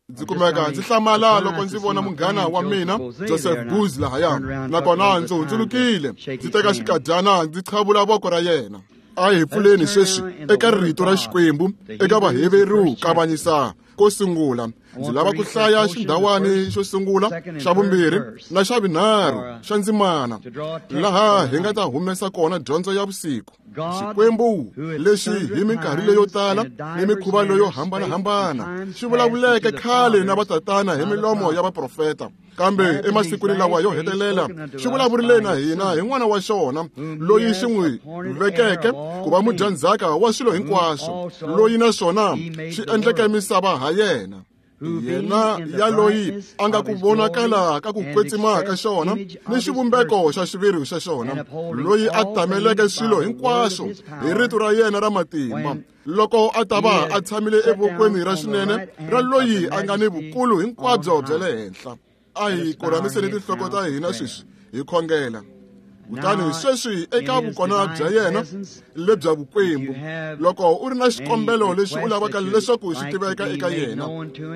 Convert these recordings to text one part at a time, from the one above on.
Ndzi kumeka ndzi hlamala loko ndzi vona munghana wa mina Joseph Boze lahaya, nakona ndzi hundzulukile ndzi teka xikadyana ndzi qhavula voko ra yena. A hi pfuleni sweswi eka rito ra Xikwembu eka Vaheveru kavanyisa ko sungula. Ndzi lava ku hlaya xindhawani xo sungula, xa vumbirhi na xa vunharhu xa ndzimana, laha hi nga ta humesa kona dyondzo ya vusiku. Xikwembu lexi hi minkarhi leyo tala ni mikhuva leyo hambanahambana xi vulavuleke khale na vatatana hi milomo ya vaprofeta, kambe emasikwini lawa yo hetelela xi vulavurile na hina hi N'wana wa xona, loyi xi n'wi vekeke ku va mudyandzhaka wa swilo hinkwaswo, loyi naswona xi endleke misava ha yena. Yena ya loyi a nga ku vonakala ka ku kwetsima ka xona ni xivumbeko xa xiviri xa xona, loyi a tameleke swilo hinkwaswo hi rito ra yena ra matimba, loko a ta va a tshamile evokweni ra xinene ra loyi a nga ni vukulu hinkwabyo bya le henhla. A hi korhamiseni tinhloko ta hina sweswi hi khongela. Kutani sweswi eka vukona bya yena lebya vukwembu, loko u ri na xikombelo lexi u lavaka leswaku xi tiveka eka yena,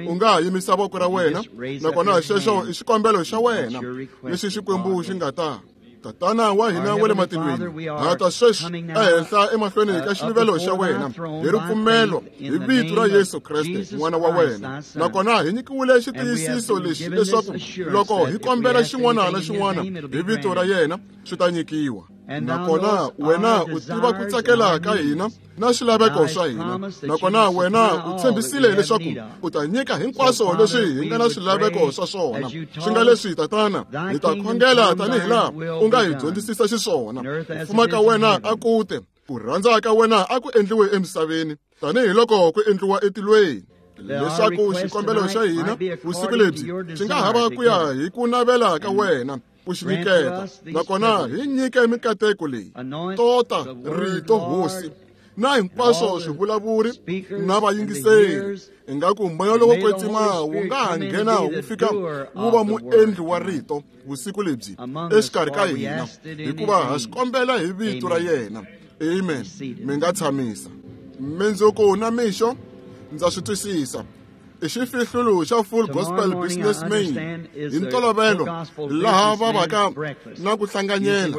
u nga ha yimisa voko ra wena, nakona xexo i xikombelo xa wena lexi Xikwembu xi nga ta. Tatana wa hina wa le matilweni, ha ta sweswi ehenhla emahlweni ka xiluvelo xa wena hi ripfumelo hi vito ra Yesu Kreste N'wana wa wena, nakona hi nyikiwile xitiyisiso lexi leswaku loko hi kombela xin'wana na xin'wana hi vito ra yena swi ta nyikiwa. Nakona wena u tiva ku tsakela ka hina na swilaveko swa hina, nakona wena u tshembisile leswaku u ta nyika hinkwaswo leswi hi nga na swilaveko swa swona. Swi nga leswi, Tatana, hi ta khongela tanihi laha u nga hi dyondzisisa xiswona. Ku fuma ka wena a ku te, ku rhandza ka wena a ku endliwe emisaveni tanihiloko ku endliwa etilweni. Leswaku xikombelo xa hina vusiku lebyi xi nga hava ku ya hi ku navela ka wena ku xi nyiketa, nakona hi nyike mikateko leyi. Tota rito Hosi na hinkwaswo swivulavuri na vayingiseri, ingaku moya lowo kwetsima wu nga ha nghena wu fika wu va muendli wa rito vusiku lebyi exikarhi ka hina, hikuva ha swi kombela hi vito ra yena. Amen. Mi nga tshamisa. Mindzuku na mixo ndza swi twisisa i xifihlulo xa Full Gospel Businessman hi ntolovelo laha va vaka na ku hlanganyela.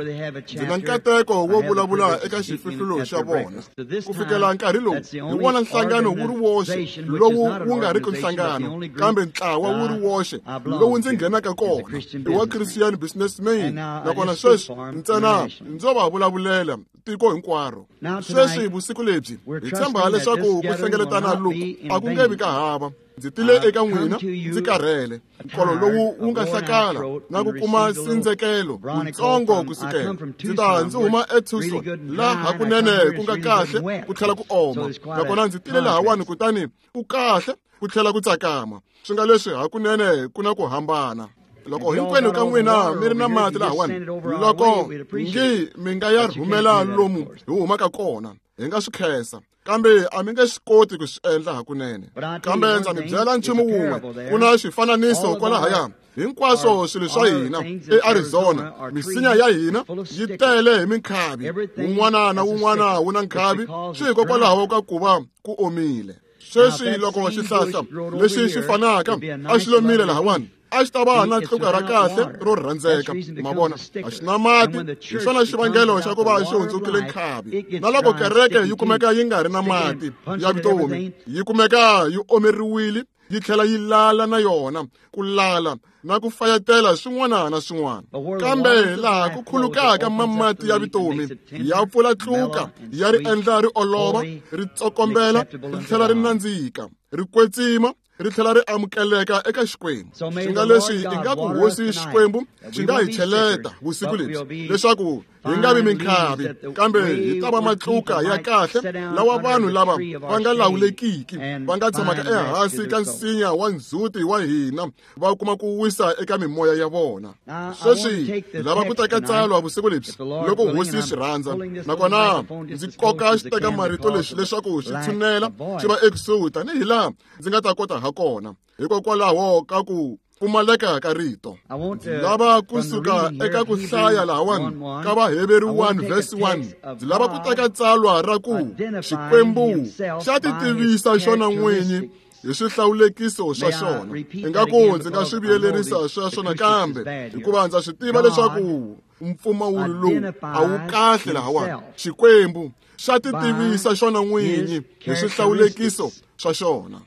Ndzi na nkateko wo vulavula eka xifihlulo xa vona. Ku fikela nkarhi lowu hi wona nhlangano wu ri woxe lowu wu nga riki nhlangano, kambe ntlawa wu ri woxe lowu ndzi nghenaka kona i wa Christian Businessman, nakona sweswi ntsena ndzo va vulavulela tiko hinkwaro. Sweswi vusiku lebyi hi tshemba leswaku ku hlengeletana loku a ku nge vi ka hava. Ndzi tile eka n'wina ndzi karhele, nkolo lowu wu nga hlakala na ku kuma sindzekelo wutsongo kusukela ndzi ta ndzi huma eTucson, laha hakunene ku nga kahle ku tlhela ku oma, nakona ndzi tile lahawani kutani ku kahle ku tlhela ku tsakama. Swi nga leswi hakunene ku na ku hambana. Loko hinkwenu ka n'wina mi ri na mati lahawani, loko ngi mi nga ya rhumela lomu hi humaka kona, hi nga swi khensa, kambe a mi nge swi koti ku swi endla hakunene. Kambe ndza mi byela nchumu wun'we, ku na xifananiso kwalahaya. Hinkwaswo swilo swa hina eArizona, misinya ya hina yi tele hi minkhavi, wun'wana na wun'wana wu na nkhavi, swi hikokwalaho ka ku va ku omile. Sweswi loko xihlahla lexi xi fanaka a xi lomile lahawani, a xi ta va na tluka ra kahle ro rhandzeka. Ma vona, a xi na mati, hi xona xivangelo xa ku va xi hundzukile nkhavi. Na loko kereke yi kumeka yi nga ri na mati ya vutomi, yi kumeka yi omeriwile, yi tlhela yi lala na yona, ku lala na ku fayetela swin'wana na swin'wana. Kambe laha ku khulukaka mamati ya vutomi, ya pfula tluka, ya ri endla ri olova, ri tsokombela, ri tlhela ri nandzika, ri kwetsima, ri tlhela ri amukeleka eka Xikwembu. Swi nga leswi ingaku Hosi Xikwembu xi nga hi cheleta vusiku lebyi leswaku hi nga vi minkhavi, kambe hi ta va matluka ya kahle lawa vanhu lava va nga lawulekiki va nga tshamaka ehansi ka nsinya wa ndzhuti wa hina, va kuma ku wisa eka mimoya ya vona. Sweswi hi lava ku teka tsalwa vusiku lebyi loko Hosi yi swi rhandza, nakona ndzi koka xiteka marito lexi leswaku xi tshunela xi va ekusuhi tanihi laha ndzi nga ta kota ha kona, hikokwalaho ka ku pfumaleka ka rito. Ndzi lava kusuka eka ku hlaya lahawani ka Vaheveru 1 verse 1, ndzi lava ku teka tsalwa ra ku Xikwembu xa ti tivisa xona n'winyi hi swihlawulekiso swa xona. Ingaku ndzi nga swi vuyelerisa sweswo nakambe, hikuva ndza swi tiva leswaku mpfumawulo lowu a wu kahle lahawani. Xikwembu xa ti tivisa xona n'winyi hi swihlawulekiso swa xona.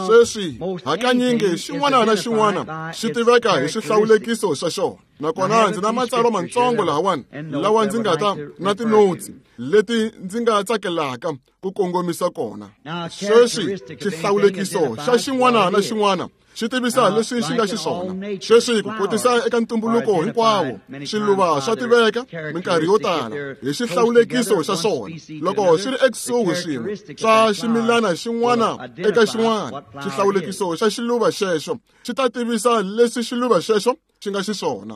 Sweswi hakanyingi xin'wana na xin'wana xi tiveka hi swihlawulekiso swa xona. Nakona ndzi na matsalwa mantsongo lahawani lawa ndzi nga ta na tinotsi leti ndzi nga tsakelaka ku kongomisa kona. Sweswi xihlawulekiso xa xin'wana na xin'wana xi tivisa leswi xi nga xiswona. Sweswi ku kotisa eka ntumbuluko hinkwawo, swiluva swa tiveka minkarhi yo tala hi xihlawulekiso xa swona. Loko swi ri ekusuhi swin'we swa ximilana xin'wana eka xin'wana, xihlawulekiso xa xiluva xexo xi ta tivisa leswi xiluva xexo xi nga xiswona.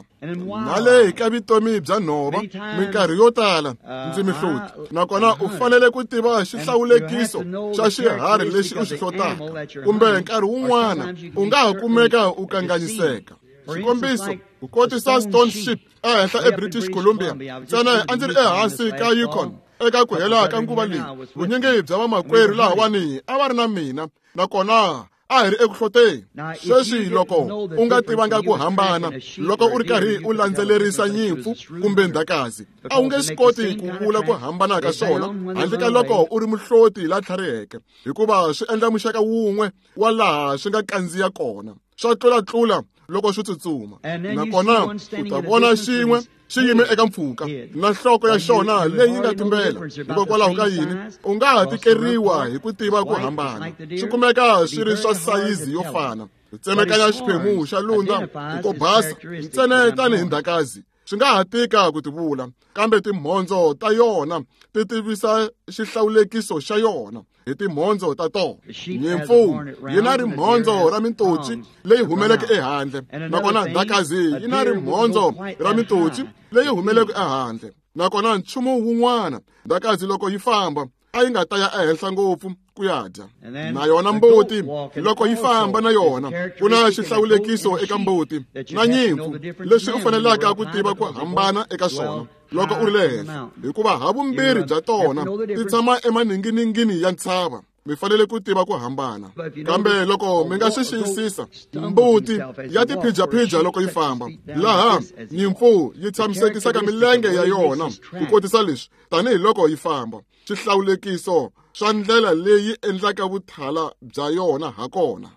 Na le ka vutomi bya nhova, minkarhi yo tala ndzi mihloti, nakona u fanele ku tiva xihlawulekiso xa xiharhi lexi u xi hlotaka, kumbe nkarhi wun'wana u nga ha kumeka u kanganyiseka. Xikombiso, ku kotisa Stone Ship ehenhla eBritish Columbia, ntsena a ndzi ri ehansi ka Yukon eka ku hela ka nguva leyi. Vunyingi bya vamakwerhu lahawani a va ri na mina, nakona a hi ri eku hloteni. Sweswi loko u nga tivanga ku hambana loko u ri karhi u landzelerisa nyimpfu kumbe ndhakazi, a wu nge swi koti ku vula ku hambana ka swona handle ka loko u ri muhloti la tlhariheke, hikuva swi endla muxaka wun'we wa laha swi nga kandziya kona, swa tlulatlula loko swi tsutsuma. Nakona u ta vona xin'we xi yime eka mpfhuka na nhloko ya xona leyi nga tumbela. Hikokwalaho ka yini u nga ha tikeriwa hi ku tiva ku hambana? Swi kumeka swi ri swa sayizi yo fana. Tsemekanya xiphemu xa lundza hi ko basa ntsena tanihi ndhakazi, swi nga ha tika ku tivula, kambe timhondzo ta yona ti tivisa xihlawulekiso xa yona hi timhondzo ta tona. Nyimpfu yi na rimhondzo ra mintotsi leyi humeleke ehandle, nakona ndhakazi yi na rimhondzo ra mintotsi leyi humeleke ehandle. Nakona nchumu wun'wana, ndhakazi loko yi famba a yi nga ta ya ehenhla ngopfu ku ya dya. Na yona mbuti loko yi famba na yona, ku na xihlawulekiso eka mbuti na nyimpfu leswi u fanelaka ku tiva ku hambana eka swona loko u ri le henhla, hikuva havumbirhi bya tona ti tshama emaninginingini ya ntshava. Mi fanele ku tiva ku hambana. Kambe loko mi nga swi xiyisisa, mbuti ya tiphijaphija loko yi famba, laha nyimpfu yi tshamisekisaka milenge ya yona ku kotisa leswi tanihiloko yi famba. Xihlawulekiso swa ndlela leyi endlaka vuthala bya yona ha kona.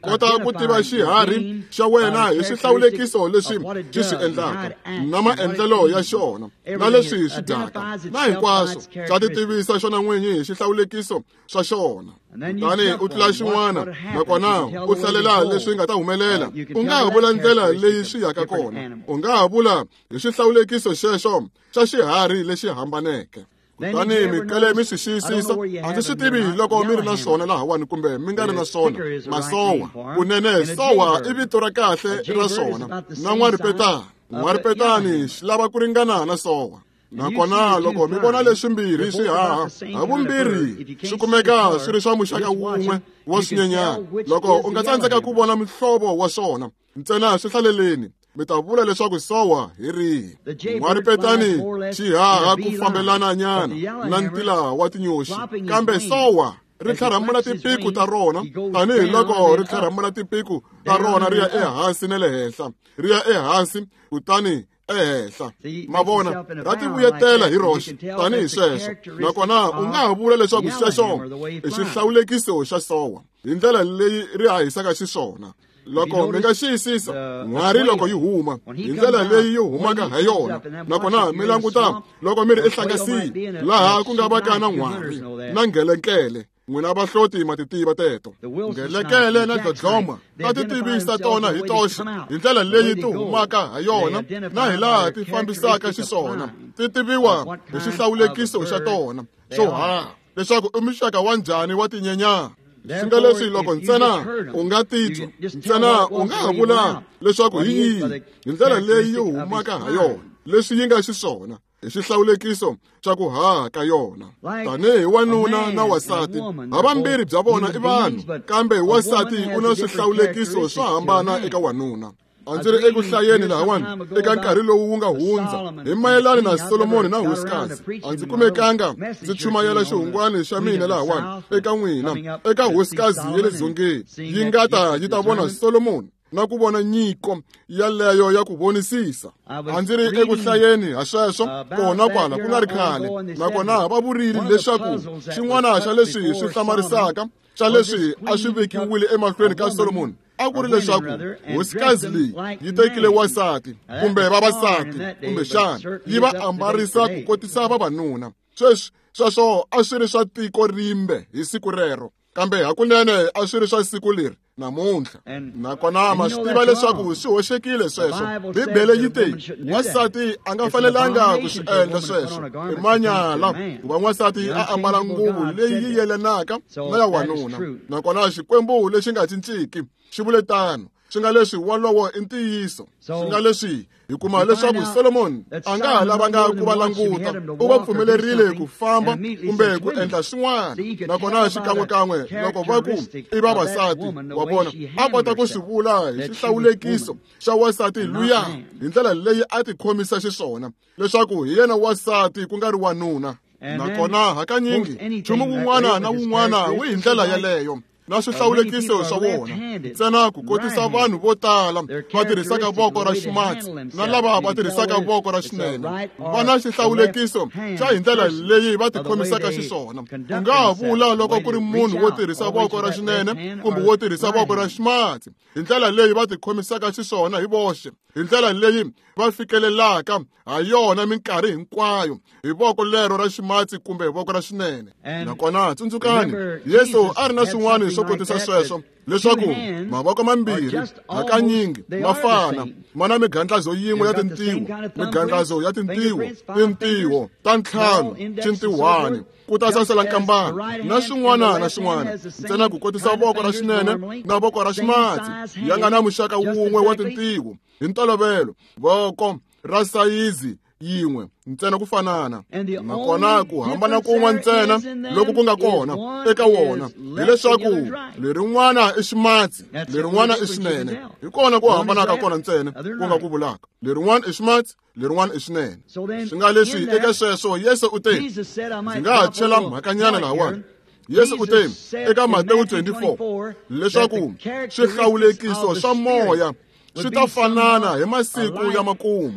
Kota ku tiva xiharhi xa wena hi swihlawulekiso leswi xi swi endlaka na maendlelo ya xona na leswi swi dyaka na hinkwaswo. Xa ti tivisa xona n'winyi hi xihlawulekiso swa xona. Kutani u tlula xin'wana, nakona u hlalela leswi nga ta humelela. U nga ha vula ndlela leyi swi yaka kona, u nga ha vula hi xihlawulekiso xexo xa xiharhi lexi hambaneke. Kutani mi kale mi swi xiyisisa, a ndzi swi tivi loko mi ri na swona lahawani kumbe mi nga ri na swona. Masowa, kunene sowa i vito ra kahle ra swona. Na n'waripetani, n'waripetani xi lava ku ringana na sowa. Nakona loko mi vona leswimbirhi swi haha, havumbirhi swi kumeka swi ri swa muxaka wun'we wa swinyenyana. Loko u nga tsandzeka ku vona muhlovo wa swona, ntsena swi hlaleleni, mi ta vula leswaku sowa hi rihi. N'waripetani xi haha ku fambelana nyana na ntila wa tinyoxi, kambe sowa ri tlharhamula tipiku ta rona tanihiloko ri tlharhamula tipiku ta rona ri ya ehansi na le henhla, ri ya ehansi kutani ehenhla. Ma vona, ra ti vuyetela hi roxe tanihi sweswo. Nakona u nga ha vula leswaku xexo i xihlawulekiso xa sowa hi ndlela leyi ri hahisaka xiswona. Loko mi nga xiyisisa n'hwari loko yi huma hi ndlela leyi yi humaka ha yona, nakona mi languta loko mi ri ehlangasini laha ku nga vaka na n'hwari na ngelenkele, n'wina vahloti ma ti tiva teto. Nghelekele na dlodloma ta ti tivisa tona hi toxe hi ndlela leyi ti humaka ha yona na hi laha ti fambisaka xiswona. Ti tiviwa hi xihlawulekiso xa tona xo haha leswaku i muxaka wa njhani wa tinyenyana. Swi nga leswi loko ntsena u nga titwa, ntsena u nga ha vula leswaku hi yihi hi ndlela leyi yi humaka ha yona, leswi yi nga xiswona hi xihlawulekiso xa ku haha ka yona. Tanihi wanuna na wasati, havambirhi bya vona i vanhu, kambe wasati u na swihlawulekiso swo hambana eka wanuna. A ndzi ri eku hlayeni lahawani eka nkarhi lowu wu nga hundza hi mayelana na Solomoni na hosikazi. A ndzi kumekanga ndzi chumayela xihungwani xa mina lahawani eka n'wina eka hosikazi ya le dzongeni yi nga ta yi ta vona Solomoni na ku vona nyiko yaleyo ya ku vonisisa. A ndzi ri eku hlayeni ha sweswo kona kwala ku nga ri khale, nakona va vurile leswaku xin'wana xa leswi swi hlamarisaka xa leswi a swi vekiwile emahlweni ka Solomoni a ku ri leswaku hosikazi leyi yi tekile wansati kumbe vavasati kumbexana yi va ambarisa ku kotisa vavanuna. Sweswi sweswo a swi ri swa tiko rimbe hi siku rero, kambe hakunene a swi ri swa siku leri namuntlha. Nakona ma swi tiva leswaku swi hoxekile sweswo. Bibele yi te wansati a nga fanelanga ku swi endla sweswo, i manyala ku va n'wansati a ambala nguvu leyi yi yelanaka na ya wanuna. Nakona Xikwembu lexi nga cinciki xi vule tano. Swi nga leswi wolowo i ntiyiso. Swi nga leswi hi kuma leswaku Solomoni a nga ha lavanga ku va languta, u va pfumelerile ku famba kumbe ku endla swin'wana. Nakona xikan'wekan'we loko va ku i vavasati, wa vona, a kota ku swi vula hi xihlawulekiso xa wansati luya hi ndlela leyi a tikhomisa xiswona leswaku hi yena wansati ku nga ri wanuna. Nakona hakanyingi nchumu wun'wana na wun'wana wu hi ndlela yeleyo na swihlawulekiso swa wona, ntsena ku kotisa vanhu vo tala va tirhisaka voko ra ximatsi na lava va tirhisaka voko ra xinene va na xihlawulekiso xa hi ndlela leyi va tikhomisaka xiswona. U nga ha vula loko ku ri munhu wo tirhisa voko ra xinene kumbe wo tirhisa voko ra ximatsi hi ndlela leyi va tikhomisaka xiswona hi voxe, hi ndlela leyi va fikelelaka ha yona minkarhi hinkwayo hi voko lero ra ximatsi kumbe hi voko ra xinene. Nakona tsundzukani, Yesu a ri na swin'wana swo kotisa sweswo leswaku mavoko mambirhi hakanyingi ma fana, ma na migandlazo yin'we ya tintiho, migandlazo ya tintiho, tintiho ta ntlhanu, xintihwani, ku ta sasela nkambana na swin'wana na swin'wana, ntsena ku kotisa voko ra xinene na voko ra ximatsi ya nga na muxaka wun'we wa tintiho hi ntolovelo, voko ra sayizi yin'we ntsena ku fanana. Nakona ku hambana kun'we ntsena loko ku nga kona eka wona hileswaku lerin'wana i ximatsi, lerin'wana i xinene. Hi kona ku hambana ka kona ntsena ku nga ku vulaka, lerin'wana i ximatsi, lerin'wana i xinene. Swi nga leswi eka sweswo Yesu u te, ndzi nga ha chela mhakanyana lahawani. Yesu u te eka Matewu 24 leswaku swihlawulekiso swa moya swi ta fanana hi masiku ya makumu,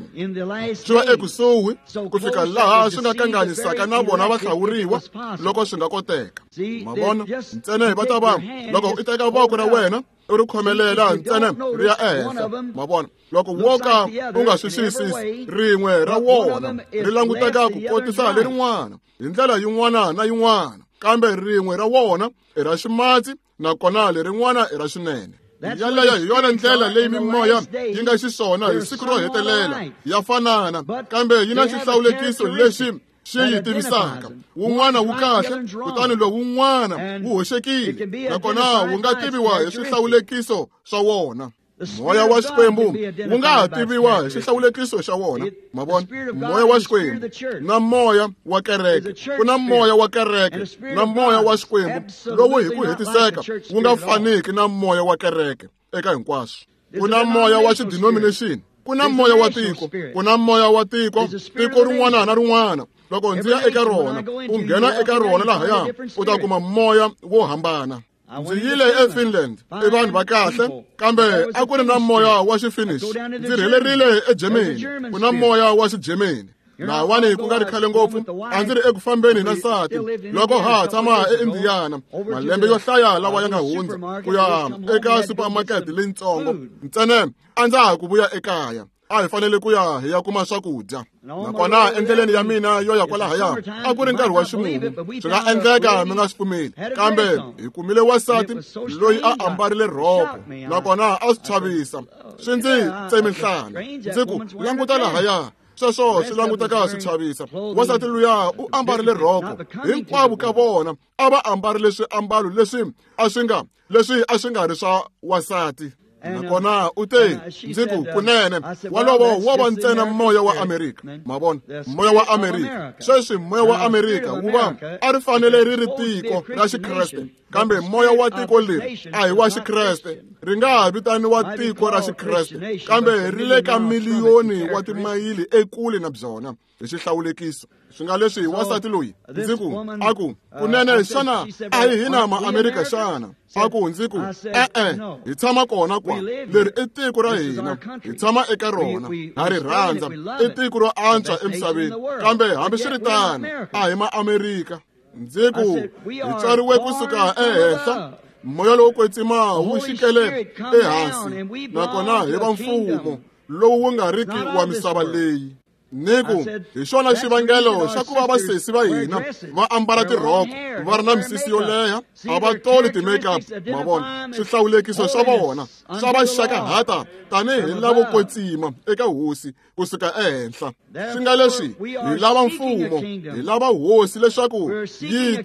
swi va ekusuhi ku fika laha swi nga kanganyisaka na vona va hlawuriwa loko swi nga koteka. Ma vona, ntsena va ta va loko u teka voko ra wena u ri khomelela ntsena ri ya ehenhla. Ma vona, loko wo ka u nga swi xiyisisi, rin'we ra wona ri languteka ku kotisa lerin'wana hi ndlela yin'wana na yin'wana, kambe rin'we ra wona i ra ximatsi nakona lerin'wana i ra xinene. Yaleyo hi yona ndlela leyi mimoya yi nga xiswona hi siku ro hetelela, ya fanana, kambe yi na xihlawulekiso lexi xi yi tivisaka. Wun'wana wu kahle, kutani lowu wun'wana wu hoxekile, nakona wu nga tiviwa hi swihlawulekiso swa wona. Moya wa Xikwembu wu nga ha tiviwa hi xihlawulekiso xa wona. Ma vona, moya wa Xikwembu na moya wa kereke, ku na moya wa kereke na moya wa Xikwembu lowu hi ku hetiseka wu nga faniki na moya wa kereke eka hinkwaswo. Ku na moya wa xidenomination, ku na moya wa tiko, ku na moya wa tiko, tiko rin'wana na rin'wana. Loko ndzi ya eka rona, u nghena eka rona lahaya, u ta kuma moya wo hambana. Ndzi yile eFinland, i vanhu va kahle, kambe a ku ri na moya wa Xifinish. Ndzi rhelerile eGermany, ku na moya wa Xigermany. Lahawani ku nga ri khale ngopfu, a ndzi ri eku fambeni na nsati loko ha tshama eIndiana malembe yo hlaya lawa ya nga hundza, ku ya eka supermarket leyitsongo. Ntsena a ndza ha ku vuya ekaya, a hi fanele ku ya hi ya kuma swakudya. Nakona endleleni ya mina yo ya kwalahaya a ku ri nkarhi wa ximumu, swi nga endleka mi nga swi pfumeli, kambe hi kumile wansati loyi a ambarile rhoko, nakona a swi chavisa, swi ndzi tsemi nhlana. Ndzi ku, languta lahaya, sweswo swi languteka swi chavisa. Wansati luya u ambarile rhoko, hinkwavo ka vona a va ambarile swiambalo leswi a swi nga ri swa wansati. Nakona u te, ndzi ku, kunene wolowo wo va ntsena moya wa Amerika. Ma vona, moya wa Amerika. Sweswi moya wa Amerika wu va a ri fanele ri ri tiko ra Xikreste, Kambe moya wa tiko leri a hi wa Xikreste. Ri nga ha vitaniwa tiko ra Xikreste, kambe ri le ka miliyoni wa timayili ekule na byona hi xihlawulekiso. Swi nga leswi wansati loyi ndzi ku a ku kunene xana a hi hina ma-Amerika xana? A ku ndzi ku e-e, hi tshama kona kwa. Leri i tiko ra hina, hi tshama eka rona, ha ri rhandza, i tiko ro antswa emisaveni. Kambe hambiswiritano a hi ma-Amerika. Ndzi ku hi tswariwe kusuka ehenhla, moya lowo kwetsima wu xikele ehansi, nakona hi va mfumo lowu wu nga riki wa misava leyi. Ni ku hi xona xivangelo xa ku va vasesi va hina va ambala tirhoko, va ri na misisi yo leha, a va toli ti-makeup, ma vona. Swihlawulekiso swa vona swa va xakahata tanihi lavo kwetsima eka hosi kusuka ehenhla. Swi nga leswi hi lava mfumo, hi lava hosi leswaku yi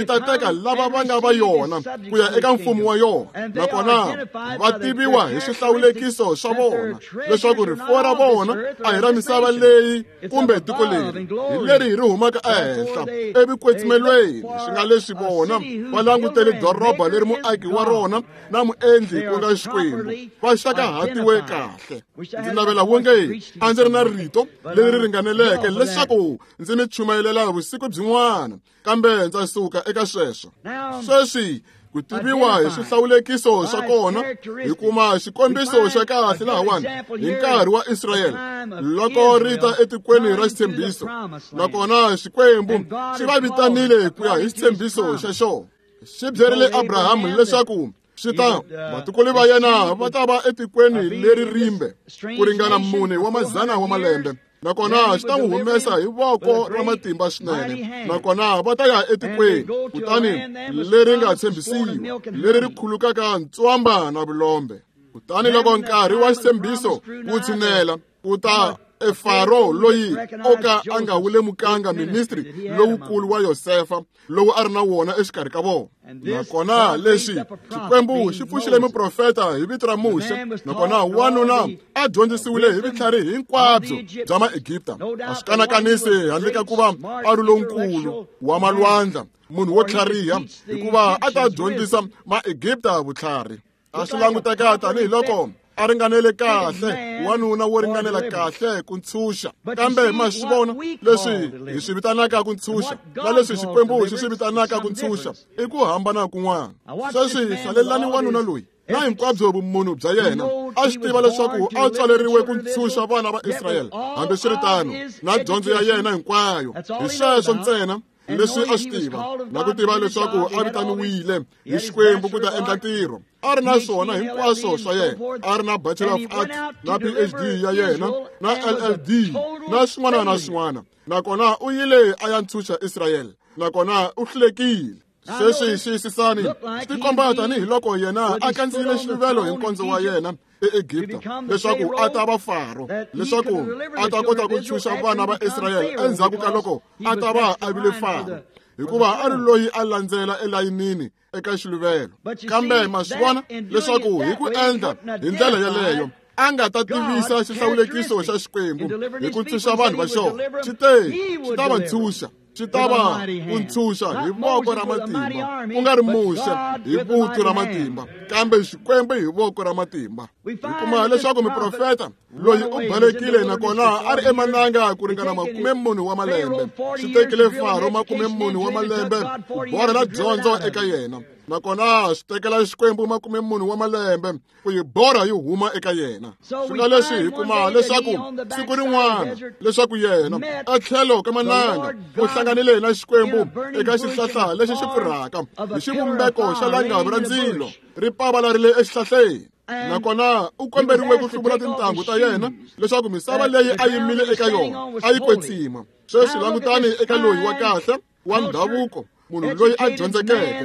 ta teka lava va nga va yona ku ya eka mfumo wa yona. Nakona va tiviwa hi swihlawulekiso swa vona leswaku rifuwo ra vona a hi ra misava leyi kumbe tiko leri, hi leri ri humaka ehenhla evukwetsimelweni. Swi nga leswi vona va langutele doroba leri muaki wa rona na muendli ku nga Xikwembu, va xakahatiwe kahle. Ndzi navela wonge a ndzi ri na rito leri ringaneleke leswaku ndzi mi chumayelela vusiku byin'wana, kambe ndza suka eka sweswo. Sweswi ku tiviwa hi swihlawulekiso swa kona, hi kuma xikombiso xa kahle lahawani hi nkarhi wa Israyele loko ri ta etikweni ra xitshembiso. Nakona Xikwembu xi va vitanile ku ya hi xitshembiso xa xona. Xi byerile Abrahamu leswaku swi ta vatukulu va yena va ta va etikweni leri rimbe ku ringana 4 wa mazana wa malembe, nakona xi ta n'wi humesa hi voko ra matimba swinene, nakona va ta ya etikweni kutani leri nga tshembisiwa, leri ri khulukaka ntswamba na vulombe. Kutani loko nkarhi wa xitshembiso wu tshinela, ku ta Faro loyi o ka a nga wu lemukanga ministri lowukulu wa Yosefa lowu a ri na wona exikarhi ka vona. Nakona leswi Xikwembu xi pfuxile muprofeta hi vito ra Muxe, nakona wanuna a dyondzisiwile hi vutlhari hinkwabyo bya Maegipta. A swi kanakanisi handle ka ku va a ri lonkulu wa malwandla, munhu wo tlhariha, hikuva a ta dyondzisa Maegipta vutlhari. A swi languteka tanihiloko a ringanele kahle, wanuna wo ringanela kahle ku ntshunxa. Kambe ma swi vona leswi hi swi vitanaka ku ntshunxa na leswi Xikwembu xi swi vitanaka ku ntshunxa i ku hambana kun'wana. Sweswi hlalelani wanuna loyi na hinkwabyo vumunhu bya yena, a swi tiva leswaku a tswaleriwe ku ntshunxa vana va Israyele. Hambiswiritano na dyondzo ya yena hinkwayo, hi sweswo ntsena leswi a swi tiva, na ku tiva leswaku a vitaniwile hi Xikwembu ku ta endla ntirho. A ri na swona hinkwaswo swa yena, a ri na Bachelor of Arts na PhD ya yena na LLD na swin'wana na swin'wana. Nakona u yile a ya ntshunxa Israyele, nakona u hlulekile. Sweswi xiyisisani swi tikomba tanihiloko yena a kandziyile xiluvelo hi nkondzo wa yena eEgipta leswaku a ta va Faro, leswaku a ta kota ku ntshunxa vana va Israyele endzhaku ka loko a ta va a vile Faro, hikuva a ri loyi a landzela elayinini eka xiluvelo. Kambe ma swi vona leswaku hi ku endla hi ndlela yeleyo a nga ta tivisa xihlawulekiso xa Xikwembu hi ku ntshunxa vanhu va xona. Xi te xi ta va ntshunxa, xi ta va ku ntshunxa hi voko ra matimba, ku nga ri Muxe hi vuthu ra matimba, kambe Xikwembu hi voko ra matimba. Hi kuma leswaku muprofeta loyi u balekile, nakona a ri emananga ku ringana 40 wa malembe. Swi tekile Faro 40 wa malembe ku borhela dyondzo eka yena, nakona swi tekela Xikwembu 40 wa malembe ku yi borha yi huma eka yena. Swi nga leswi hi kuma leswaku siku rin'wana leswaku yena etlhelo ka mananga u hlanganile na Xikwembu eka xihlahla lexi xi pfurhaka hi xivumbeko xa langavi ra ndzilo ri pavalarile exihlahleni. Nakona u komberiwe ku hluvula tintangu ta yena leswaku misava leyi a yimile eka yona a yi kwetsima. Sweswi langutani eka loyi wa kahle wa ndhavuko, munhu loyi a dyondzekeke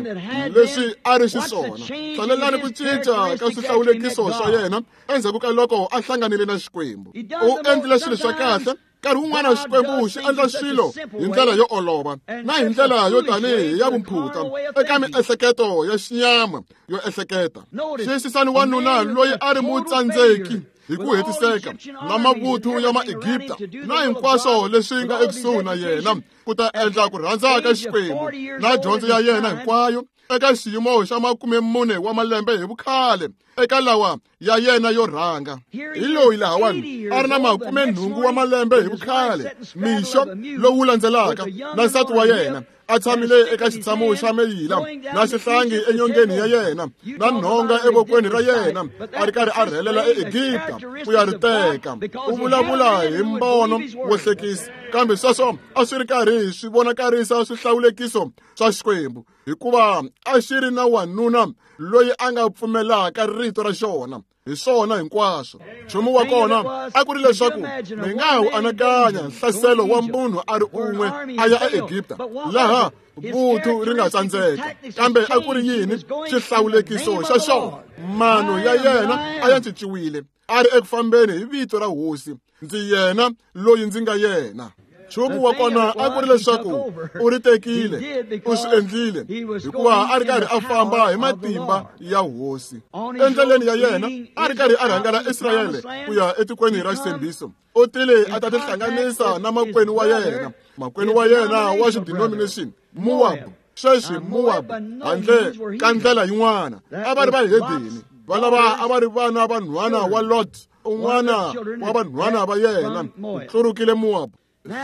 leswi a ri xiswona. Hlalelani ku cinca ka swihlawulekiso swa yena endzhaku ka loko a hlanganile na Xikwembu. U endlile swilo swa kahle. Nkarhi wun'wana Xikwembu xi endla swilo hi ndlela yo olova na hi ndlela yo tanihi ya vumphuta eka miehleketo ya xinyama yo ehleketa. Xiyisisani wanuna loyi a ri mutsandzeki hi ku hetiseka na mavuthu ya Maegipta na hinkwaswo leswi nga ekusuhi na yena ku ta endla ku rhandza ka Xikwembu na dyondzo ya yena hinkwayo eka xiyimo xa 40 wa malembe hi vukhale eka lawa ya yena yo rhanga. Hi loyi lahawani a ri na 80 wa malembe hi vukhale mixo lowu landzelaka na nsati wa yena a tshamile eka xitshamo xa meyila na xihlangi enyongeni ya yena na nhonga evokweni ra yena a ri karhi a rhelela eEgipta ku ya ri teka. U vulavula hi mbono wo hlekisa, kambe sweswo a swi ri karhi swi vonakarisa swihlawulekiso swa Xikwembu, hikuva a xi ri na wanuna loyi a nga pfumelaka rito ra xona hi swona hinkwaswo. Nchumu wa kona a ku ri leswaku mi nga wu anakanya nhlaselo wa munhu a ri un'we a ya eEgipta laha vuthu ri nga tsandzeka, kambe a ku ri yini xihlawulekiso xa xona? Mano ya yena a ya cinciwile, a ri eku fambeni hi vito ra Hosi, ndzi yena loyi ndzi nga yena. Nchumu wa kona a ku ri leswaku u ri tekile, u swi endlile hikuva a ri karhi a famba hi matimba ya Hosi. Endleleni ya yena a ri karhi a rhangela Israyele ku ya etikweni ra xitshembiso. U tile a ta tihlanganisa na makwenu wa yena, makwenu wa yena wa xidenomination, Moab. Sweswi Moab handle ka ndlela yin'wana a va ri vahedeni, valava a va ri vana va nhwana wa Lot, un'wana wa vanhwana va yena u tlurukile Moab.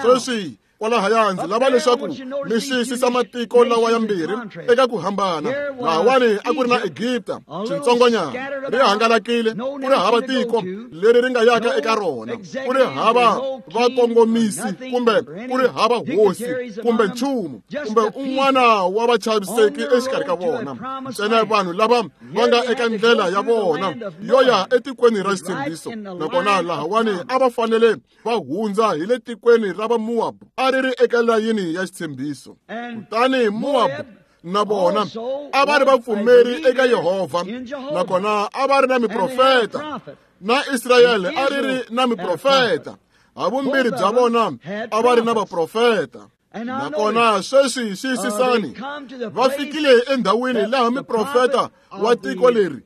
Sweswi kwalahaya ndzi lava leswaku mi xiyisisa matiko lawa yambirhi eka ku hambana. Lahawani a ku ri na Egipta xitsongonyana, ri hangalakile, ku ri hava tiko leri ri nga yaka eka rona, ku ri hava vakongomisi kumbe ku ri hava hosi kumbe nchumu kumbe un'wana wa vachaviseki exikarhi ka vona, ntsena vanhu lava va nga eka ndlela ya vona yo ya etikweni ra xitshembiso. Nakona lahawani a va fanele va hundza hi le tikweni ra va Moab, a ri ri eka layini ya xitshembiso. Kutani Moab na vona a va ri vapfumeri eka Yehovha, nakona a va ri na miprofeta, na Israyele a ri ri na miprofeta. Havumbirhi bya vona a va ri na vaprofeta. Nakona sweswi xiyisisani, va fikile endhawini laha miprofeta wa tiko leri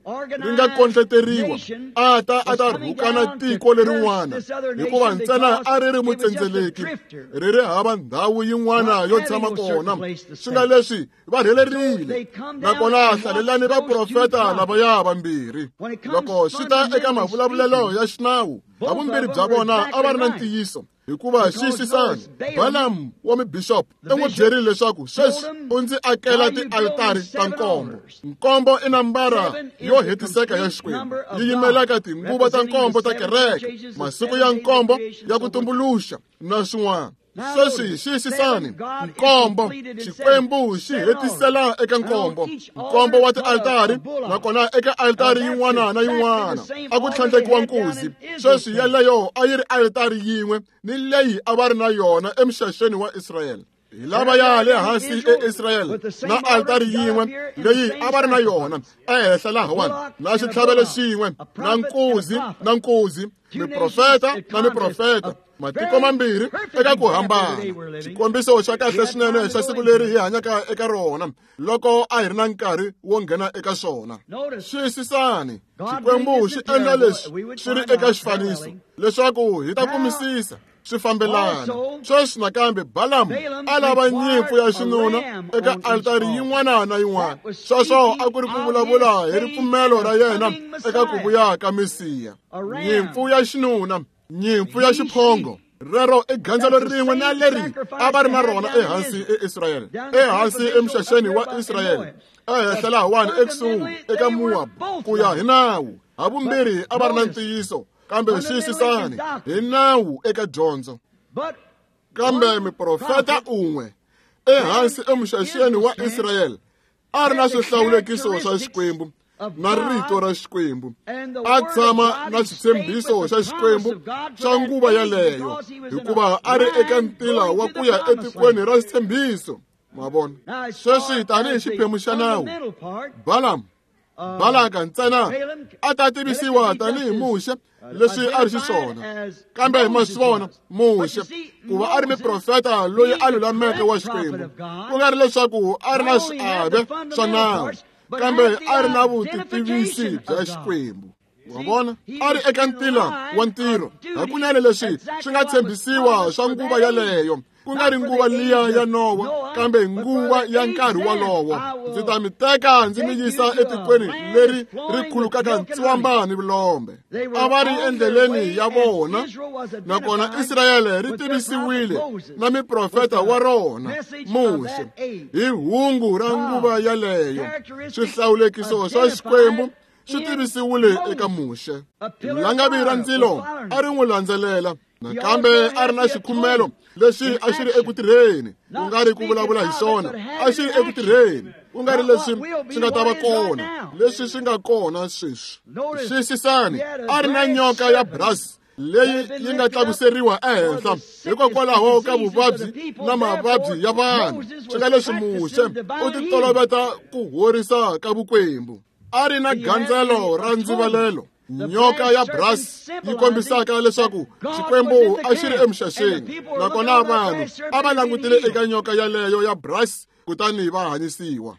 ri nga kondleteriwa a ta a ta rhukana tiko lerin'wana, hikuva ntsena a ri ri mutsendzeleki, ri ri hava ndhawu yin'wana yo tshama kona. Swi nga leswi va rhelerile. Nakona hlalelani vaprofeta lavaya vambirhi. Loko swi ta eka mavulavulelo ya xinawu, havumbirhi bya vona a va ri na ntiyiso, hikuva xiyisisani, Balaam wa mibishop u n'wi byerile leswaku sweswi u ndzi akela tialitari ta nkombo. Nkombo i nambara yo hetiseka ya Xikwembu, yi yimelaka tinguva ta nkombo ta kereke, masiku ya nkombo ya ku tumbuluxa na swin'wana. Sweswi xiyisisani, nkombo, Xikwembu xi hetisela eka nkombo, nkombo wa tialitari, nakona eka alitari yin'wana na yin'wana a ku tlhandlekiwa nkuzi. Sweswi yeleyo a yi ri alitari yin'we ni leyi a va ri na yona emixaxeni wa Israyele. Hi lava ya le hansi eIsrayele na alitari yin'we leyi a va ri na yona ehenhla lahawani, na xitlhavelo xin'we na nkuzi na nkuzi, miprofeta na miprofeta, matiko mambirhi eka ku hambana. Xikombiso xa kahle swinene xa siku leri hi hanyaka eka rona loko a hi ri na nkarhi wo nghena eka swona. Xiyisisani, Xikwembu xi endla leswi swi ri eka xifaniso leswaku hi ta kumisisa swi fambelana. Sweswi nakambe Balaam a lava nyimpfu ya xinuna eka altari yin'wana na yin'wana. Sweswo a ku ri ku vulavula hi ripfumelo ra yena eka ku vuya ka Mesiya. Nyimpfu ya xinuna, nyimpfu ya xiphongo, rero i gandzelo rin'we na leri a va ri na rona ehansi eIsrayele, ehansi emixaxeni wa Israyele, ehenhla lahawani ekusuhi eka Moab ku ya hi nawu. Havumbirhi a va ri na ntiyiso, kambe xiyisisani hi nawu eka dyondzo. Kambe miprofeta un'we ehansi emixaxeni wa Israyele a ri na swihlawulekiso swa Xikwembu na rito ra Xikwembu, a tshama na xitshembiso xa Xikwembu xa nguva yaleyo, hikuva a ri eka ntila wa ku ya etikweni ra xitshembiso. Ma vona? Sweswi tanihi xiphemu xa nawu, Balaam Balaka ntsena a ta tivisiwa tanihi Muxe leswi a ri xiswona, kambe ma swi vona Muxe ku va a ri miprofeta loyi a lulameke wa Xikwembu, ku nga ri leswaku a ri na swiave swa nawu, kambe a ri na vutitivisi bya Xikwembu. Wa vona, a ri eka ntila wa ntirho hakunene leswi swi nga tshembisiwa swa nguva yaleyo, ku nga ri nguva liya ya Nowa, kambe nguva ya nkarhi wolowo. Ndzi ta mi teka ndzi mi yisa etikweni leri ri khulukaka ntswamba ni vulombe. A va ri endleleni ya vona, nakona Israyele ri tivisiwile na miprofeta wa rona Muxe hi hungu ra nguva yaleyo. Swihlawulekiso swa Xikwembu swi tivisiwile eka Muxe. Langavi ra ndzilo a ri n'wi landzelela, nakambe a ri na xikhumelo lexi a xi ri eku tirheni, ku nga ri ku vulavula hi xona, a xi ri eku tirheni, ku nga ri leswi swi nga ta va kona, leswi swi nga kona sweswi. Xiyisisani, a ri na nyoka ya brass leyi yi nga tlakuseriwa ehenhla hikokwalaho ka vuvabyi na mavabyi ya vanhu. Swi nga leswi Muxe u titoloveta ku horisa ka vukwembu. A ri na gandzelo ra ndzivalelo, nyoka ya brass yi kombisaka leswaku Xikwembu a xi ri emixaxeni, nakona vanhu a va langutile eka nyoka yaleyo ya brass kutani va hanyisiwa.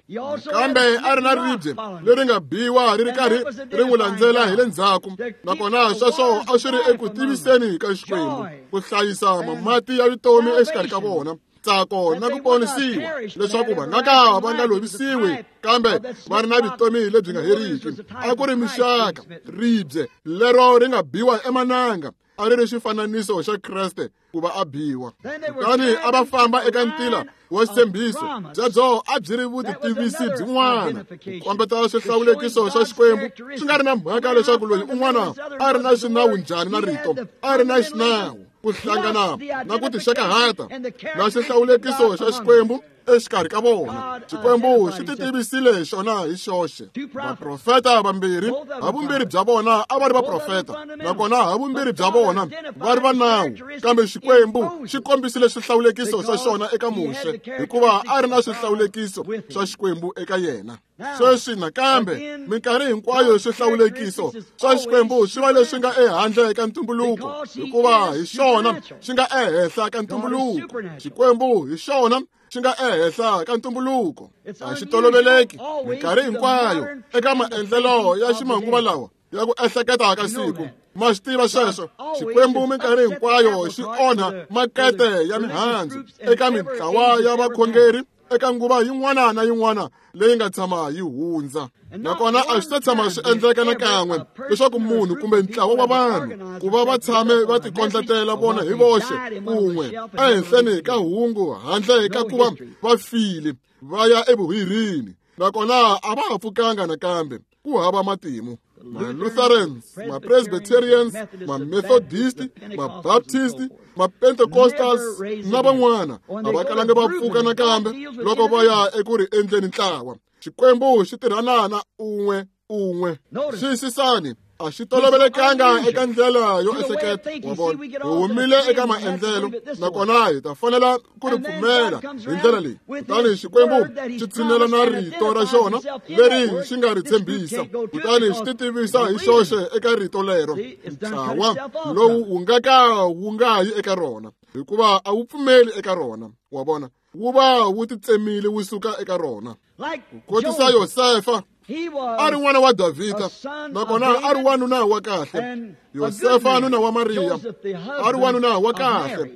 Kambe a ri na ribye leri nga biwa ri ri karhi ri n'wi landzela hi le ndzhaku, nakona sweswo a swi ri eku tiviseni ka Xikwembu ku hlayisa mati ya vutomi exikarhi ka vona, ntsako na ku ponisiwa, leswaku va nga ka va nga lovisiwi kambe va ri na vutomi lebyi nga heriki. A ku ri mixaka, ribye lero ri nga biwa emananga a ri ri xifananiso xa Kreste ku va a biwa. Kutani a va famba eka ntila wa xitshembiso, byebyo a byi ri vutitivisi byin'wana, ku kombeta swihlawulekiso swa Xikwembu. Swi nga ri na mhaka leswaku loyi un'wana a ri na xinawu njhani na rito, a ri na xinawu ku hlangana na ku tixakahata na xihlawulekiso xa Xikwembu exikarhi ka vona. Xikwembu xi titivisile xona hi xoxe. Vaprofeta vambirhi, havumbirhi bya vona a va ri vaprofeta, nakona havumbirhi bya vona va ri va nawu, kambe Xikwembu xi kombisile swihlawulekiso swa xona eka Muxe, hikuva a ri na swihlawulekiso swa Xikwembu eka yena. Sweswi nakambe minkarhi hinkwayo swihlawulekiso swa Xikwembu swi va leswi nga ehandle ka ntumbuluko, hikuva hi xona xi nga ehenhla ka ntumbuluko. Xikwembu hi xona xi nga ehenhla ka ntumbuluko. A xi toloveleki minkarhi hinkwayo eka maendlelo ya ximanguva lawa ya ku ehleketa ka siku. Ma swi tiva sweswo. Xikwembu minkarhi hinkwayo xi onha makete ya mihandzu eka mintlawa ya vakhongeri eka nguva yin'wana na yin'wana leyi nga tshama yi hundza. Nakona a swi ta tshama swi endleka nakan'we leswaku munhu kumbe ntlawa wa vanhu ku va va tshame va tikondletela vona hi voxe kun'we ehenhleni ka hungu handle ka ku va va file va ya evuhirini, nakona a va ha pfukanga nakambe. Ku hava matimu. Ma-Lutherans, ma-Presbyterians, ma-Methodist, ma-Baptist, ma-Pentecostals na van'wana a va kalanga va pfuka nakambe loko va ya eku ri endleni ntlawa. Xikwembu xi tirhana na un'we un'we. Xiyisisani, a xi tolovelekanga eka ndlela yo ehleketa. Wa vona, hi humile eka maendlelo, nakona hi ta fanela ku ri pfumela hi ndlela leyi. Kutani Xikwembu xi tshinela na rito ra xona leri xi nga ri tshembisa, kutani xi titivisa hi xoxe eka rito lero. Ntlawa lowu wu nga ka wu nga yi eka rona, hikuva a wu pfumeli eka rona. Wa vona, wu va wu titsemile wu suka eka rona. Kotisa Yosefa, a ri n'wana wa Davhida, nakona a ri wanuna wa kahle. Yosefa nuna wa Mariya a ri wanuna wa kahle,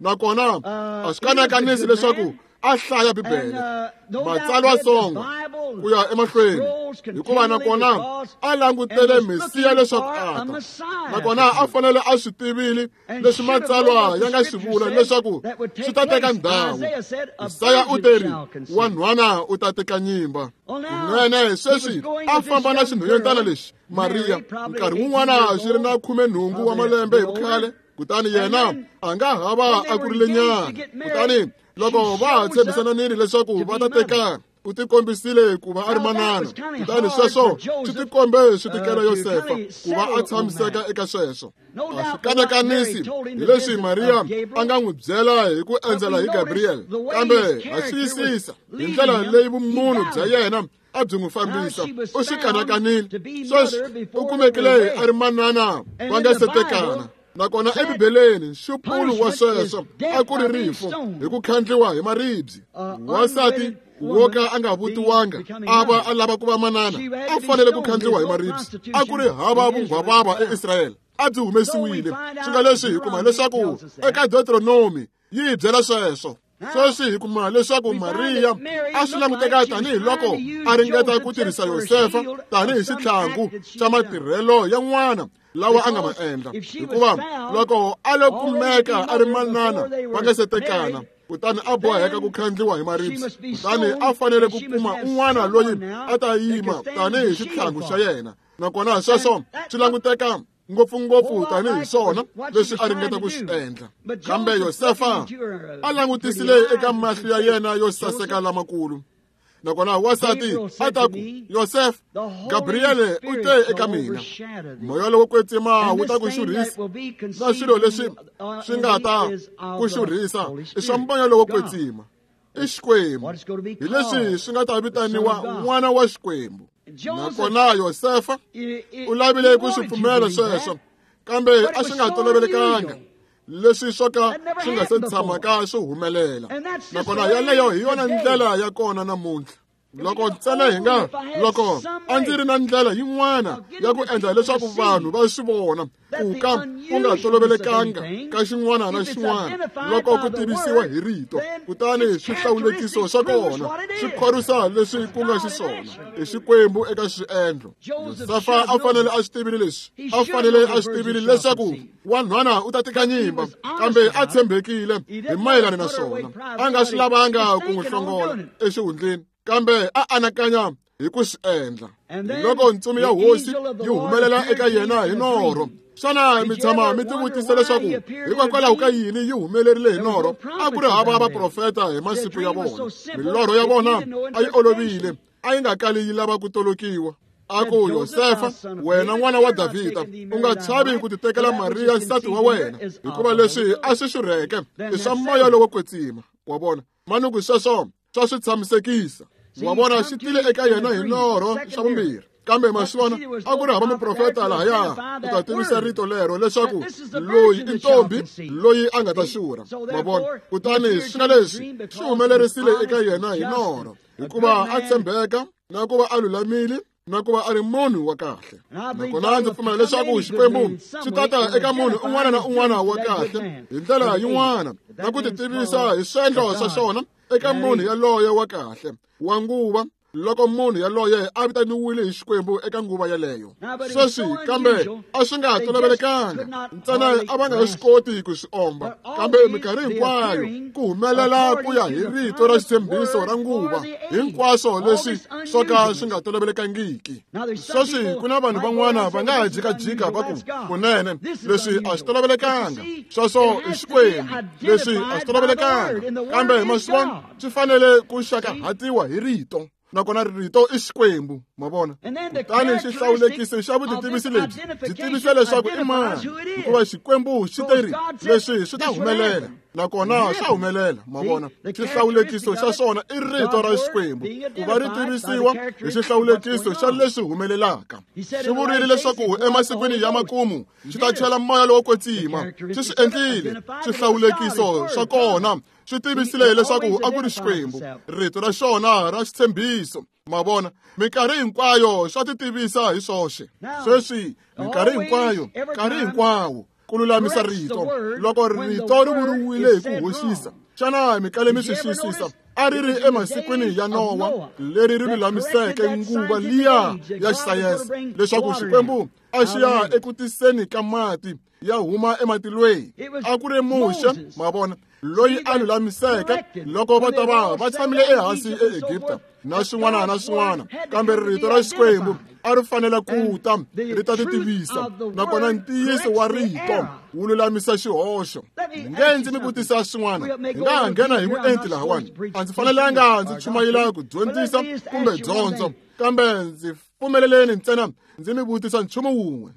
nakona a swi kanakanisi leswaku a hlaya Bibele, matsalwa songo ku ya emahlweni, hikuva nakona a langutele Mesiya leswaku a ta, nakona a fanele a swi tivile leswi matsalwa ya nga swi vula leswaku swi ta teka ndhawu. Isaya u teri, wanhwana u ta teka nyimba. Kunene sweswi a famba na xinhwanyetana lexi Mariya, nkarhi wun'wana xi ri na 18 wa malembe hi vukhale, kutani yena a nga hava a kurile nyana. Kutani loko va ha tshembisananile leswaku va ta tekana, u tikombisile ku va a ri manana. Kutani sweswo swi tikombe swi tikela Yosefa ku va a tshamiseka eka sweswo. A swi kanakanisi hi leswi Mariya a nga n'wi byela hi ku endzela hi Gabriel, kambe ha xiyisisa hi ndlela leyi vumunhu bya yena a byi n'wi fambisa. U swi kanakanile. Sweswi u kumekile a ri manana va nga se tekana. Nakona eBibeleni nxupulo wa sweswo a ku ri rifu hi ku khandliwa hi maribye. Wansati wo ka a nga vutiwanga a va a lava ku va manana a fanele ku khandliwa hi maribye. A ku ri hava vunghwavava eIsrayele, a byi humesiwile. Swi nga leswi hi kuma leswaku eka Deuteronomy yi hi byela sweswo. Sweswi hi kuma leswaku Mariya a swi languteka tanihiloko a ringeta ku tirhisa Yosefa tanihi xitlhangu xa matirhelo ya n'wana lawa a nga ma endla, hikuva loko a lo kumeka a ri manana va nga se tekana, kutani a boheka ku khandliwa hi maribye, kutani a fanele ku kuma un'wana loyi a ta yima tanihi xitlhangu xa yena. Nakona sweswo swi languteka ngopfungopfu tanihi swona leswi a ringeta ku swi endla. Kambe Yosefa a langutisile eka mahlo ya yena yo saseka lamakulu, nakona wansati a ta ku, Yosef, Gabriele u te eka mina, moya lowo kwetsima wu ta ku xurhisa, na swilo leswi swi nga ta ku xurhisa i swa moya lowo kwetsima, i Xikwembu, hi leswi swi nga ta vitaniwa n'wana wa Xikwembu. Nakona Yosefa u lavile ku swi pfumela sweswo, kambe a swi nga tolovelekanga leswi swo ka swi nga se tshamaka swi humelela. Nakona yaleyo hi yona ndlela ya kona namuntlha. Loko ntsena hi nga loko a ndzi ri na ndlela yin'wana ya ku endla leswaku vanhu va swi vona ku ka ku nga tolovelekanga ka xin'wana na xin'wana loko ku tivisiwa hi rito, kutani swihlawulekiso swa kona swi khorwisa leswi ku nga xiswona i Xikwembu eka swiendlo. Yosefa a fanele a swi tivile leswi, a fanele a swi tivile leswaku wanhwana u ta tika nyimba, kambe a tshembekile hi mayelana na swona. A nga swi lavanga ku n'wi hlongola exihundleni, kambe a anakanya hi ku swi endla. Loko ntsumi ya hosi yi humelela eka yena hi norho, xana mi tshama mi tivutisa leswaku hikokwalaho ka yini yi humelerile hi norho? A ku ri hava vaprofeta hi masiku ya vona. Milorho ya vona a yi olovile, a yi nga kali yi lava ku tolokiwa. A ku, Yosefa, wena n'wana wa Davhida, u nga chavi ku titekela Mariya nsati wa wena, hikuva leswi a swi xurheke i swa moya lowo kwetsima. Wa vona, manuku sweswo swa swi tshamisekisa. Wa vona, xi tile eka yena hi norho xa vumbirhi. Kambe maswona a ku ri hava muprofeta lahaya ku ta tivisa rito lero leswaku loyi i ntombi loyi a nga ta xurha. Ma vona, kutani swi nga leswi swi humelerisile eka yena hi norho, hikuva a tshembeka na ku va a lulamile na ku va a ri munhu wa kahle. Nakona ndzi pfumela leswaku Xikwembu xi tata eka munhu un'wana na un'wana wa kahle hi ndlela yin'wana na ku titivisa hi swiendlo swa xona eka munhu yaloye wa kahle wa nguva, loko munhu yaloye a vitaniwile hi Xikwembu eka nguva yaleyo. Sweswi kambe a swi nga tolovelekanga, ntsena a va nga swi koti ku swi omba, kambe minkarhi hinkwayo ku humelela ku ya hi rito ra xitshembiso ra nguva, hinkwaswo leswi swo ka swi nga tolovelekangiki. Sweswi ku na vanhu van'wana va nga ha jikajika va ku, kunene leswi a swi tolovelekanga, sweswo i Xikwembu, leswi a swi tolovelekanga, kambe maswona swi fanele ku xakahatiwa hi rito, nakona rito i Xikwembu. Ma vona, kutani xihlawulekiso xa vutitivisi lebyi byi tivisa leswaku i mani, hikuva Xikwembu xi te ri leswi swi ta humelela, nakona swa humelela. Ma vona, xihlawulekiso xa swona i rito ra Xikwembu ku va ri tivisiwa hi xihlawulekiso xa leswi humelelaka. Xi vurile leswaku emasikwini ya makumu xi ta chela moya lowo kwetsima, xi swi endlile. Xihlawulekiso xa kona swi tivisile leswaku a ku ri Xikwembu, rito ra xona ra xitshembiso. Ma vona, minkarhi hinkwayo swa titivisa hi swoxe. Sweswi minkarhi hinkwayo, nkarhi hinkwawo ku lulamisa rito loko rito ri vuriwile hi ku hoxisa. Xana mi kale mi swi xiyisisa? A ri ri emasikwini ya Nowa leri ri lulamiseke nguva liya ya xisayense leswaku Xikwembu a xi ya eku tiseni ka mati ya huma ematilweni. A ku ri Muxe, ma vona, loyi a lulamiseke loko va ta va va tshamile ehansi eEgipta na swin'wana na swin'wana, kambe rito ra Xikwembu a ri fanele ku ta ri ta titivisa, nakona ntiyiso wa rito wu lulamisa xihoxo. Nge ndzi mi vutisa swin'wana, hi nga ha nghena hi vuenti lahawani. A ndzi fanelanga ndzi chumayela ku dyondzisa kumbe dyondzo, kambe ndzi Pfumeleleni ntsena ndzi mi vutisa nchumu wun'we.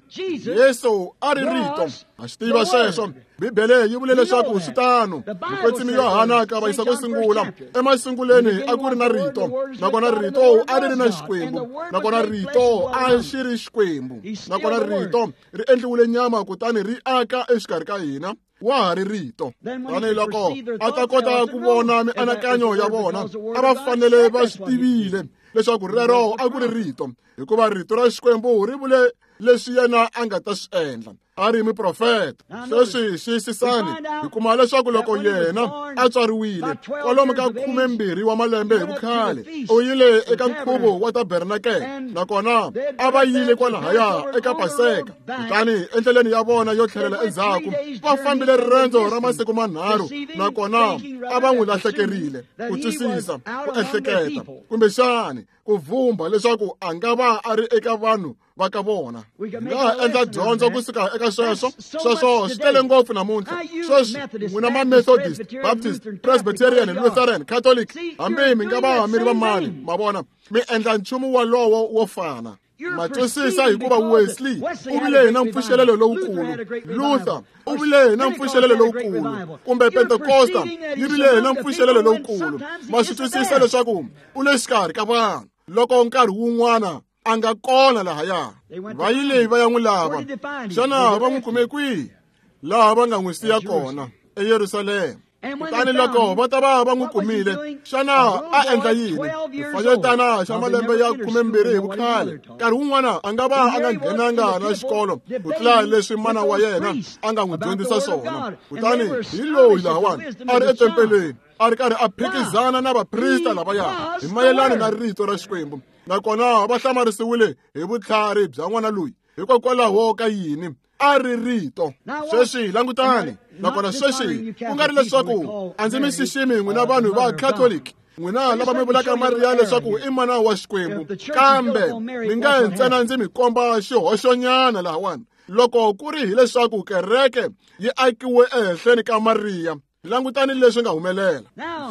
Yesu a ri rito. Ha swi tiva sweswo. Bibele yi vule leswaku swi tano. Mukwetsimi Yohana ka vayisa ko sungula, emasunguleni a ku ri na rito, nakona rito a ri ri na Xikwembu, nakona rito a xi ri Xikwembu, nakona rito ri endliwile nyama kutani ri aka exikarhi ka hina. Wa ha ri rito. Tanihiloko a ta kota ku vona mianakanyo ya vona, a va fanele va swi tivile leswaku rero a ku ri rito, hikuva rito ra Xikwembu ri vule leswi yena a nga ta swi endla. A ri muprofeta. Sweswi xiyisisani, hi kuma leswaku loko yena a tswariwile kwalomu ka 12 wa malembe hi vukhale, u yile eka nkhuvo wa tabernakele, nakona a va yile kwalahaya eka Paseka. Kutani endleleni ya vona yo tlhelela endzhaku, va fambile riendzo ra masiku manharhu, nakona a va n'wi lahlekerile. Ku twisisa, ku ehleketa, kumbexani ku vhumba leswaku a nga va a ri eka vanhu va ka vona. Hi nga ha endla dyondzo kusuka eka sweswo. Sweswo swi tele ngopfu namuntlha. Sweswi n'wina ma Methodist, Baptist, Presbyterian, Lutheran, Catholic, hambi mi nga va mi ri va mani, ma vona, mi endla nchumu walowo wo fana. Ma twisisa, hikuva Wesley u vile na mpfuxelelo lowukulu, Luther u vile na mpfuxelelo lowukulu, kumbe Pentecosta yi vile na mpfuxelelo lowukulu. Ma swi twisisa leswaku u le xikarhi ka vanhu loko nkarhi wun'wana a nga kona lahaya. Va yile va ya n'wi lava. Xana va n'wi kume kwihi? Laha va nga n'wi siya kona, eYerusalema. Kutani loko va ta va va n'wi kumile, xana a endla yini? Xifanyetana xa malembe ya 12 hi vukhale, nkarhi wun'wana a nga va a nga nghenanga na xikolo ku tlula leswi mana wa yena a nga n'wi dyondzisa swona. Kutani hi loyi lahawani a ri etempeleni, a ri karhi a phikizana na vaprista lavaya hi mayelana na rito ra Xikwembu. Nakona va hlamarisiwile hi vutlhari bya n'wana loyi. Hikokwalaho ka yini? A ri rito. Sweswi langutani. Nakona sweswi ku nga ri leswaku a ndzi mi xiximi n'wina vanhu va Catholic, n'wina lava mi vulaka Mariya leswaku i mana wa Xikwembu, kambe mi nga ntsena ndzi mi komba xihoxonyana lahawani. Loko ku ri hileswaku kereke yi akiwe ehenhleni ka Mariya, langutani leswi nga humelela.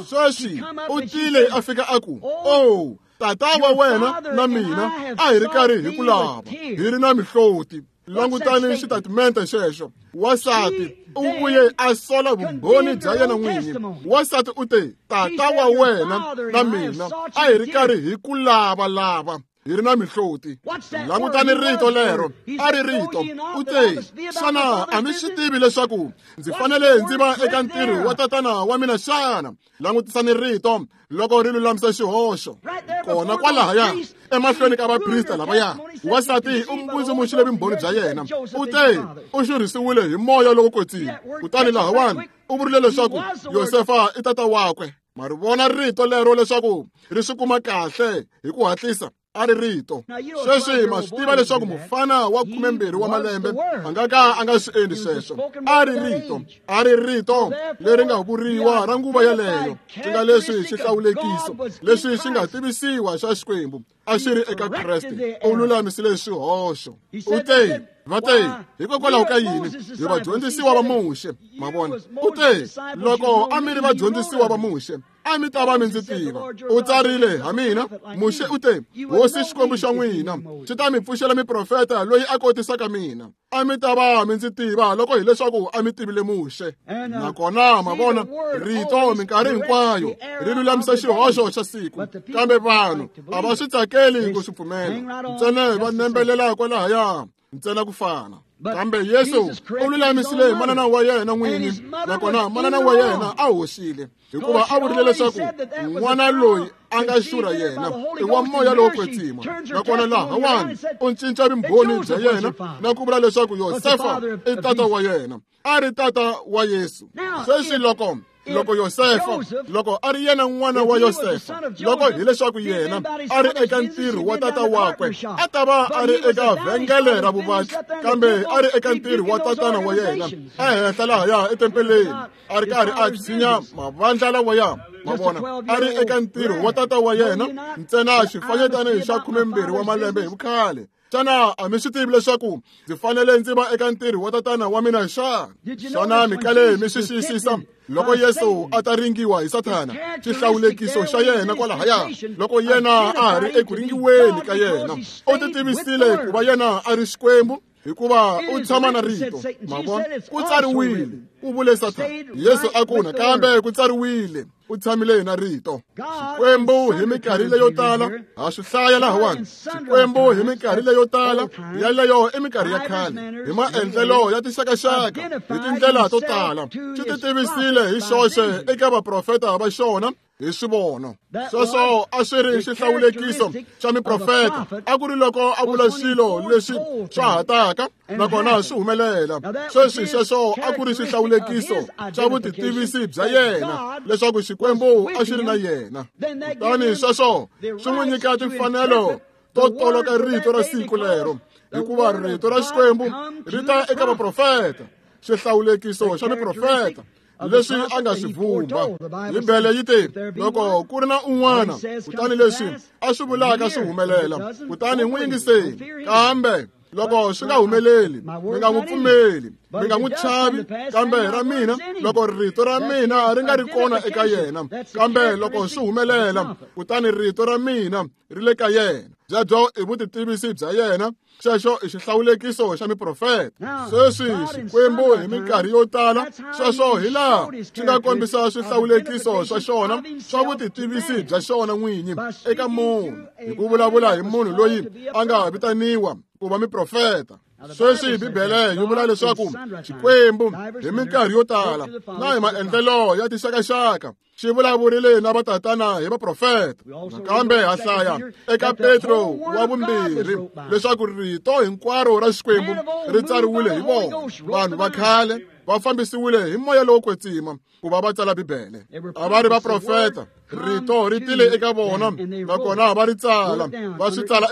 Sweswi u tile a fika a ku, "Oh, tata wa wena na mina a hi ri karhi hi ku lava, hi ri na mihloti." Langutani xitatimente xexo. Wansati u vuye a sola vumbhoni bya yena n'winyi. Wansati u te, "Tata wa wena na mina a hi ri karhi hi ku lava-lava, hi ri na mihloti." Langutani rito lero, a ri rito. U te, "Xana a mi swi tivi leswaku ndzi fanele ndzi va eka ntirho wa tatana wa mina xana?" Langutisani rito loko ri lulamisa xihoxo. Kona kwalahaya emahlweni ka vaprista lavaya, wansati u mbundzumuxile vumbhoni bya yena. U te u xurhisiwile hi moya lowo kwetsima. Kutani lahawani u vurile leswaku Yosefa i tata wakwe. Ma ri vona rito lero leswaku ri swi kuma kahle hi ku hatlisa? A ri rito. Sweswi ma swi tiva leswaku mufana wa 12 wa malembe a nga ka a nga swi endli sweswo. A ri rito. A ri rito leri nga vuriwa ra nguva yeleyo, swi nga leswi xihlawulekiso leswi xi nga tivisiwa xa Xikwembu a xi ri eka Kreste. U lulamisile swihoxo. U te, va te, hikokwalaho ka yini hi vadyondzisiwa va Muxe? Ma vona? U te, loko a mi ri vadyondzisiwa va Muxe, a mi ta va mi ndzi tiva. U tsarile ha mina. Muxe u te, Hosi Xikwembu xa n'wina xi ta mi pfuxela miprofeta loyi a kotisaka mina. A mi ta va mi ndzi tiva loko hileswaku a mi tivile Muxe. Nakona ma vona, rito minkarhi hinkwayo ri lulamisa xihoxo xa siku, kambe vanhu a va swi tsakeli ku swi pfumela. Ntsena va nembelela kwalahaya, ntsena ku fana. Kambe Yesu u lulamisile manana wa yena n'winyi, nakona manana wa yena a hoxile, hikuva a vurile leswaku n'wana loyi a nga xurha yena i wa moya lowo kwetsima. Nakona lahawani u cinca vumbhoni bya yena na ku vula leswaku Yosefa i tata wa yena. A ri tata wa Yesu. Sweswi loko Yosefa, loko a ri yena n'wana wa Yosefa, loko hileswaku yena a ri eka ntirho wa tata wakwe, a ta va a ri eka vhengele ra vuvatli, kambe a ri eka ntirho wa tatana wa yena ehenhla lahaya etempeleni, a ri karhi a tshinya mavandla lawaya. Ma vona, a ri eka ntirho wa tata wa yena, ntsena xifanyetana xa 12 wa malembe hi vukhale. Xana a mi swi tivi leswaku ndzi fanele ndzi va eka ntirho wa tatana wa mina xana? Xana mi kale mi swi xiyisisa loko Yesu a ta ringiwa hi Sathana, xihlawulekiso xa yena kwalahaya, loko yena a ha ri eku ringiweni ka yena, u ti tivisile ku va yena a ri Xikwembu, hikuva u tshama na rito. Ma vona, ku tsariwile, ku vule Sathana. Yesu a ku, nakambe ku tsariwile, u tshamile na rito. Xikwembu hi minkarhi leyo tala, ha swi hlaya lahawani, Xikwembu hi minkarhi leyo tala, yaleyo i minkarhi ya khale, hi maendlelo ya tinxakaxaka, hi tindlela to tala, xi ti tivisile hi xoxe eka vaprofeta va xona hi swivono. Sweswo a swi ri xihlawulekiso xa miprofeta, a ku ri loko a vula swilo leswi swa ha taka nakona swi humelela. Sweswi sweswo a ku ri xihlawulekiso xa vutitivisi bya yena, leswaku Xikwembu a xi ri na yena. Kutani sweswo swi n'wi nyika timfanelo to toloka rito ra siku lero, hikuva rito ra Xikwembu ri ta eka vaprofeta, xihlawulekiso xa miprofeta leswi a nga swi vumba. Bibele yi te, loko ku ri na un'wana, kutani leswi a swi vulaka swi humelela, kutani n'wi yingiseni. Kambe loko swi nga humeleli, mi nga n'wi pfumeli, mi nga n'wi chavi. Kambe ra mina, loko rito ra mina ri nga ri kona eka yena, kambe loko swi humelela, kutani rito ra mina ri le ka yena. Byebyo i vutitivisi bya yena, xexo i xihlawulekiso xa miprofeta. Sweswi Xikwembu hi minkarhi yo tala, sweswo hi laha xi nga kombisa swihlawulekiso swa xona swa vutitivisi bya xona n'winyi eka munhu, hi ku vulavula hi munhu loyi a nga vitaniwa ku va miprofeta. Sweswi Bibele yi vula leswaku Xikwembu hi minkarhi yo tala na hi maendlelo ya tinxakaxaka xi vulavurile na vatatana hi vaprofeta. Nakambe ha hlaya eka Petro wa vumbirhi leswaku rito hinkwaro ra Xikwembu ri tsariwile hi vona. Vanhu va khale va fambisiwile hi moya lowo kwetsima ku va va tsala Bibele. A va ri vaprofeta, rito ri tile eka vona, nakona va ri tsala, va swi tsala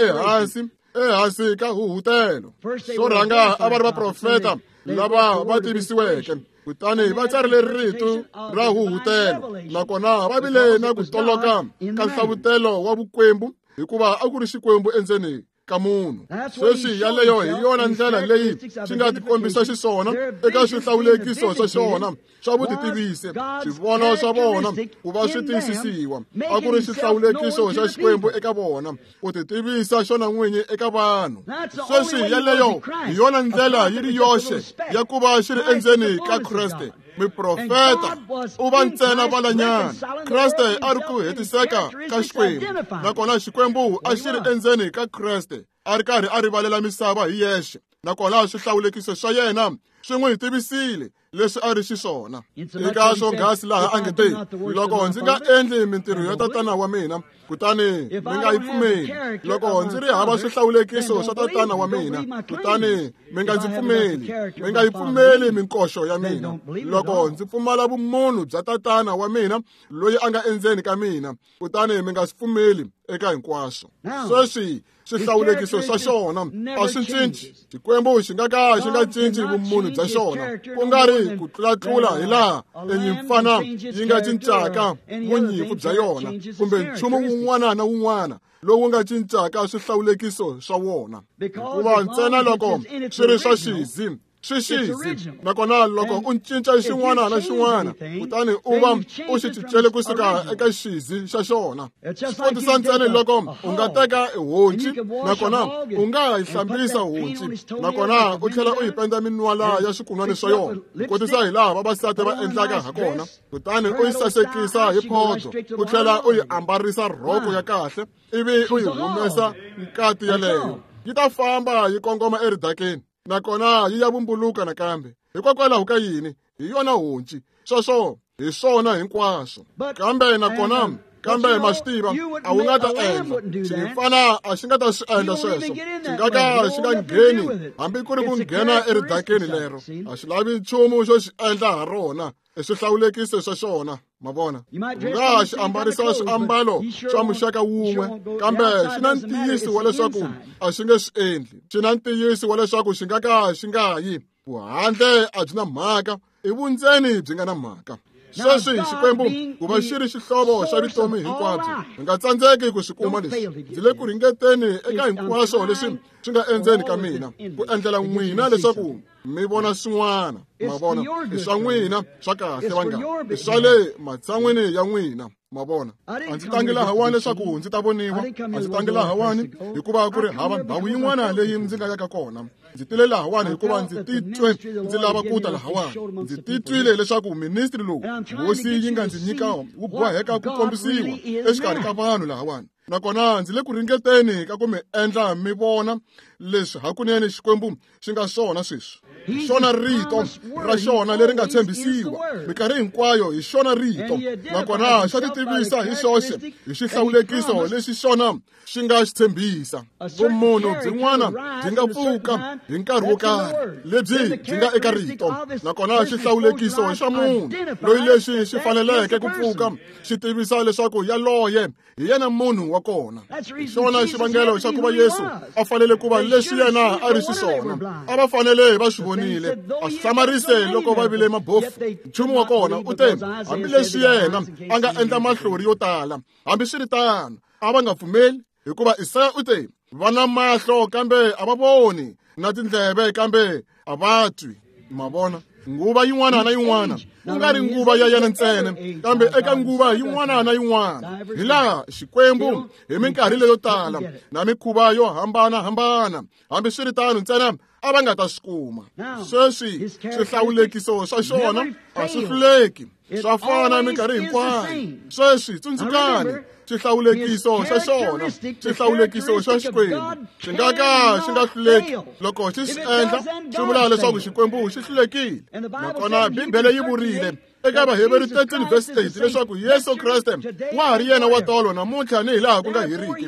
ehansi ka huhutelo. Xo rhanga a va ri vaprofeta lava va tivisiweke, kutani va tsarile rito ra huhutelo, nakona va vile na ku toloka ka nhlavutelo wa vukwembu, hikuva a ku ri Xikwembu endzeni ka munhu. Sweswi yaleyo hi yona ndlela leyi xi nga tikombisa xiswona eka swihlawulekiso swa xona swa vutitivisi. Swivono swa vona ku va swi tiyisisiwa a ku ri xihlawulekiso xa Xikwembu eka vona, ku titivisa xona n'winyi eka vanhu. Sweswi yaleyo hi yona ndlela yi ri yoxe ya ku va xi ri endzeni ka Kreste. Miprofeta u va ntsena valanyana. Kreste a ri ku hetiseka ka Xikwembu, nakona Xikwembu a xi ri endzeni ka Kreste, a ri karhi a rivalela misava hi yexe, nakona swihlawulekiso swa yena swi n'wi tivisile leswi a ri xiswona. Eka swonghasi laha a nge te, loko ndzi nga endli mintirho ya tatana wa mina, kutani mi nga yi pfumeli. Loko ndzi ri hava swihlawulekiso swa tatana wa mina, kutani mi nga ndzi pfumeli, mi nga yi pfumeli minkoxo ya mina. Loko ndzi pfumala vumunhu bya tatana wa mina loyi a nga endzeni ka mina, kutani mi nga swi pfumeli eka hinkwaswo. Sweswi swihlawulekiso swa xona a swi cinci. Xikwembu xi nga ka xi nga cinci vumunhu bya xona, ku nga ri ku tlulatlula hi laha enyimpfana yi nga cincaka vunyimpfu bya yona, kumbe nchumu wun'wana na wun'wana lowu nga cincaka swihlawulekiso swa wona. Hikuva ntsena loko swi ri swa xizi, swi xizi, nakona loko u cinca xin'wana na xin'wana, kutani u va u xi cincele kusuka eka xizi xa xona. Swi kotisa ntsena loko u nga teka honci, nakona u nga yi hlambisa honci, nakona u tlhela u yi penda minwala ya swikunwani swa yona, kotisa hi laha vavasati va endlaka ha kona, kutani u yi sasekisa hi phodo, u tlhela u yi ambarisa rhoko ya kahle, ivi u yi humesa nkati yaleyo, yi ta famba yi kongoma eridakeni, nakona yi ya vumbuluka nakambe. Hikokwalaho ka yini? Hi yona honci. Sweswo hi swona hinkwaswo. Kambe nakona, kambe ma swi tiva, a wu nga ta endla xinyimpfana, a xi nga ta swi endla sweswo. Xi nga ka xi nga ngheni hambi ku ri ku nghena eridakeni lero. A xi lavi nchumu xo xi endla ha rona, i swihlawulekiso swa xona. Ma vona, u nga xi ambarisa swiambalo swa muxaka wun'we, kambe xi na ntiyiso wa leswaku a xi nge swi endli. Xi na ntiyiso wa leswaku xi nga ka xi nga yi. Vuhandle a byi na mhaka, i vundzeni byi nga na mhaka. Sweswi Xikwembu ku va xi ri xihlovo xa vutomi hinkwabyo, hi nga tsandzeki ku swi kuma leswi. Ndzi le ku ringeteni eka hinkwaswo leswi swi nga endzeni ka mina ku endlela n'wina leswaku mi vona swin'wana. Ma vona, i swa n'wina swa kahle vanghana, i swa le matshan'wini ya n'wina. Ma vona, a ndzi tangi lahawani leswaku ndzi ta voniwa, a ndzi tangi lahawani hikuva ku ri hava ndhawu yin'wana leyi ndzi nga yaka kona. Ndzi tile lahawani hikuva ndzi titwe ndzi lava ku ta lahawani. Ndzi titwile leswaku ministri lowu hosi yi nga ndzi nyika wu boheka ku kombisiwa exikarhi ka vanhu lahawani. Nakona ndzi le ku ringeteni ka ku mi endla mi vona leswi hakunene Xikwembu xi nga swona sweswi. Hi xona rito ra xona leri nga tshembisiwa minkarhi hinkwayo, hi xona rito. Nakona xa ti tivisa hi xoxe hi xihlawulekiso lexi xona xi nga xi tshembisa. Vumunhu byin'wana byi nga pfuka hi nkarhi wo karhi lebyi byi nga eka rito. Nakona xihlawulekiso xa munhu loyi lexi xi faneleke ku pfuka xi tivisa leswaku yaloye hi yena munhu wa kona. Hi xona xivangelo xa ku va Yesu a fanele ku va leswi yena a ri xiswona. A va fanele va swi vonile. A swi hlamarise loko va vile mabofu. Nchumu wa kona u te, hambileswi yena a nga endla mahlori yo tala, hambiswiritano a va nga pfumeli, hikuva Isaya u te, va na mahlo kambe a va voni, na tindleve kambe a va twi. Ma vona, nguva yin'wana na yin'wana, ku nga ri nguva ya yena ntsena, kambe eka nguva yin'wana na yin'wana, hi laha Xikwembu hi minkarhi leyo tala na mikhuva yo hambanahambana, hambiswiritano ntsena a va nga ta swi kuma. Sweswi swihlawulekiso swa xona a swi hluleki, swa fana minkarhi hinkwayo. Sweswi tsundzukani, xihlawulekiso xa xona, xihlawulekiso xa Xikwembu xi nga ka xi nga hluleki. Loko xi swi endla, swi vula leswaku Xikwembu xi hlulekile. Nakona Bibele yi vurile eka Vaheveru 13 verse 8 leswaku Yesu Kreste wa ha ri yena wa tolo namuntlha ni hi laha ku nga heriki.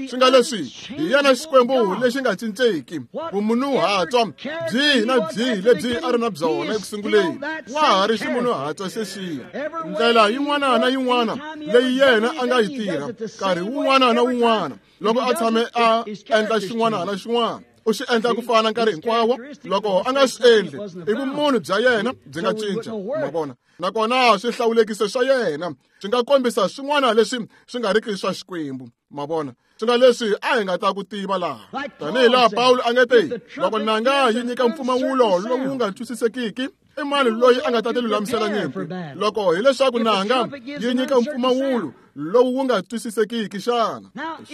Swi nga leswi hi yena Xikwembu lexi nga cinceki. Vumunhuhatswa byihi na byihi lebyi a ri na byona eku sunguleni, wa ha ri ximunhuhatswa xexiya. Ndlela yin'wana na yin'wana leyi yena a nga yi tirha nkarhi wun'wana na wun'wana loko a tshame a endla xin'wana na xin'wana, u xi endla ku fana nkarhi hinkwawo. Loko a nga swi endli, i vumunhu bya yena byi nga cinca. Ma vona, nakona swihlawulekiso swa yena swi nga kombisa swin'wana leswi swi nga riki swa Xikwembu. Ma vona, swi nga leswi a hi nga ta ku tiva laha. Tanihi laha Pawulo a nga te, loko nanga yi nyika mpfumawulo lowu nga twisisekiki, i mani loyi a nga ta ti lulamisela nyimpi? Loko hileswaku nanga yi nyika mpfumawulo lowu wu nga twisisekiki xana?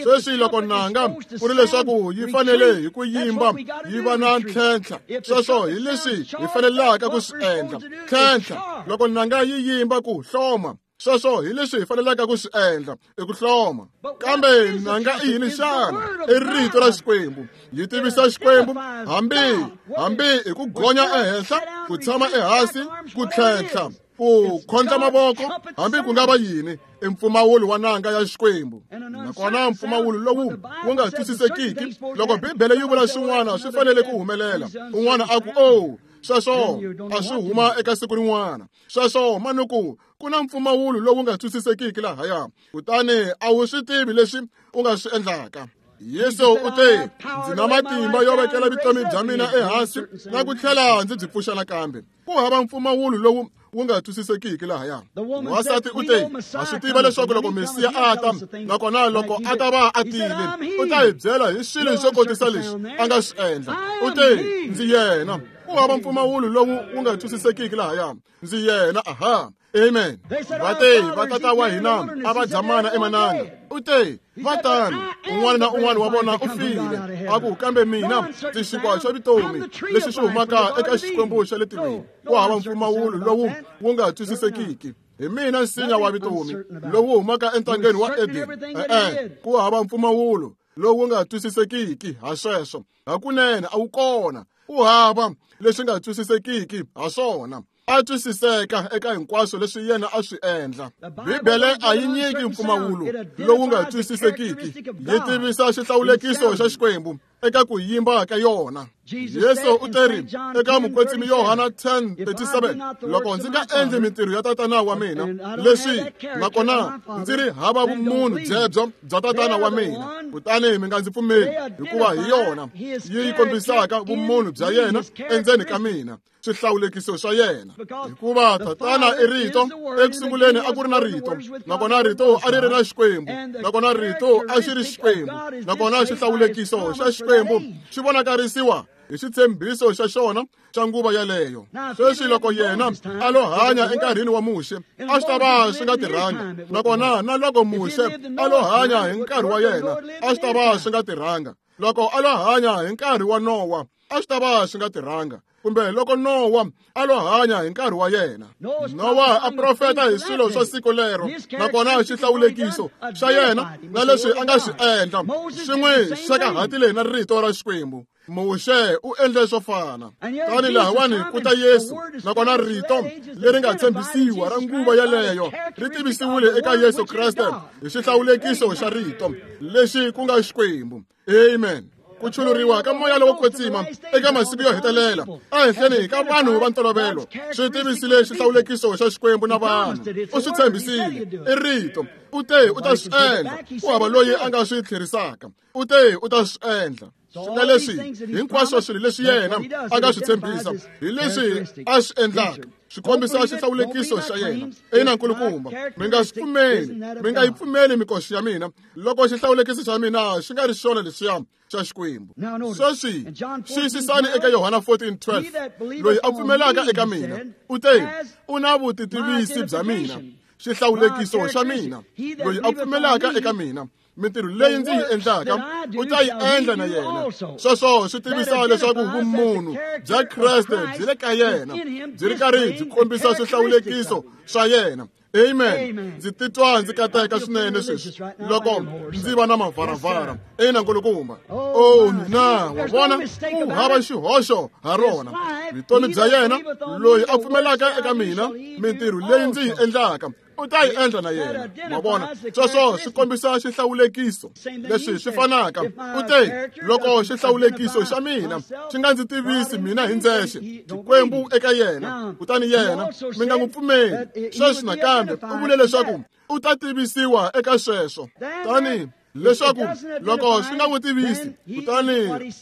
Sweswi loko nanga ku ri leswaku yi fanele hi ku yimba yi va na ntlhentlha, sweswo hi leswi hi fanelaka ku swi endla. Ntlhentlha, loko nanga yi yimba ku hloma, sweswo hi leswi hi fanelaka ku swi endla, i ku hloma. Kambe nanga i yini xana? I rito ra Xikwembu. Yi tivisa Xikwembu hambi hi ku gonya ehenhla, ku tshama ehansi, ku tlhentlha, ku khondla mavoko, hambi ku nga va yini, i mpfumawulo wa nanga ya Xikwembu. Nakona mpfumawulo lowu wu nga twisisekiki, loko Bibele yi vula swin'wana swi fanele ku humelela, un'wana a ku, oh, sweswo a swi huma eka siku rin'wana. Sweswo manuku ku na mpfumawulo lowu nga twisisekiki lahaya, kutani a wu swi tivi leswi u nga swi endlaka. Yesu u te, ndzi na matimba yo vekela vutomi bya mina ehansi na ku tlhela ndzi byi pfuxa nakambe. Ku hava mpfumawulo lowu wu nga twisisekiki lahaya. Wansati u te, ha swi tiva leswaku loko Mesiya a ta, nakona loko a ta va a tile, u ta hi byela hi swilo swo kotisa leswi a nga swi endla. U te, ndzi yena. Ku hava mpfumawulo lowu wu nga twisisekiki lahaya. Ndzi yena. Aha. Amen. Va te, vatata wa hina a va dya mana emananga. U te, va tano, un'wana na un'wana wa vona u file. A ku, kambe mina ndzi xinkwa xa vutomi lexi xi humaka eka Xikwembu xa le tilweni. Ku hava mpfumawulo lowu wu nga twisisekiki. Hi mina nsinya wa vutomi lowu humaka entangeni wa Edeni. E-e, ku hava mpfumawulo lowu nga twisisekiki ha sweswo. Hakunene a wu kona. Ku hava leswi nga twisisekiki ha swona. A twisiseka eka hinkwaswo leswi yena a swi endla. Bibele a yi nyiki mpfumawulo lowu nga twisisekiki, yi tivisa xihlawulekiso xa Xikwembu. eka ku yimba ka yona. Yesu u teri eka mukwetsimi Yohana 10:37, loko ndzi nga endli mintirho ya tatana wa mina, leswi nakona ndzi ri hava vumunhu byebyo bya tatana wa mina, kutani mi nga ndzi pfumeli, hikuva hi yona yi kombisaka vumunhu bya yena endzeni ka mina, swihlawulekiso swa yena. Hikuva tatana i rito, ekusunguleni a ku ri na rito, nakona rito a ri ri na Xikwembu, nakona rito a xi ri Xikwembu, nakona xihlawulekiso xa Xikwembu xi vonakarisiwa hi xitshembiso xa xona xa nguva yaleyo. Sweswi loko yena a lo hanya enkarhini wa Muxe, a swi ta va swi nga tirhanga, nakona na loko Muxe a lo hanya hi nkarhi wa yena, a swi ta va swi nga tirhanga. Loko a lo hanya hi nkarhi wa Nowa, a swi ta va swi nga tirhanga, kumbe loko Nowa a lo hanya hi nkarhi wa yena. Nowa a profeta hi swilo swa siku lero, nakona xihlawulekiso xa yena na leswi a nga swi endla swi n'wi xekahatile na rito ra Xikwembu. Muxe u endle swo fana. Tani lahawani ku ta Yesu, nakona rito leri nga tshembisiwa ra nguva yaleyo ri tivisiwile eka Yesu Kreste hi xihlawulekiso xa rito lexi ku nga Xikwembu. Amen. Ku chuluriwa ka moya lowo kwetsima eka masiku yo hetelela ehenhleni ka vanhu va ntolovelo swi tivisile xihlawulekiso xa Xikwembu na vanhu. U swi tshembisile, i rito. U te u ta swi endla, ku hava loyi a nga swi tlherisaka. U te u ta swi endla. Swi nga leswi hinkwaswo swilo leswi yena a nga swi tshembisa hi leswi a swi endlaka swi kombisa xihlawulekiso xa yena. Ina nkulukumba, mi nga swi pfumeli, mi nga yi pfumeli mikoxo ya mina loko xihlawulekiso xa mina xi nga ri xona leswiya xa Xikwembu. Sweswi xiyisisani eka Yohana 14:12, loyi a pfumelaka eka mina u te u na vutitivisi bya mina, xihlawulekiso xa mina. Loyi a pfumelaka eka mina, mintirho leyi ndzi yi endlaka u ta yi endla na yena. Sweswo swi tivisa leswaku vumunhu bya Kreste byi le ka yena, byi ri karhi byi kombisa swihlawulekiso swa yena. Amen. Ndzi titwa ndzi kateka swinene sweswi loko ndzi va na mavaravara. Ina nkulukumba. Oh mina, wa vona, ku hava xihoxo ha rona. Vutomi bya yena, loyi a pfumelaka eka mina, mintirho leyi ndzi yi endlaka u ta yi endla na yena. Ma vona, sweswo swi kombisa xihlawulekiso leswi swi fanaka. U te loko xihlawulekiso xa mina xi nga ndzi tivisi mina hi ndzexe, Xikwembu eka yena, kutani yena mi nga n'wi pfumeli. Sweswi nakambe u vule leswaku u ta tivisiwa eka sweswo, tani leswaku loko swi nga n'wi tivisi, kutani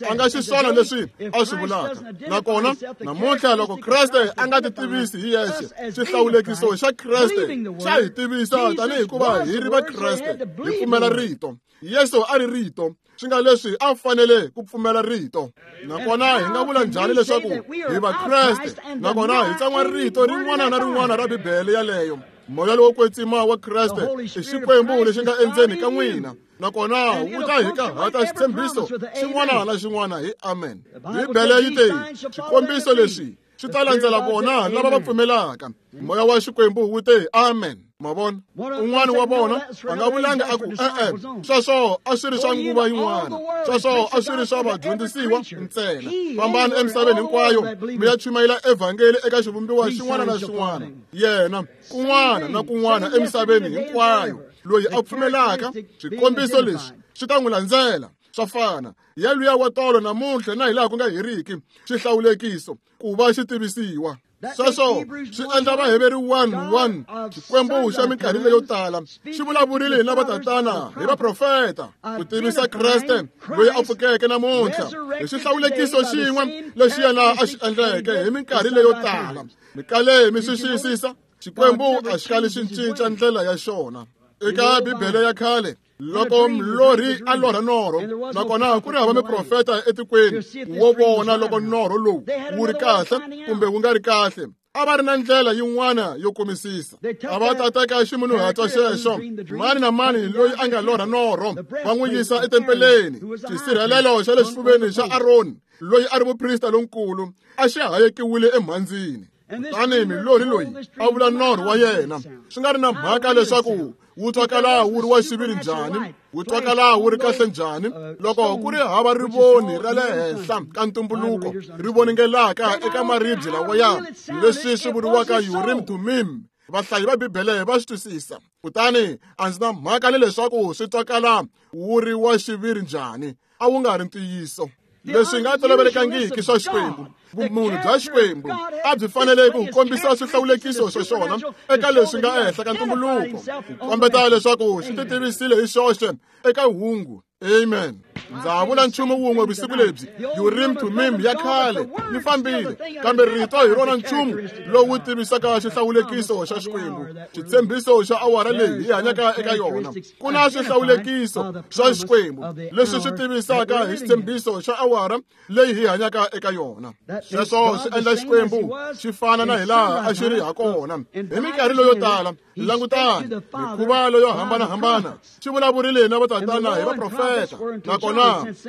a nga xiswona leswi a swi vulaka. Nakona namuntlha loko Kreste a nga ti tivisi hi yexe, xihlawulekiso xa Kreste xa hi tivisa tanihi hikuva hi ri va Kreste, hi pfumela rito. Yesu a ri rito, swi nga leswi a fanele ku pfumela rito. Nakona hi nga vula njhani leswaku hi va Kreste nakona hi tsan'wa rito rin'wana na rin'wana ra Bibele yaleyo? Moya lowo kwetsima wa Kreste i Xikwembu lexi nga endzeni ka n'wina, nakona wu ta hi kahata xitshembiso xin'wana na xin'wana hi amen. Bibele yi te xikombiso lexi swi ta landzela vona lava va pfumelaka. Moya wa Xikwembu wu te amen. Ma vona, un'wana wa vona a nga vulanga a ku e-e, sweswo a swi ri swa nguva yin'wana, sweswo a swi ri swa vadyondzisiwa ntsena. Fambani emisaveni hinkwayo mi ya chumayela evhangeli eka xivumbiwa xin'wana na xin'wana. Yena kun'wana na kun'wana emisaveni hinkwayo, loyi a pfumelaka swikombiso leswi swi ta n'wi landzela. Swa fana yaluya wa tolo namuntlha na hilaha ku nga heriki, xihlawulekiso ku va xi tivisiwa. Sweswo swi endla Vaheveri 1:1, Xikwembu xa minkarhi leyo tala xi vulavurile hi lava tatana hi vaprofeta ku tivisa Kreste loyi a pfukeke namuntlha hi xihlawulekiso xin'we lexi yena a xi endleke hi minkarhi leyo tala. Mi kale mi swi xiyisisa, Xikwembu a xi kali xi cinca ndlela ya xona. Eka Bibele ya khale, loko mlorhi a lorha norho, nakona ku ri hava miprofeta etikweni wo vona loko norho lowu wu ri kahle kumbe wu nga ri kahle, a va ri na ndlela yin'wana yo kumisisa. A va ta teka ximunhuhatwa xexo, mani na mani loyi a nga lorha norho va n'wi yisa etempeleni. Xisirhelelo xa le xifuveni xa Aroni loyi a ri muprista lonkulu a xi hayekiwile emhandzini. Kutani milorhi loyi a vula norho wa yena, swi nga ri na mhaka leswaku wu twakala wu ri wa xiviri njhani, wu twakala wu ri kahle njhani, loko ku ri hava rivoni ra le henhla ka ntumbuluko ri voningelaka eka maribye lawaya, leswi swi vuriwaka Urim Thummim, Vahlayi va Bibele va swi twisisa. Kutani a ndzi na mhaka ni leswaku swi twakala wu ri wa xiviri njhani, a wu nga ri ntiyiso. Leswi nga tolovelekangiki swa Xikwembu, vumunhu bya Xikwembu a byi fanele ku kombisa swihlawulekiso swa xona eka leswi nga ehenhla ka ntumbuluko, ku kombeta leswaku xi titivisile hi xoxe eka hungu. Amen. Ndza vula nchumu wun'we vusiku lebyi, Urim Thummim ya khale yi fambile, kambe rito hi rona nchumu lowu tivisaka xihlawulekiso xa Xikwembu, xitshembiso xa awara leyi hi hanyaka eka yona. Ku na swihlawulekiso swa Xikwembu leswi swi tivisaka hi xitshembiso xa awara leyi hi hanyaka eka yona. Sweswo swi endla Xikwembu xi fana na hilaha a xi ri ha kona hi minkarhi leyo tala. Langutani, mikhuva leyo hambanahambana xi vulavurile na vatatana hi vaprofeta, nakona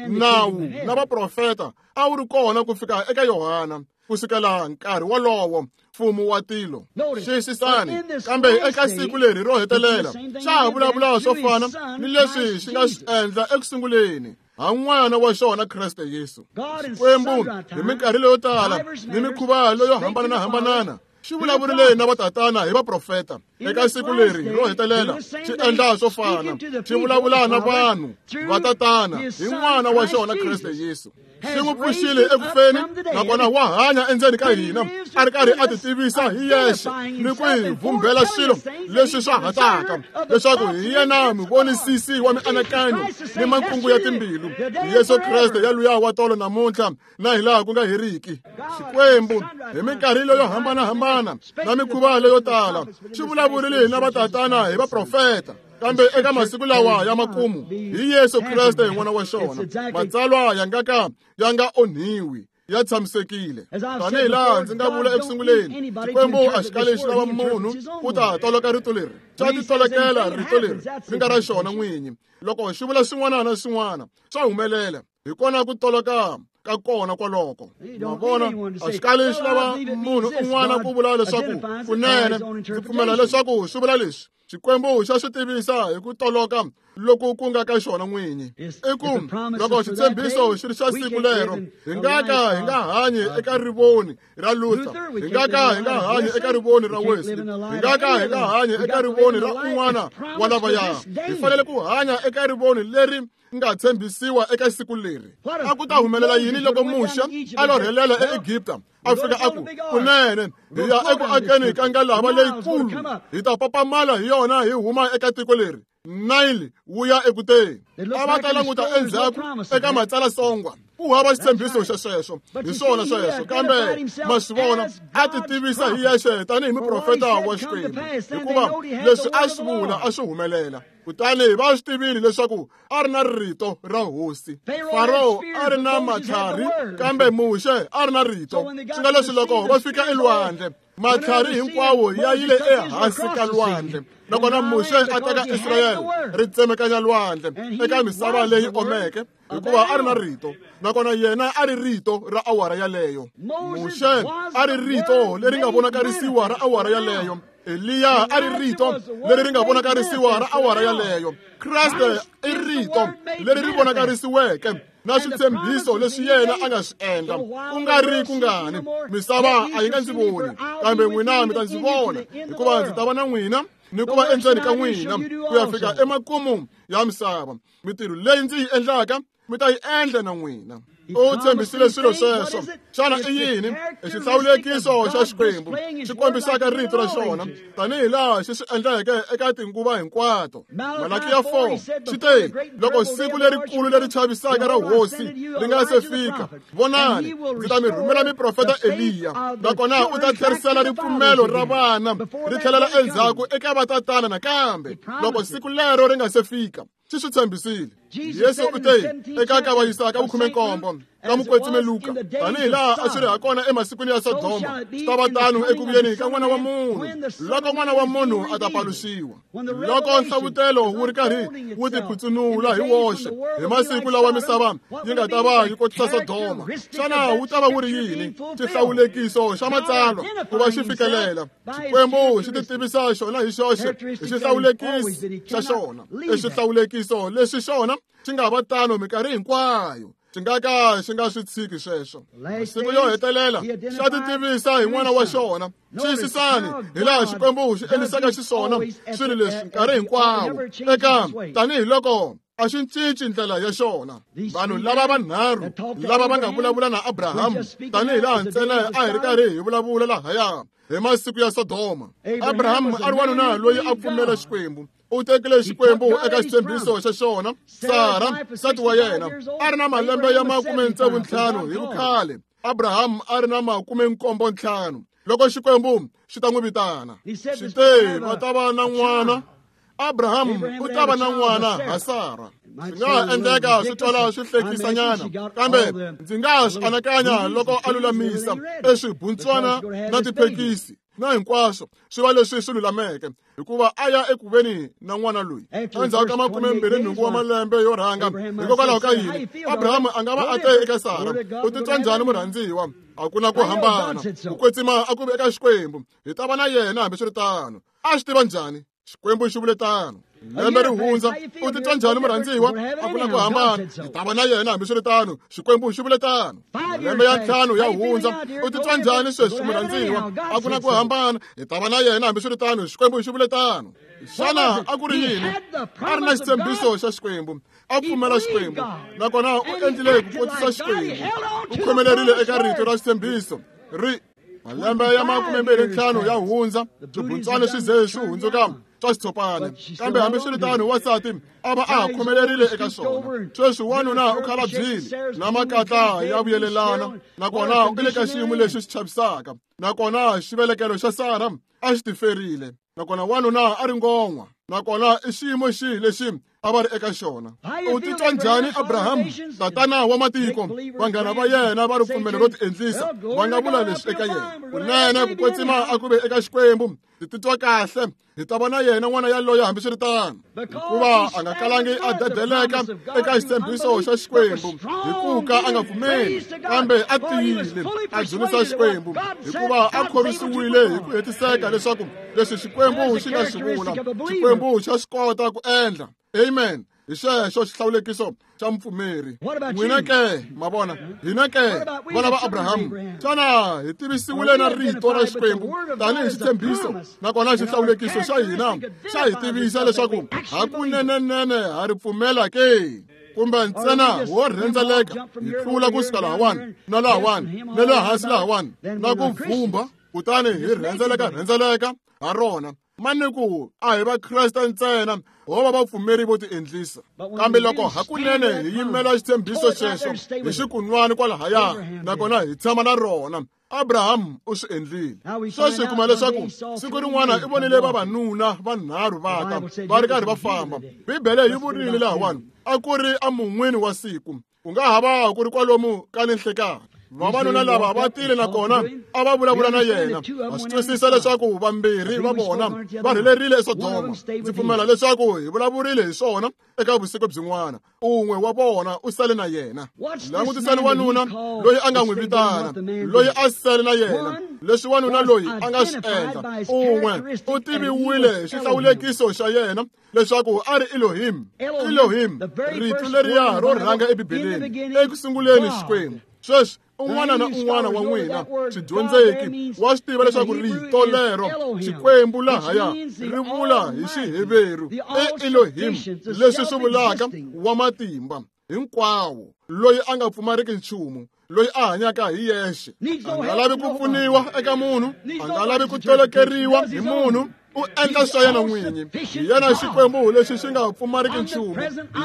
nawu na vaprofeta a wu ri kona ku fika eka Yohana. Ku sukela nkarhi wolowo mfumo wa tilo. Xiyisisani, kambe eka siku leri ro hetelela xa ha vulavula swo fana ni leswi xi nga swi endla eku sunguleni ha n'wana wa xona Kreste Yesu. Xikwembu hi minkarhi leyo tala ni mikhuva leyo hambanahambana xi vulavurile na vatatana hi vaprofeta. Eka siku leri ro hetelela xi endla swo fana, xi vulavula na vanhu vatatana hi n'wana wa xona Kreste Yesu. Xi n'wi pfuxile eku feni, nakona wa hanya endzeni ka hina, a ri karhi a titivisa hi yexe ni ku hi vumbela swilo leswi swa hataka, leswaku hi yena muvonisisi wa mianakanyo ni makungu ya timbilu. Yesu Kreste ya luya wa tolo namuntlha na hilaha ku nga heriki. Xikwembu hi minkarhi leyo hambanahambana na mikhuva leyo tala xi vulavurile na vatatana hi vaprofeta, kambe eka masiku lawa ya makumu hi Yesu Kreste n'wana wa xona. Matsalwa ya nga ka ya nga onhiwi, ya tshamisekile. Tanihi laha ndzi nga vula eku sunguleni, Xikwembu a xi kali xi lava munhu ku ta toloka rito leri, xa titolokela rito leri ri nga ra xona n'winyi. Loko xi vula swin'wana na swin'wana swa humelela, hi kona ku toloka ka kona kwaloko. Ma vona, a xi kali xi lava munhu un'wana ku vula leswaku kunene ndzi pfumela leswaku swi vula leswi. Xikwembu xa swi tivisa hi ku toloka loku ku nga ka xona n'winyi. I ku loko xitshembiso xi ri xa siku lero, hi nga ka hi nga hanyi eka rivoni ra Luther, hi nga ka hi nga hanyi eka rivoni ra Wesley, hi nga ka hi nga hanyi eka rivoni ra un'wana wa lavaya. Hi fanele ku hanya eka rivoni leri nga tshembisiwa eka siku leri. A ku ta humelela yini loko Muxe a lorhelela eEgipta, a fika a ku, kunene hi ya eku akeni ka ngalava leyikulu, hi ta papamala hi yona hi huma eka tiko leri, Nile wu ya ekuteni. A va ta languta endzhaku eka matsalasongwa, ku hava xitshembiso xa sweswo. Hi swona sweswo, kambe ma swi vona, a ti tivisa hi yexe tanihi muprofeta wa Xikwembu, hikuva leswi a swi vula a swi humelela. Kutani va swi tivile leswaku a ri na rito ra hosi. Faro a ri na matlhari, kambe Muxe a ri na rito. Swi nga leswi loko va fika elwandle, matlhari hinkwawo ya yile ehansi ka lwandle, nakona Muxe a teka Israyele ri tsemekanya lwandle eka misava leyi omeke, hikuva a ri na rito, nakona yena a ri rito ra awara yaleyo. Muxe a ri rito leri nga vonakarisiwa ra awara yaleyo. Eliya a ri rito leri ri nga vonakarisiwa ra awara yaleyo. Kreste i rito leri ri vonakarisiweke na switshembiso leswi yena a nga swi endla. Ku nga ri kungani, misava a yi nga ndzi voni, kambe n'wina mi ta ndzi vona, hikuva ndzi ta va na n'wina ni ku va endzeni ka n'wina ku ya fika emakumu ya misava. Mitirho leyi ndzi yi endlaka mi ta yi endla na n'wina. U tshembisile swilo sweswo. Xana i yini? I xihlawulekiso xa Xikwembu xi kombisaka rito ra xona tanihi laha xi swi endleke eka tinguva hinkwato. Malakiya 4 xi te, loko siku lerikulu leri chavisaka ra hosi ri nga se fika, vonani, ndzi ta mi rhumela miprofeta Eliya, nakona u ta tlherisela ripfumelo ra vana ri tlhelela endzhaku eka vatatana nakambe, loko siku lero ri nga se fika. Xi swi tshembisile. Yesu u te eka kavanyisa ka vukhume-nkombo ka mukwetsime Luka, tanihi laha a swi ri ha kona emasikwini ya Sodoma, swi ta va tano eku vuyeni ka N'wana wa Munhu, loko N'wana wa Munhu a ta paluxiwa. Loko nhlavutelo wu ri karhi wu tiphutsunula hi woxe hi masiku lawa misava yi nga ta va yi kotisa Sodoma, xana wu ta va wu ri yini? Xihlawulekiso xa Matsalwa ku va xi fikelela. Xikwembu xi titivisa xona hi xoxe hi xihlawulekisi xa xona. I xihlawulekiso lexi xona xi nga va tano minkarhi hinkwayo. Xi nga ka xi nga swi tshiki sweswo. Masiku yo hetelela xa ti tivisa hi n'wana wa xona. Xiyisisani hi laha Xikwembu xi endlisaka xiswona swilo leswi nkarhi hinkwawo eka tanihiloko a xi cinci ndlela ya xona. Vanhu lava vanharhu lava va nga vulavula na Abrahamu tanihi laha ntsena a hi ri karhi hi vulavula lahaya hi masiku ya Sodoma. Abrahamu a ri wanuna loyi a pfumela Xikwembu. U tekile Xikwembu eka xitshembiso xa xona. Sara, nsati wa yena, a ri na malembe ya 65 hi vukhale. Abrahamu a ri na 75 loko Xikwembu xi ta n'wi vitana. Xi te va ta va na n'wana. Abrahamu u ta va na n'wana ha Sara. Swi nga ha endleka swi twala swi hlekisanyana, kambe ndzi nga swi anakanya loko a lulamisa eswibuntswana na tiphekisi na hinkwaswo swi va leswi swi lulameke, hikuva a ya ekuveni na n'wana loyi endzhaku ka 28 wa malembe yo rhanga. Hikokwalaho ka yini Abrahamu a nga va a te eka Sara, u titwa njhani murhandziwa? A ku na ku hambana, ku kwetsima a ku vi eka Xikwembu, hi ta va na yena hambiswiritano. A swi tiva njhani? Xikwembu xi vule tano. Lembe ri hundza, u titwa njhani murhandziwa? A ku na ku hambana, hi ta va na yena hambiswiritano. Xikwembu xi vule tano. Malembe ya 5 ya hundza, u titwa njhani sweswi murhandziwa? A ku na ku hambana, hi ta va na yena hambiswiritano. Xikwembu xi vule tano. Xana a ku ri yini? A ri na xitshembiso xa Xikwembu, a pfumela Xikwembu, nakona u endlile ku kotisa Xikwembu. U khomelerile eka rito ra xitshembiso. Ri malembe ya 25 ya hundza, swibuntswana swi ze swi hundzuka swa xitshopana, kambe hambiswiritano wansati a va a ha khomelerile eka swona. Sweswi wanuna u khalabyile na makatla ya vuyelelana, nakona u le ka xiyimo lexi xi chavisaka, nakona xivelekelo xa Sara a xi tiferile, nakona wanuna a ri ngon'wa, nakona i xiyimo xihi lexi a va ri eka xona. U titwa njhani Abrahamu, tatana wa matiko? Vanghana va yena va ripfumelo ro tiendlisa va nga vula leswi eka yena: kunene ku kwetsima a ku ve eka Xikwembu, hi titwa kahle, hi ta va na yena n'wana yaloye hambiswiritano. Hikuva a nga kalangi a dedeleka eka xitshembiso xa Xikwembu hi ku ka a nga pfumeli, kambe a tiyile a dzunisa Xikwembu, hikuva a khorwisiwile hi ku hetiseka leswaku leswi Xikwembu xi nga swi vula, Xikwembu xa swi kota ku endla. Amen. Hi xexo xihlawulekiso xa mupfumeri. N'wina ke, ma vona, hina ke vana va Abrahamu, xana hi tivisiwile na rito ra Xikwembu tanihi xitshembiso, nakona xihlawulekiso xa hina xa hi tivisa leswaku hakunenenene ha ri pfumela ke? Kumbe ntsena wo rhendzeleka hi tlula kusuka lahawani na lahawani na le hansi lahawani na ku vhumba, kutani hi rhendzeleka ha rona. Mani ku a hi Vakreste ntsena ho va vapfumeri vo tiendlisa, kambe loko hakunene hi yimela xitshembiso xexo hi xikunwani kwalahaya, nakona hi tshama na rona. Abrahamu u swi endlile. Sweswi hi kuma leswaku siku rin'wana i vonile vavanuna vanharhu va ta va ri karhi va famba. Bibele yi vurile lahawani a ku ri emun'wini wa siku, ku nga ha va ku ri kwalomu ka ninhlekani. Vavanuna lava va tile nakona a va vulavula na yena. Va swi twisisa leswaku vambirhi va vona va rhelerile eSodoma. Ndzi pfumela leswaku hi vulavurile hi swona eka vusiku byin'wana. Un'we wa vona u sale na yena. Langutisani wanuna loyi a nga n'wi vitana, loyi a sale na yena. Leswi wanuna loyi a nga swi endla, un'we u tiviwile hi xihlawulekiso xa yena leswaku a ri Elohim. Elohim, rito leriya ro rhanga eBibeleni, eku sunguleni Xikwembu. Sweswi un'wana na un'wana wa n'wina swidyondzeki wa swi tiva leswaku rito lero Xikwembu lahaya ri vula hi Xiheveru i Elohim, leswi swi vulaka wa matimba hinkwawo, loyi a nga pfumariki nchumu, loyi a hanyaka hi yexe, a nga lavi ku pfuniwa eka munhu, a nga lavi ku tolokeriwa hi munhu, u endla swa yena n'winyi. Hi yena Xikwembu lexi xi nga pfumariki nchumu,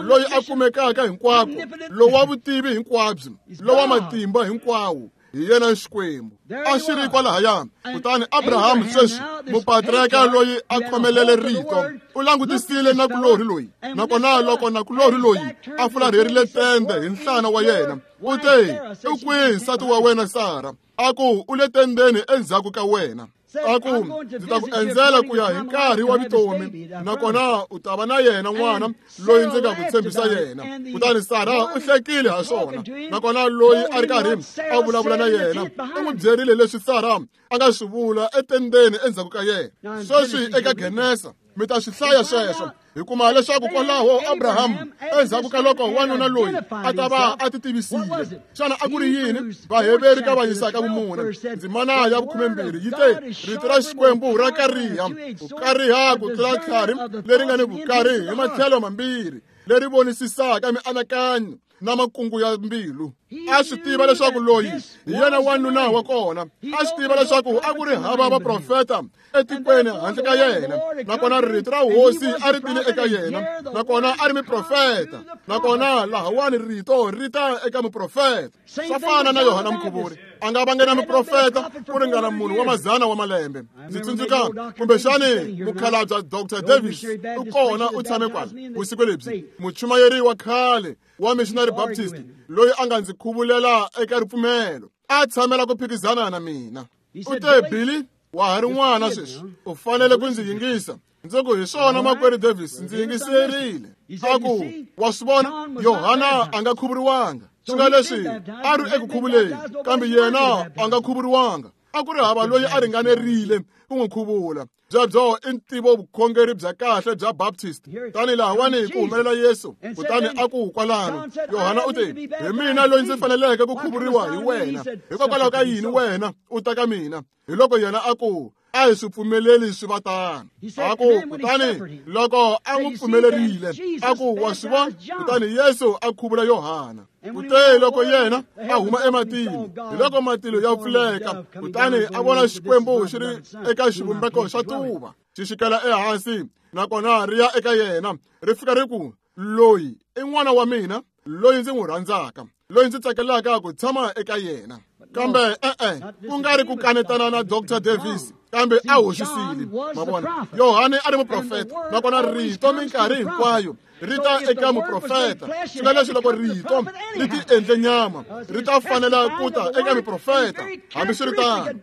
loyi a kumekaka hinkwako, lowa vutivi hinkwabyo, lowa matimba hinkwawo. Hi yena Xikwembu. A xi ri kwalahaya. Kutani Abrahamu sweswi, mupatriarka loyi a khomelele rito, u langutisile nakulorhi loyi, nakona loko nakulorhi loyi a fularherile tende hi nhlana wa yena, u te, u kwihi nsati wa wena Sara? A ku, u le tendeni endzhaku ka wena. A ku, ndzi ta ku endzela ku ya hi nkarhi wa vutomi, nakona u ta va na yena n'wana loyi ndzi nga ku tshembisa yena. Kutani Sara u hlekile ha swona, nakona loyi a ri karhi a vulavula na yena u n'wi byerile leswi Sara a nga swi vula etendeni endzhaku ka yena. Sweswi eka Genesa Mi ta swi hlaya sweswo. Hi kuma leswaku kwalaho Abraham endzhaku ka loko wanuna loyi a ta va a ti tivisile. Xana a ku ri yini? Vaheveri ka va yisaka vumune. Ndzimana ya 12 yi te, rito ra Xikwembu ra kariha, ku kariha ku tlula tlhari leri nga ni vukari hi matlhelo mambirhi, leri vonisisaka mianakanyo na makungu ya mbilu. A swi tiva leswaku loyi hi yena wanuna wa kona. A swi tiva leswaku a ku ri hava vaprofeta etikweni handle ka yena, nakona rito ra hosi a ri tile eka yena, nakona a ri muprofeta, nakona lahawani rito ri ta eka muprofeta. Swa fana na Yohana Mukhuvuri, a nga vange na muprofeta ku ringana munhu wa mazana wa malembe. Ndzi tsundzuka kumbexani mukhalabya Dr. Davis u kona u tshame kwala vusiku lebyi, muchumayeri wa khale wa Missionary Baptist loyi a nga ndzi khuvulela eka ripfumelo, a tshamela ku phikizana na mina. U te, Billy, wa ha ri n'wana sweswi, u fanele ku ndzi yingisa. Ndzi ku, hi swona makwerhu Davis, ndzi yingiserile. A ku, wa swi vona, Yohana a nga khuvuriwanga. Swi nga leswi a ri eku khuvuleni, kambe yena a nga khuvuriwanga. A ku ri hava loyi a ringanerile ku n'wi khuvula. Byebyo i ntivo vukhongeri bya kahle bya Baptist. Tani lahawani ku humelela Yesu, kutani a ku kwalano, Yohana u te, hi mina loyi ndzi faneleke ku khuvuriwa hi wena. Hikokwalaho ka yini wena u ta ka mina? Hi loko yena a ku, a hi swi pfumeleli swi va tano. A ku, kutani loko a n'wi pfumelerile, a ku, wa swi vona? Kutani Yesu a khuvula Yohana. Kute loko yena a huma ematini, hi loko matilo ya pfuleka, kutani a vona Xikwembu xi ri eka xivumbeko xa tuva, xi xikela ehansi, nakona ri ya eka yena, ri fika ri ku, loyi i n'wana wa mina, loyi ndzi n'wi rhandzaka, loyi ndzi tsakelaka ku tshama eka yena. Kambe e-e, ku nga ri ku kanetana na Dr. Davis, kambe a hoxisile. Ma vona, Yohane a ri muprofeta, nakona rito minkarhi hinkwayo ri ta eka muprofeta. Swi nga leswi loko rito ri ti endle nyama, ri ta fanela ku ta eka muprofeta, hambiswiritano,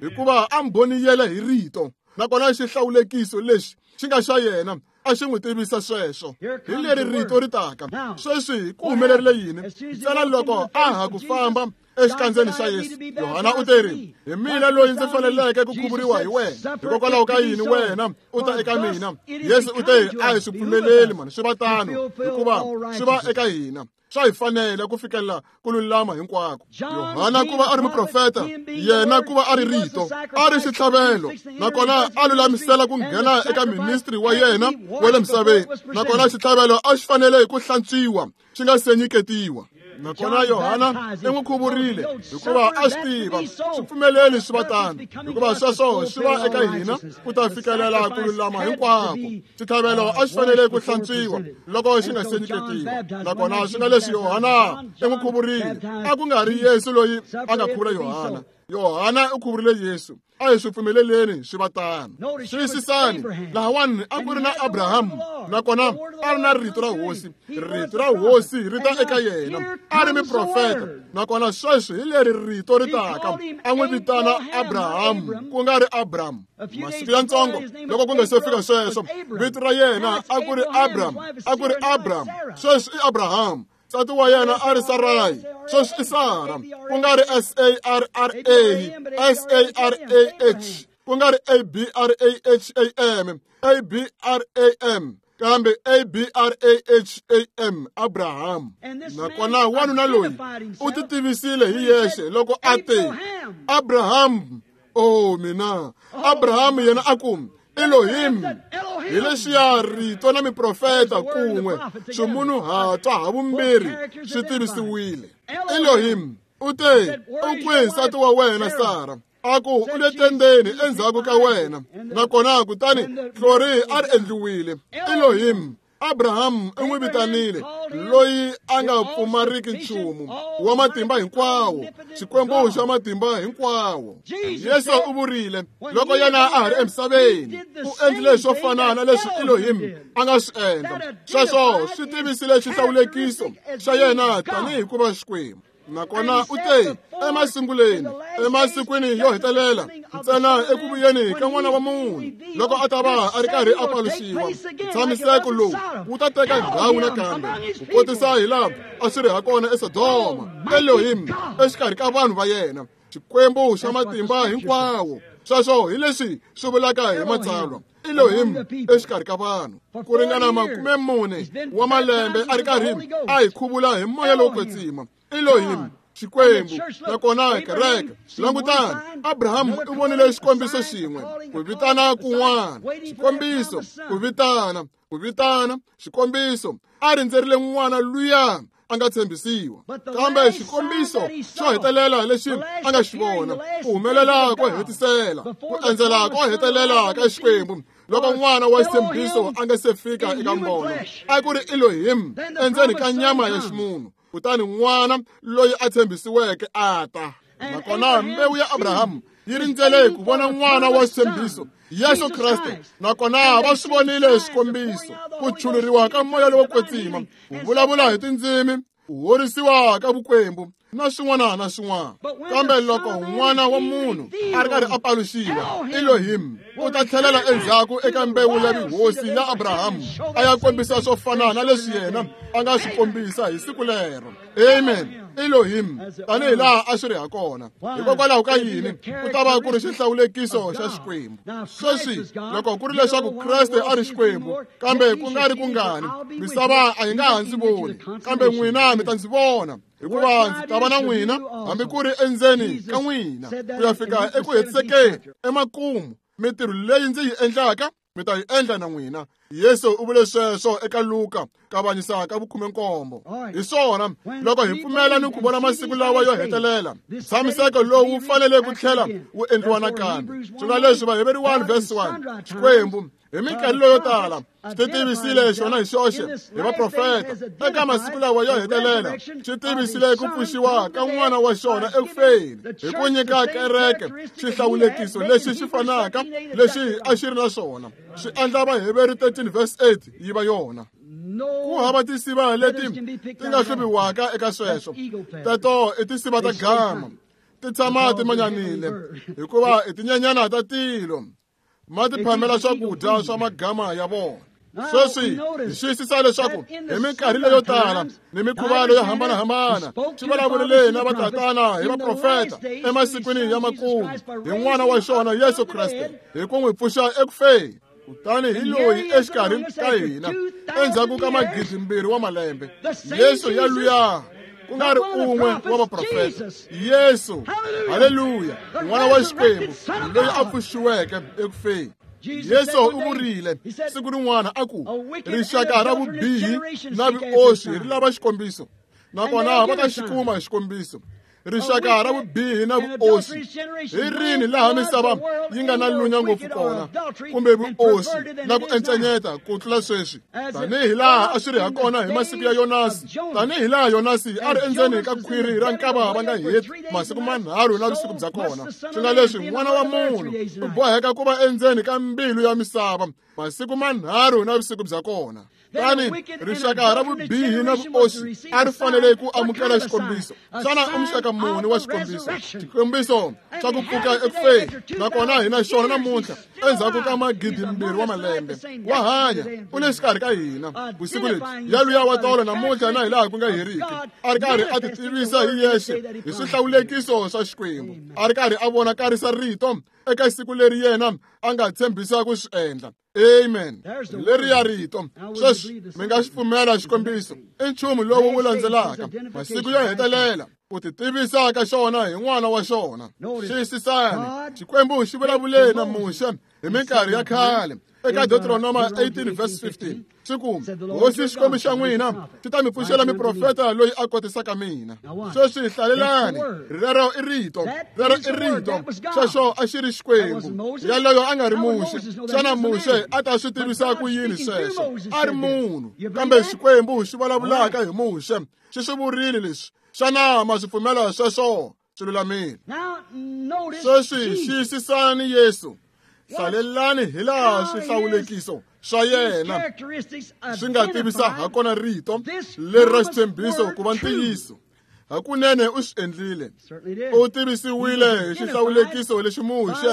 hikuva a mbhoniyele hi rito, nakona xihlawulekiso lexi xi nga xa yena a xi n'wi tivisa sweswo. Hi leri rito ri taka. Sweswi ku humelerile yini? Ntsena loko a ha ku famba exikandzeni xa Yesu, Yohana u teri, hi mina loyi ndzi faneleke ku khuvuriwa hi wena. Hikokwalaho ka yini wena u ta eka mina? Yesu u te, a hi swi pfumeleli mani swi va tano, hikuva swi va eka hina. Swa hi fanele ku fikelela ku lulama hinkwako. Yohana ku va a ri muprofeta, yena ku va a ri rito, a ri xitlhavelo, nakona a lulamisela ku nghena eka ministry wa yena wa le misaveni, nakona xitlhavelo a xi fanele ku hlantswiwa xi nga se nyiketiwa. Nakona Yohana i n'wi khuvurile hikuva a swi tiva swi pfumeleli swi va tano, hikuva sweswo swi va eka hina ku ta fikelela ku lulama hinkwako. Xitlhavelo a xi fanele ku hlantswiwa loko xi nga se nyiketiwa, nakona swi nga leswi Yohana i n'wi khuvurile. A ku nga ri Yesu loyi a nga khuvula Yohana, Yohana u khuvurile Yesu. A hi swi pfumeleleni swi va tano. Tiyisisani, lahawani a ku ri na Abraham, nakona a ri na rito ra hosi. Rito ra hosi ri ta eka yena, a ri muprofeta, nakona sweswi hi leri rito ri taka. A n'wi vitana Abraham, ku nga ri Abram. Masiku ya ntsongo loko ku nga se fika sweswo, vito ra yena a ku ri Abram, a ku ri Abram. Sweswi i Abraham. Nsati wa yena a ri Sarai, sweswi i Sara, ku nga ri S A R R A, S A R A H, ku nga ri A B R A H A M, A B R A M, kambe A B R A H A M, Abraham. Nakona wanuna loyi u ti tivisile hi yexe loko a te, Abraham, oh mina. Abraham yena a ku, Elohim, hi leswiya rito na miprofeta kun'we swimunhuhatwa ha vumbirhi swi tivisiwile. Elohim u te, u kwihi nsati wa wena Sara? A ku, u le tendeni endzhaku ka wena. Nakona kutani hlori a ri endliwile. Elohim, Abraham u n'wi vitanile loyi a nga pfumariki nchumu, wa matimba hinkwawo, Xikwembu xa matimba hinkwawo. Yesu u vurile loko yena a ha ri emisaveni, u endlile swo fana na leswi Elohim a nga swi endla. Sweswo swi tivisile xihlawulekiso xa yena tanihi ku va Xikwembu. Nakona u te, emasunguleni, emasikwini yo hetelela, ntsena eku vuyeni ka N'wana wa Munhu, loko a ta va a ri karhi a paluxiwa, ntshamiseko lowu wu ta teka ndhawu nakambe, ku kotisa hi laha a swi ri ha kona eSodoma. Elohim exikarhi ka vanhu va yena, Xikwembu xa matimba hinkwawo. Sweswo hi leswi swi vulaka hi Matsalwa. Elohim exikarhi ka vanhu ku ringana 40 wa malembe a ri karhi a hi khuvula hi moya lowo kwetsima. Elohim, Xikwembu, nakona kereke. Langutani, Abraham u vonile xikombiso xin'we, ku vitana kun'wana, xikombiso, ku vitana, ku vitana, xikombiso. A rindzerile n'wana luya a nga tshembisiwa, kambe xikombiso xo hetelela lexi a nga xi vona, ku humelela ko hetisela, ku endzela ko hetelela ka Xikwembu loko n'wana wa xitshembiso a nga se fika eka mbono, a ku ri Elohim endzeni ka nyama ya ximunhu. Kutani n'wana loyi a tshembisiweke a ta. Nakona mbewu ya Abraham yi rindzele ku vona n'wana wa xitshembiso, Yesu Kreste. Nakona va swi vonile xikombiso, ku chuluriwa ka moya lowo kwetsima, ku vulavula hi tindzimi, ku horisiwa ka vukwembu na swin'wana na swin'wana. Kambe loko n'wana wa munhu a ri karhi a paluxiwa, Elohim u ta tlhelela endzhaku eka mbewu ya vuhosi ya Abraham a ya kombisa swo fana na leswi yena a nga swi kombisa hi siku lero. Amen. Elohim, tanihi laha a swi ri ha kona. Hikokwalaho ka yini ku ta va ku ri xihlawulekiso xa Xikwembu? Sweswi loko ku ri leswaku Kreste a ri Xikwembu, kambe ku nga ri kungani, misava a yi nga ha ndzi voni, kambe n'wina mi ta ndzi vona, hikuva ndzi ta va na n'wina hambi ku ri endzeni ka n'wina ku ya fika eku hetisekeni emakumu. Mintirho leyi ndzi yi endlaka mi ta yi endla na n'wina. Yesu u vule sweswo eka Luka kavanyisa ka 17. Hi swona, loko hi pfumela ni ku vona masiku lawa yo hetelela, ntshamiseko lowu wu fanele ku tlhela wu endliwa nakambe. Swi nga leswi Vaheberi 1 verse 1, Xikwembu hi minkarhi leyo tala xi ti tivisile xona hi xoxe hi vaprofeta. Eka masiku lawa yo hetelela xi tivisile ku pfuxiwa ka n'wana wa xona eku feni hi ku nyika kereke xihlawulekiso lexi xi fanaka lexi a xi ri na xona. Swi endla Vaheberi 13 verse 8 yi va yona. Ku hava tinsiva leti ti nga hluviwaka eka sweswo. Teto i tinsiva ta gama, ti tshama ti manyanile hikuva i tinyenyana ta tilo, ma ti phamela swakudya swa magama ya vona. Sweswi hi xiyisisa leswaku hi minkarhi leyo tala ni mikhuva leyo hambanahambana swi vulavulile na vatatana hi vaprofeta emasikwini ya makumu hi n'wana wa xona Yesu Kreste hi ku n'wi pfuxa eku feni. Kutani hi loyi exikarhi ka hina endzhaku ka 2,000 wa malembe, Yesu ya luya ku nga ri un'we wa vaprofeta, Yesu, haleluya, n'wana wa Xikwembu loyi a pfuxiweke eku feni. Yesu u vurile siku rin'wana a ku, rixaka ra vubihi na vuoswi ri lava xikombiso, nakona va ta xi kuma xikombiso. Rixaka ra vubihi na vuoswi hi rini laha misava yi nga na lunya ngopfu kona, kumbe vuoswi na ku encenyeta ku tlula sweswi, tanihi laha a swi ri ha kona hi masiku ya Yonasi, tanihi laha Yonasi a ri endzeni ka khwiri ra nkava va nga heti masiku manharhu na vusiku bya kona. Swi nga leswi n'wana wa munhu u boheka ku va endzeni ka mbilu ya misava masiku manharhu na vusiku bya kona. Tani rixaka ra vubihi na vuoswi a ri fanele ku amukela xikombiso. Xana i muxaka muni wa xikombiso? Xikombiso xa ku pfuka eku feni. Nakona hi na xona namuntlha endzhaku ka 2,000 wa malembe. Wa hanya, u le xikarhi ka hina vusiku lebyi. Yaluya wa tolo namuntlha na hilaha ku nga heriki, a ri karhi a ti tivisa hi yexe hi swihlawulekiso swa Xikwembu, a ri karhi a vonakarisa rito eka siku leri yena a nga tshembisa ku swi endla. Amen. Leri ya rito. Sweswi mi nga xi pfumela xikombiso i nchumu lowu wu landzelaka masiku yo hetelela ku ti tivisa ka xona hi n'wana wa xona. Xiyisisani, Xikwembu xi vulavule na Muxe hi minkarhi ya khale eka Deuteronoma 18 verse 15, xi ku, Hosi Xikwembu xa n'wina xi ta mi pfuxela miprofeta loyi a kotisaka mina. Sweswi hlalelani, rero i rito, rero i rito. Sweswo a xi ri Xikwembu. Yaloyo a nga ri Muxe. Xana Muxe a ta swi tivisa ku yini sweswo? A ri munhu, kambe Xikwembu xi vulavulaka hi Muxe xi swi vurile leswi. Xana ma swi pfumela sweswo? Swi lulamile. Sweswi xiyisisani Yesu. Hlalelani hi laha swihlawulekiso swa yena swi nga tivisa ha kona rito leri ra xitshembiso ku va ntiyiso. Hakunene u swi endlile. U tivisiwile hi xihlawulekiso lexi Muxe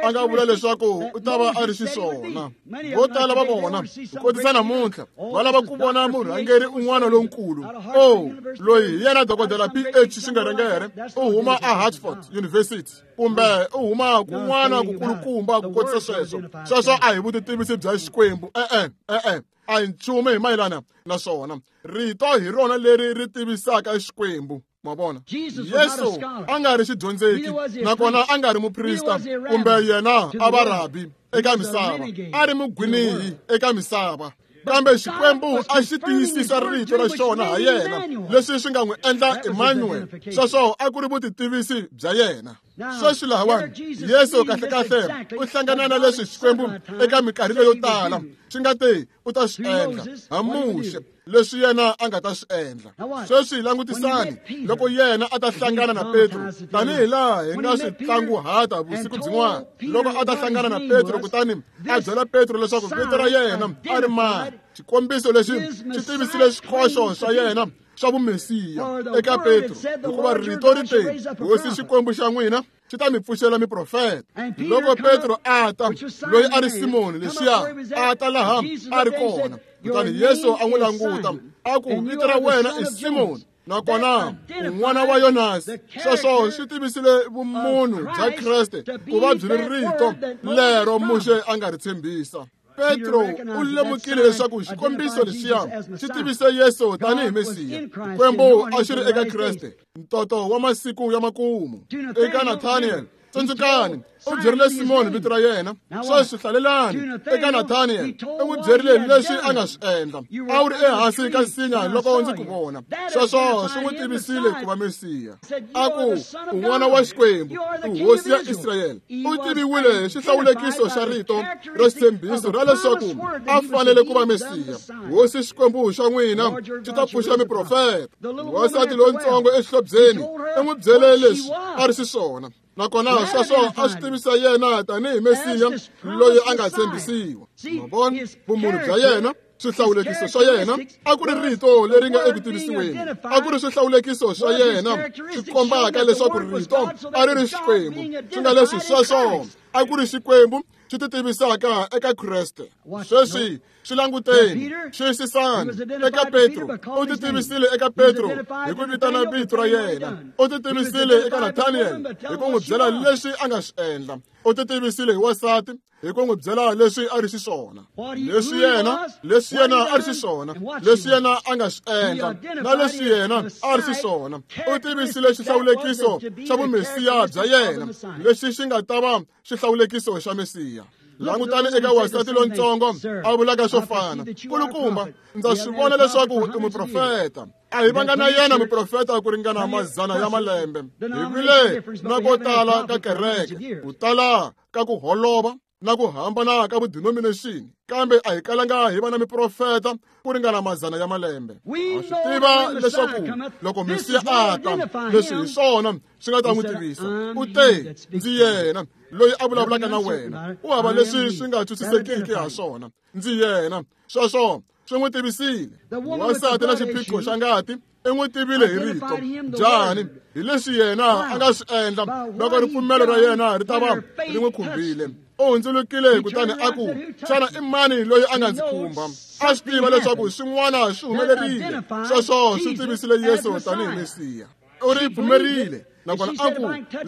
a nga vula leswaku u ta va a ri xiswona. Vo tala va vona ku kotisa namuntlha va lava ku vona murhangeri un'wana lonkulu. Oh, loyi hi yena dokodela PH Xingerengere, u huma a Hartford University kumbe u huma kun'wana kukulukumba ku kotisa sweswo. Sweswo a hi vutitivisi bya Xikwembu. E-e, e-e, a hi nchumu hi mayelana na swona. Rito hi rona leri ri tivisaka Xikwembu. Ma vona, Yesu a nga ri xidyondzeki, nakona a nga ri muprista kumbe yena a va rabi eka misava, a ri mugwinihi eka misava. Kambe Xikwembu a xi tiyisisa rito ra xona ha yena, leswi swi nga n'wi endla Emmanuel. Sweswo a ku ri vutitivisi bya yena. Sweswi lahawani Yesu kahlekahle u hlangana na leswi Xikwembu eka minkarhi leyo tala xi nga te u ta swi endla ha Muxe, leswi yena a nga ta swi endla. Sweswi langutisani loko yena a ta hlangana na Petro, tanihi laha hi nga swi tlanguhata vusiku byin'wana, loko a ta hlangana na Petro kutani a byela Petro leswaku vito ra yena a ri mani. Xikombiso lexi xi tivisile xikhoxo xa yena xa vumesiya eka Petro, hikuva rito ri te, Hosi Xikwembu xa n'wina xi ta mi pfuxela miprofeta. Loko Petro a ta, loyi a ri Simoni lexiya, a ta laha a ri kona, kutani Yesu a n'wi languta a ku, vito ra wena i Simoni, nakona un'wana wa Yonasi. Sweswo swi tivisile vumunhu bya Kreste ku va byi ri rito lero Muxe a nga ri tshembisa. Petro u lemukile leswaku xikombiso lexiya xi tivise Yesu tanihi Mesiya. Xikwembu a xi ri eka Kreste, ntoto wa masiku ya makumu. Eka Nathaniel, tsundzukani, u byerile Simoni vito ra yena. Sweswi hlalelani. Eka Nathaniel, u n'wi byerile leswi a nga swi endla. A wu ri ehansi ka nsinya loko ndzi ku vona. Sweswo swi n'wi tivisile ku va Mesiya. A ku, u n'wana wa Xikwembu, u hosi ya Israyele. U tiviwile hi xihlawulekiso xa rito ra xitshembiso ra leswaku a fanele ku va Mesiya. Hosi Xikwembu xa n'wina xi ta pfuxa miprofeta. Wansati lontsongo exihlobyeni u n'wi byele leswi a ri xiswona, nakona sweswo a swi tivisa yena tanihi Mesiya loyi a nga tshembisiwa. Ma vona vumunhu bya yena, swihlawulekiso swa yena a ku ri rito leri nga eku tivisiweni, a ku ri swihlawulekiso swa yena swi kombaka leswaku rito a ri ri Xikwembu, swi nga leswi sweswo a ku ri Xikwembu xi ti tivisaka eka Kreste. Sweswi swi languteni, xiyisisani. Eka Petro, u ti tivisile eka Petro hi ku vitana vito ra yena. U ti tivisile eka Nathaniel hi ku n'wi byela leswi a nga swi endla. U ti tivisile hi wansati hi ku n'wi byela leswi a ri xiswona, leswi yena a ri xiswona, leswi yena a nga swi endla, na leswi yena a ri xiswona. U tivisile xihlawulekiso xa vumesiya bya yena, lexi xi nga ta va xihlawulekiso xa Mesiya. Langutani eka wansati lontsongo a vulaka swo fana. Kulukumba, ndza swi vona leswaku i muprofeta. A hi vanga na yena muprofeta ku ringana mazana ya malembe. Hi vile na ko tala ka kereke, ku tala ka ku holova na ku hambana ka vudenomination, kambe a hi kalanga hi va na miprofeta ku ringana mazana ya malembe. Ha swi tiva leswaku loko Mesiya a ta, leswi hi swona swi nga ta n'wi tivisa. U te, ndzi yena loyi a vulavulaka na wena. U hava leswi swi nga twisisekiki ha swona. Ndzi yena. Sweswo swi n'wi tivisile. Wansati na xiphiqo xa ngati i n'wi tivile hi rito. Njhani? Hi leswi yena a nga swi endla loko ripfumelo ra yena ri ta va ri n'wi khumbile. U hundzulukile kutani a ku, xana i mani loyi a nga ndzi khumba? A swi tiva leswaku swin'wana swi humelerile. Sweswo swi tivisile Yesu tanihi Mesiya. U ri pfumerile, nakona a ku,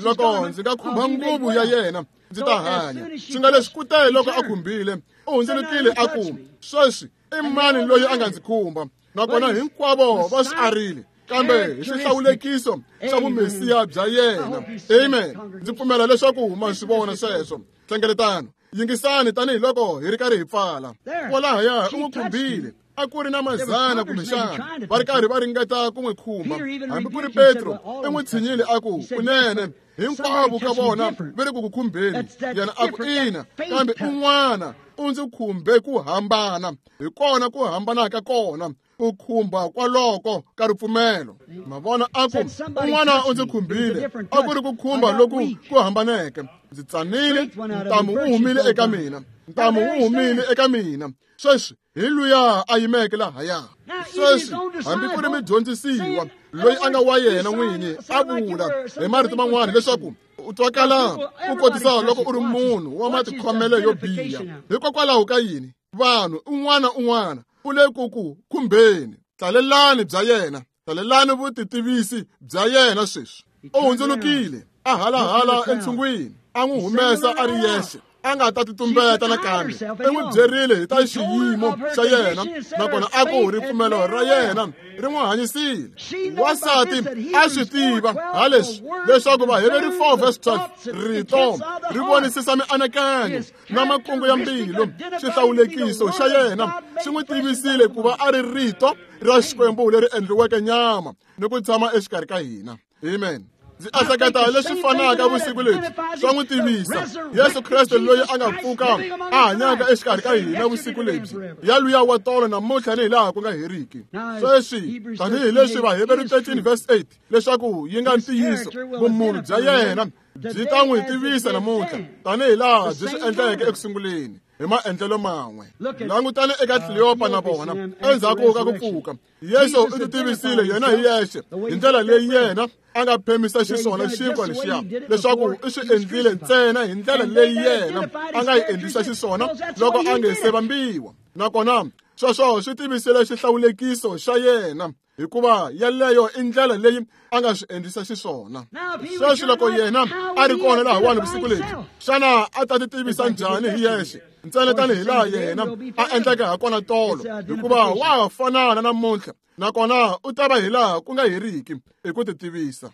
loko ndzi nga khumba nguvu ya yena ndzi ta hanya. Swi nga leswi kute loko a khumbile, u hundzulukile a ku, sweswi i mani loyi a nga ndzi khumba? Nakona hinkwavo va swi arile, kambe hi xihlawulekiso xa vumesiya bya yena. Amen. Ndzi pfumela leswaku ma swi vona sweswo. Hlengeletano, yingisani tanihiloko hi ri karhi hi pfala. Kwalahaya u n'wi khumbile. A ku ri na mazana kumbexana va ri karhi va ringeta ku n'wi khumba. Hambi ku ri Petro i n'wi tshinyile a ku, kunene hinkwavo ka vona va ri ku ku khumbeni. Yena a ku, ina, kambe un'wana u ndzi khumbe ku hambana. Hi kona ku hambana ka kona, ku khumba kwaloko ka ripfumelo. Ma vona, a ku, un'wana u ndzi khumbile, a ku ri ku khumba loku ku hambaneke. Ndzi tsanile, ntamu wu humile eka mina. Ntamu wu humile eka mina. Sweswi hi luya a yimeke lahaya. Sweswi hambi ku ri mudyondzisiwa loyi a nga wa yena n'winyi a vula hi marito man'wana leswaku u twakala u kotisa loko u ri munhu wa matikhomelo yo biha. Hikokwalaho ka yini vanhu un'wana un'wana u le ku ku khumbeni? Tlalelani bya yena, tlalelani vutitivisi bya yena sweswi. U hundzulukile a halahala entshungwini, a n'wi humesa a ri yexe, a nga ta titumbeta nakambe. I n'wi byerile hi ta xiyimo xa yena, nakona a ku ripfumelo ra yena ri n'wi hanyisile. Wansati a swi tiva ha leswi leswaku Vaheveri 4 verse 12 rito ri vonisisa mianakanyo na makungu ya mbilu. Xihlawulekiso xa yena xi n'wi tivisile ku va a ri rito ra Xikwembu leri endliweke nyama ni ku tshama exikarhi ka hina. Amen. Ndzi ehleketa leswi fanaka vusiku lebyi swa n'wi tivisa Yesu Kreste loyi a nga pfuka a hanyaka exikarhi ka hina vusiku lebyi, ya luya wa tolo namuntlha ni hilaha ku nga heriki. Sweswi tanihileswi Vaheveri 13 verse 8 leswaku yi nga ntiyiso, vumunhu bya yena byi ta n'wi tivisa namuntlha tanihilaha byi swi endleke ekusunguleni hi maendlelo man'we. Langutani eka Kleopa na vona endzhaku ka ku pfuka. Yesu u titivisile yena hi yexe hi ndlela leyi yena a nga phemisa xiswona xinkwa lexiya, leswaku i swi endlile ntsena hi ndlela leyi yena a nga yi endlisa xiswona loko a nge se vambiwa. Nakona sweswo swi tivisile xihlawulekiso xa yena, hikuva yeleyo i ndlela leyi a nga swi endlisa xiswona. Sweswi loko yena a ri kona lahawani vusiku lebyi, xana a ta titivisa njhani hi yexe ntsena tanihilaha yena a endleke hakona tolo? Hikuva wa ha fanana namuntlha, nakona u ta va hilaha ku nga heriki hi ku titivisa.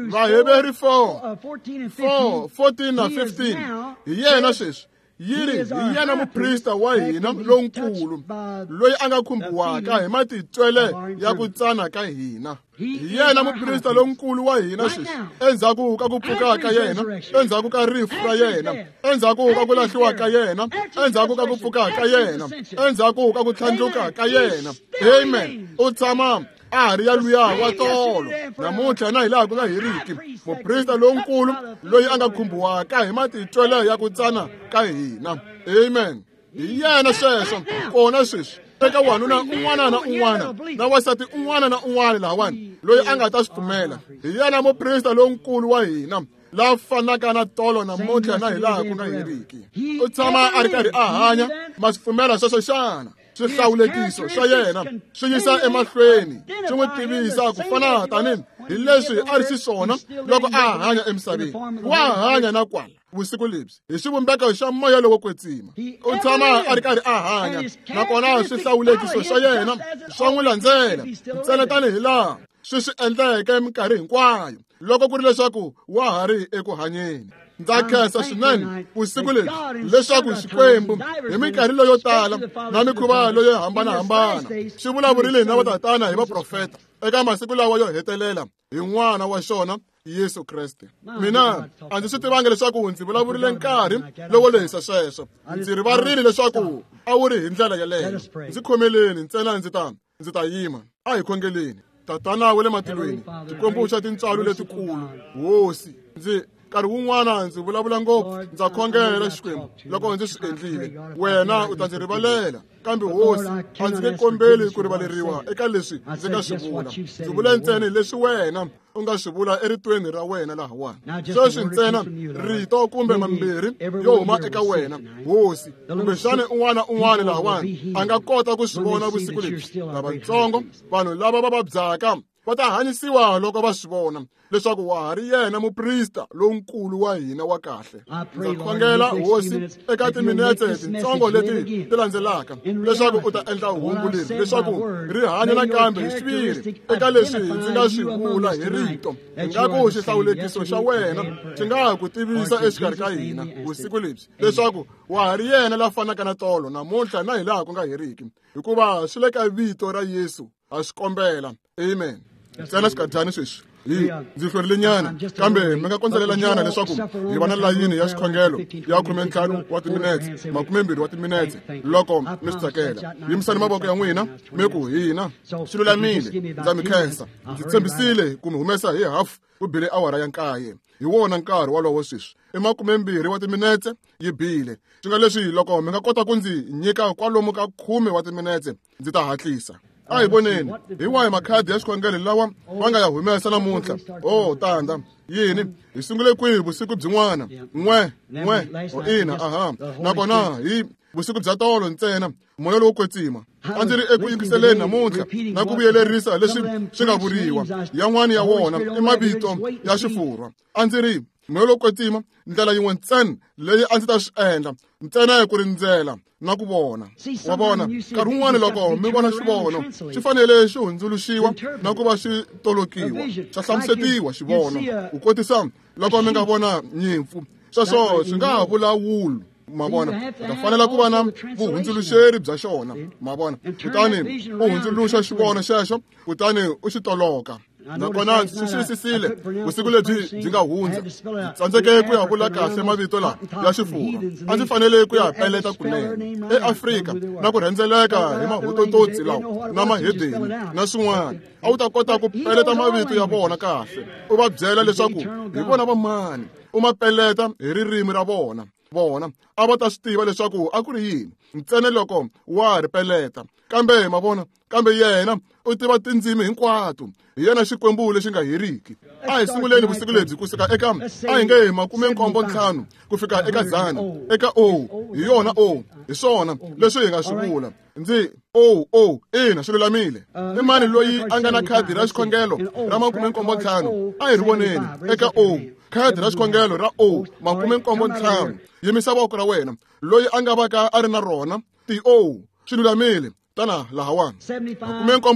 Vaheveri 4 14 na 15 hi yena sweswi yi ri hi yena muprista wa hina lonkulu loyi a nga khumbiwaka hi matitwele ya ku tsana ka hina. Hi yena muprista lonkulu wa hina sweswi, endzhaku ka ku pfuka ka yena, endzhaku ka rifu ra yena, endzhaku ka ku lahliwa ka yena, endzhaku ka ku pfuka ka yena, endzhaku ka ku tlhandluka ka yena. Amen. U tshama a ha ri ya luya wa tolo namuntlha na hilaha ku nga heriki, muprista lonkulu loyi a nga khumbiwaka hi matitwele ya ku tsana ka hina. Amen. Hi yena sweswo kona sweswi eka wanuna un'wana na un'wana na wansati un'wana na un'wana lahawani loyi a nga ta swi pfumela. Hi yena muprista lonkulu wa hina la fanaka na tolo namuntlha na hilaha ku nga heriki. U tshama a ri karhi a hanya. Ma swi pfumela sweswo xana? Swihlawulekiso swa yena swi yisa emahlweni swi n'wi tivisa ku fana tani hi leswi a ri xiswona loko a hanya emisaveni. Wa hanya na kwala vusiku lebyi hi xivumbeko xa moya lowo kwetsima. U tshama a ri karhi a hanya, nakona swihlawulekiso swa yena swa n'wi landzela ntsena tanihilaha swi swi endleke minkarhi hinkwayo loko ku ri leswaku wa ha ri eku hanyeni. Ndza khensa swinene vusiku lebyi leswaku Xikwembu hi minkarhi leyo tala na mikhuva leyo hambanahambana xi vulavurile na vatatana hi vaprofeta eka masiku lawa yo hetelela hi n'wana wa xona Yesu Kreste. Mina a ndzi swi tivangi leswaku ndzi vulavurile nkarhi lowo lehisa sweswo. Ndzi rivarile leswaku a wu ri hi ndlela yeleyo. Ndzi khomeleni ntsena ndzi ta yima. A hi khongeleni. Tatana wa le matilweni, Xikwembu xa tintswalo letikulu, Hosi, ndzi nkarhi wun'wana ndzi vulavula ngopfu. Ndza khongela Xikwembu loko ndzi swi endlile, wena u ta ndzi rivalela. Kambe Hosi, a ndzi nge kombeli ku rivaleriwa eka leswi ndzi nga swi vula. Ndzi vula ntsena hi leswi wena u nga swi vula eritweni ra wena lahawani. Sweswi ntsena rito kumbe mambirhi yo huma eka wena, Hosi, kumbexana un'wana un'wana lahawani a nga kota ku swi vona vusiku lebyi. Lavatsongo, vanhu lava va vabyaka va ta hanyisiwa loko va swi vona leswaku wa ha ri yena muprista lonkulu wa hina wa kahle. Ndza khongela Hosi eka timinetse tintsongo leti ti landzelaka leswaku u ta endla hungu leri leswaku ri hanya nakambe hi xiviri eka leswi ndzi nga swi vula hi rito. Ingaku xihlawulekiso xa wena xi nga ku tivisa exikarhi ka hina vusiku lebyi leswaku wa ha ri yena la fanaka na tolo namuntlha na hilaha ku nga heriki, hikuva swi le ka vito ra Yesu ha swi kombela. Amen. Ntsena xikadyani sweswi. Hi ndzi hlwerile nyana, kambe mi nga kondzelela nyana leswaku hi va na layini ya xikhongelo ya 15 wa timinetse, 20 wa timinetse, loko mi swi tsakela. Yimisani mavoko ya n'wina mi ku hina swi lulamile, ndza mi khensa. Ndzi tshembisile ku mi humesa hi hafu ku bile awara ya 9. Hi wona nkarhi wolowo sweswi i 20 wa timinetse yi bile. Swi nga leswi loko mi nga kota ku ndzi nyika kwalomu ka 10 wa timinetse, ndzi ta hatlisa. A hi voneni hi wahi makhadi ya xikhongelo lawa va nga ya humesa namuntlha. Oh, tanda yini hi sungule kwihi vusiku byin'wana? 1 1 ina, aha. Nakona hi vusiku bya tolo ntsena moya lowo kwetsima a ndzi ri eku yingiseleni namuntlha na ku vuyelerisa leswi swi nga vuriwa. Yan'wana ya wona i mavito ya xifurwa. A ndzi ri moya lowo kwetsima ndlela yin'we ntsena leyi a ndzi ta swi endla ntsena ku rindzela na ku vona. Wa vona, nkarhi wun'wana loko mi vona xivono xi fanele xi hundzuluxiwa na ku va xi tolokiwa, xa hlamusetiwa xivono. Ku kotisa loko mi nga vona nyimpfu, sweswo swi nga ha vula wulu. Ma vona, u ta fanela ku va na vuhundzuluxeri bya xona. Ma vona, kutani u hundzuluxa xivono xexo, kutani u xi toloka. Nakona ndzi swi xiyisisile vusiku lebyi byi nga hundza, ndzi tsandzeke ku ya vula kahle mavito lawa ya xifurwa. A ndzi fanele ku ya peleta kunene eAfrika na ku rhendzeleka hi mahotototsi lawa na mahedeni na swin'wana. A wu ta kota ku peleta mavito ya vona kahle, u va byela leswaku hi vona va mani, u ma peleta hi ririmi ra vona. Vona a va ta swi tiva leswaku a ku ri yini ntsena loko wa ri peleta. Kambe ma vona, kambe yena u tiva tindzimi hinkwato. Hi yena Xikwembu lexi nga heriki. A hi sunguleni vusiku lebyi kusuka eka a hi nge 75 ku fika eka 100, eka O. Hi yona O, hi swona leswi hi nga swi vula. Ndzi O O, ina, swi lulamile. I mani loyi a nga na khadi ra xikhongelo ra 75? A hi ri voneni eka O, khadi ra xikhongelo ra O 75. Yimisa voko ra wena. Loyi a nga vaka a ri na rona ti O, swi lulamile. Tana lahawani. 75, 80,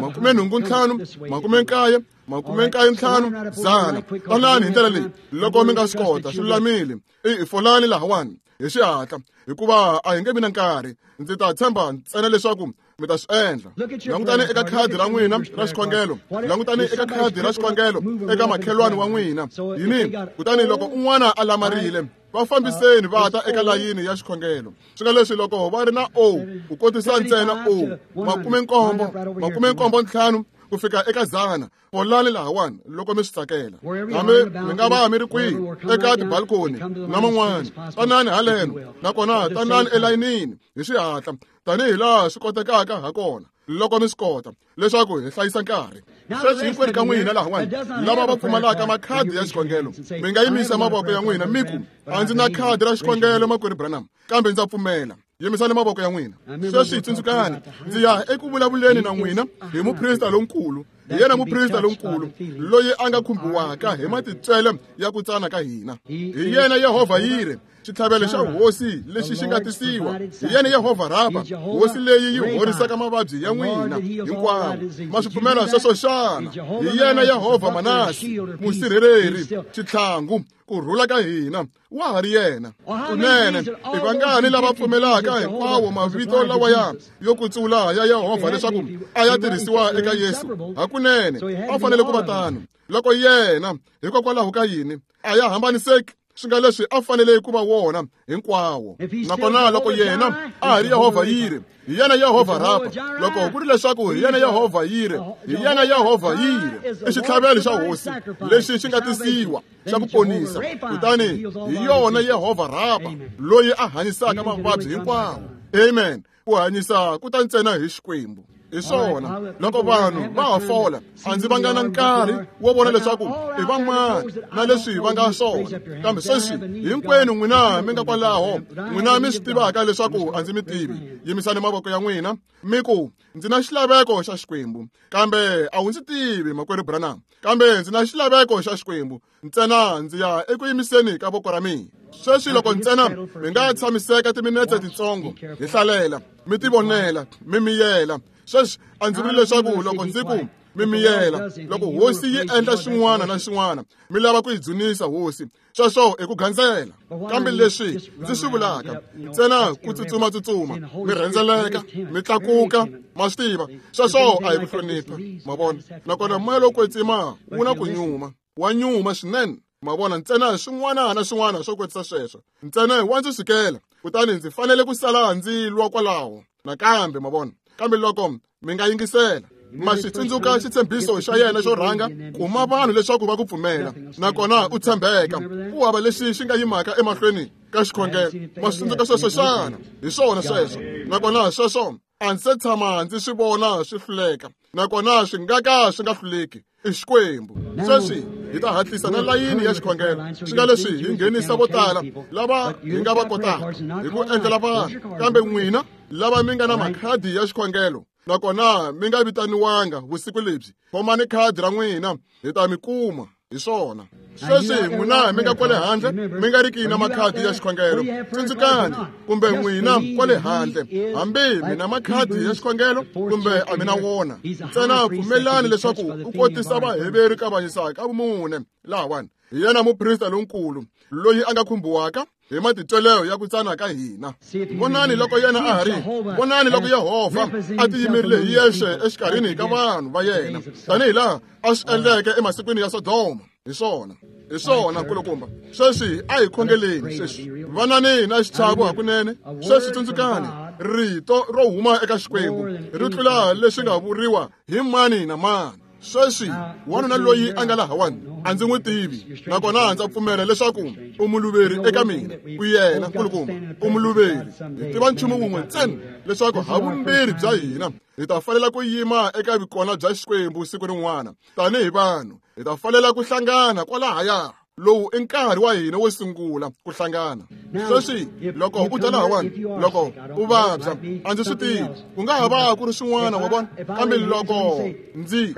85, 90, 95, 100. Tanani hi ndlela leyi loko mi nga swi kota, swi lulamile. I folani lahawani hi xihatla, hikuva a hi nge vi na nkarhi. Ndzi ta tshemba ntsena leswaku mi ta swi endla. Langutani eka khadi ra n'wina ra xikhongelo, langutani eka khadi ra xikhongelo eka makhelwani wa n'wina. Yini? Kutani loko un'wana a lamarile, va fambiseni va ta eka layini ya xikhongelo. Swi nga leswi loko va ri na O, ku kotisa ntsena O, 75, 75 ku fika eka 100. Folani lahawani loko mi swi tsakela. Hambi mi nga va mi ri kwihi eka tibalkoni na man'wana, tanani haleno, nakona tanani elayinini hi xihatla tanihi laha swi kotekaka ha kona loko mi swi kota, leswaku hi hlayisa nkarhi. Sweswi hinkwenu ka n'wina lahawani lava va pfumalaka makhadi ya xikhongelo, mi nga yimisa mavoko ya n'wina mi ku, a ndzi na khadi ra xikhongelo makwerhu Branham, kambe ndza pfumela. Yimisani mavoko ya n'wina. Sweswi tsundzukani, ndzi ya eku vulavuleni na n'wina hi muprista lonkulu. Hi yena muprista lonkulu loyi a nga khumbiwaka hi matitswele ya ku tsana ka hina. Hi yena Yehovha Yire, xitlhavelo xa hosi lexi xi nga tisiwa. Hi yena Yehovha Rapa, hosi leyi yi horisaka mavabyi ya n'wina hinkwawo. Ma swi pfumela sweswo xana? Hi yena Yehovha Manasi, musirheleri, xitlhangu, ku rhula ka hina. Wa ha ri yena. Kunene i vangani lava pfumelaka hinkwawo mavito lawaya yo kutsula ya Yehovha leswaku a ya tirhisiwa eka Yesu? Hakunene a fanele ku va tano. Loko yena hikokwalaho ka yini a ya hambaniseki, swi nga leswi a fanele ku va wona hinkwawo. Nakona loko yena a ha ri Yehovha Yire, hi yena Yehovha Rapa. Loko ku ri leswaku hi yena Yehovha Yire, hi yena Yehovha Yire, i xitlhavelo xa hosi lexi xi nga tisiwa xa ku ponisa. Kutani hi yona Yehovha Rapa loyi a hanyisaka mavabyi hinkwawo. Amen. Ku hanyisa ku ta ntsena hi Xikwembu. Hi swona, loko vanhu va ha fola, a ndzi vanga na nkarhi wo vona leswaku i van'wana na leswi va nga swona. Kambe sweswi hinkwenu n'wina mi nga kwalaho, n'wina mi swi tivaka leswaku a ndzi mi tivi, yimisani mavoko ya n'wina mi ku, ndzi na xilaveko xa Xikwembu, kambe a wu ndzi tivi makwerhu Branham, kambe ndzi na xilaveko xa Xikwembu, ntsena ndzi ya eku yimiseni ka voko ra mina. Sweswi loko ntsena mi nga tshamiseka timinetse titsongo, hi hlalela, mi tivonela, mi miyela. Sweswi a ndzi vuli leswaku loko ndzi ku Mi miyela loko hosi yi endla xin'wana na xin'wana, mi lava ku yi dzunisa hosi. Sweswo i ku gandzela. Kambe leswi ndzi swi vulaka, ntsena ku tsutsuma-tsutsuma, mi rhendzeleka, mi tlakuka, ma swi tiva, sweswo a hi ku hlonipha, ma vona. Nakona moya lowo kwetsima wu na ku nyuma, wa nyuma swinene, ma vona, ntsena swin'wana na swin'wana swo kwetsisa sweswo. Ntsena wa ndzi sukela, kutani ndzi fanele ku sala ndzi lwa kwalaho nakambe, ma vona. Kambe loko mi nga yingisela, ma xi tsundzuka xitshembiso xa yena xo rhanga, kuma vanhu leswaku va ku pfumela, nakona u tshembeka, ku hava lexi xi nga yimaka emahlweni ka xikhongelo. Ma swi tsundzuka sweswo xana? Hi swona sweswo. Nakona sweswo a ndzi se tshama ndzi swi vona swi hluleka, nakona swi nga ka swi nga hluleki. I Xikwembu. Sweswi hi ta hatlisa na layini ya xikhongelo, swi nga leswi hi nghenisa vo tala lava hi nga va kotaka hi ku endlela vanhu. Kambe n'wina lava mi nga na makhadi ya xikhongelo, nakona mi nga vitaniwanga vusiku lebyi, khomani khadi ra n'wina, hi ta mi kuma. Hi swona. Sweswi n'wina mi nga kwale handle, mi nga riki na makhadi ya xikhongelo, tsundzukani, kumbe n'wina kwale handle, hambi mi na makhadi ya xikhongelo kumbe a mi na wona, ntsena pfumelani leswaku u kotisa Vaheveri kavanyisa ka vumune lahawani. Hi yena muprista lonkulu loyi a nga khumbiwaka hi matitweleo ya ku tsana ka hina. Vonani loko yena a ha ri, vonani loko Yehovha a tiyimerile hi yexe exikarhini ka vanhu va yena, tanihi laha a swi endleke emasikwini ya Sodoma. Hi swona, hi swona, nkulukumba. Sweswi a hi khongeleni sweswi. Vanani na xichavo hakunene. Sweswi tsundzukani, rito ro huma eka Xikwembu ri tlula leswi nga vuriwa hi mani na mani. Sweswi wanuna loyi a nga lahawani a ndzi n'wi tivi, nakona ndza pfumela leswaku u muluveri eka mina. U yena, nkulukumba, u muluveri. Hi tiva nchumu wun'we ntsena, leswaku havumbirhi bya hina hi ta fanela ku yima eka vukona bya Xikwembu siku rin'wana. Tanihi vanhu hi ta fanela ku hlangana kwalahaya. Lowu i nkarhi wa hina wo sungula ku hlangana. Sweswi loko u ta lahawani, loko u vabya, a ndzi swi tivi, ku nga ha va ku ri swin'wana, wa vona. Kambe loko ndzi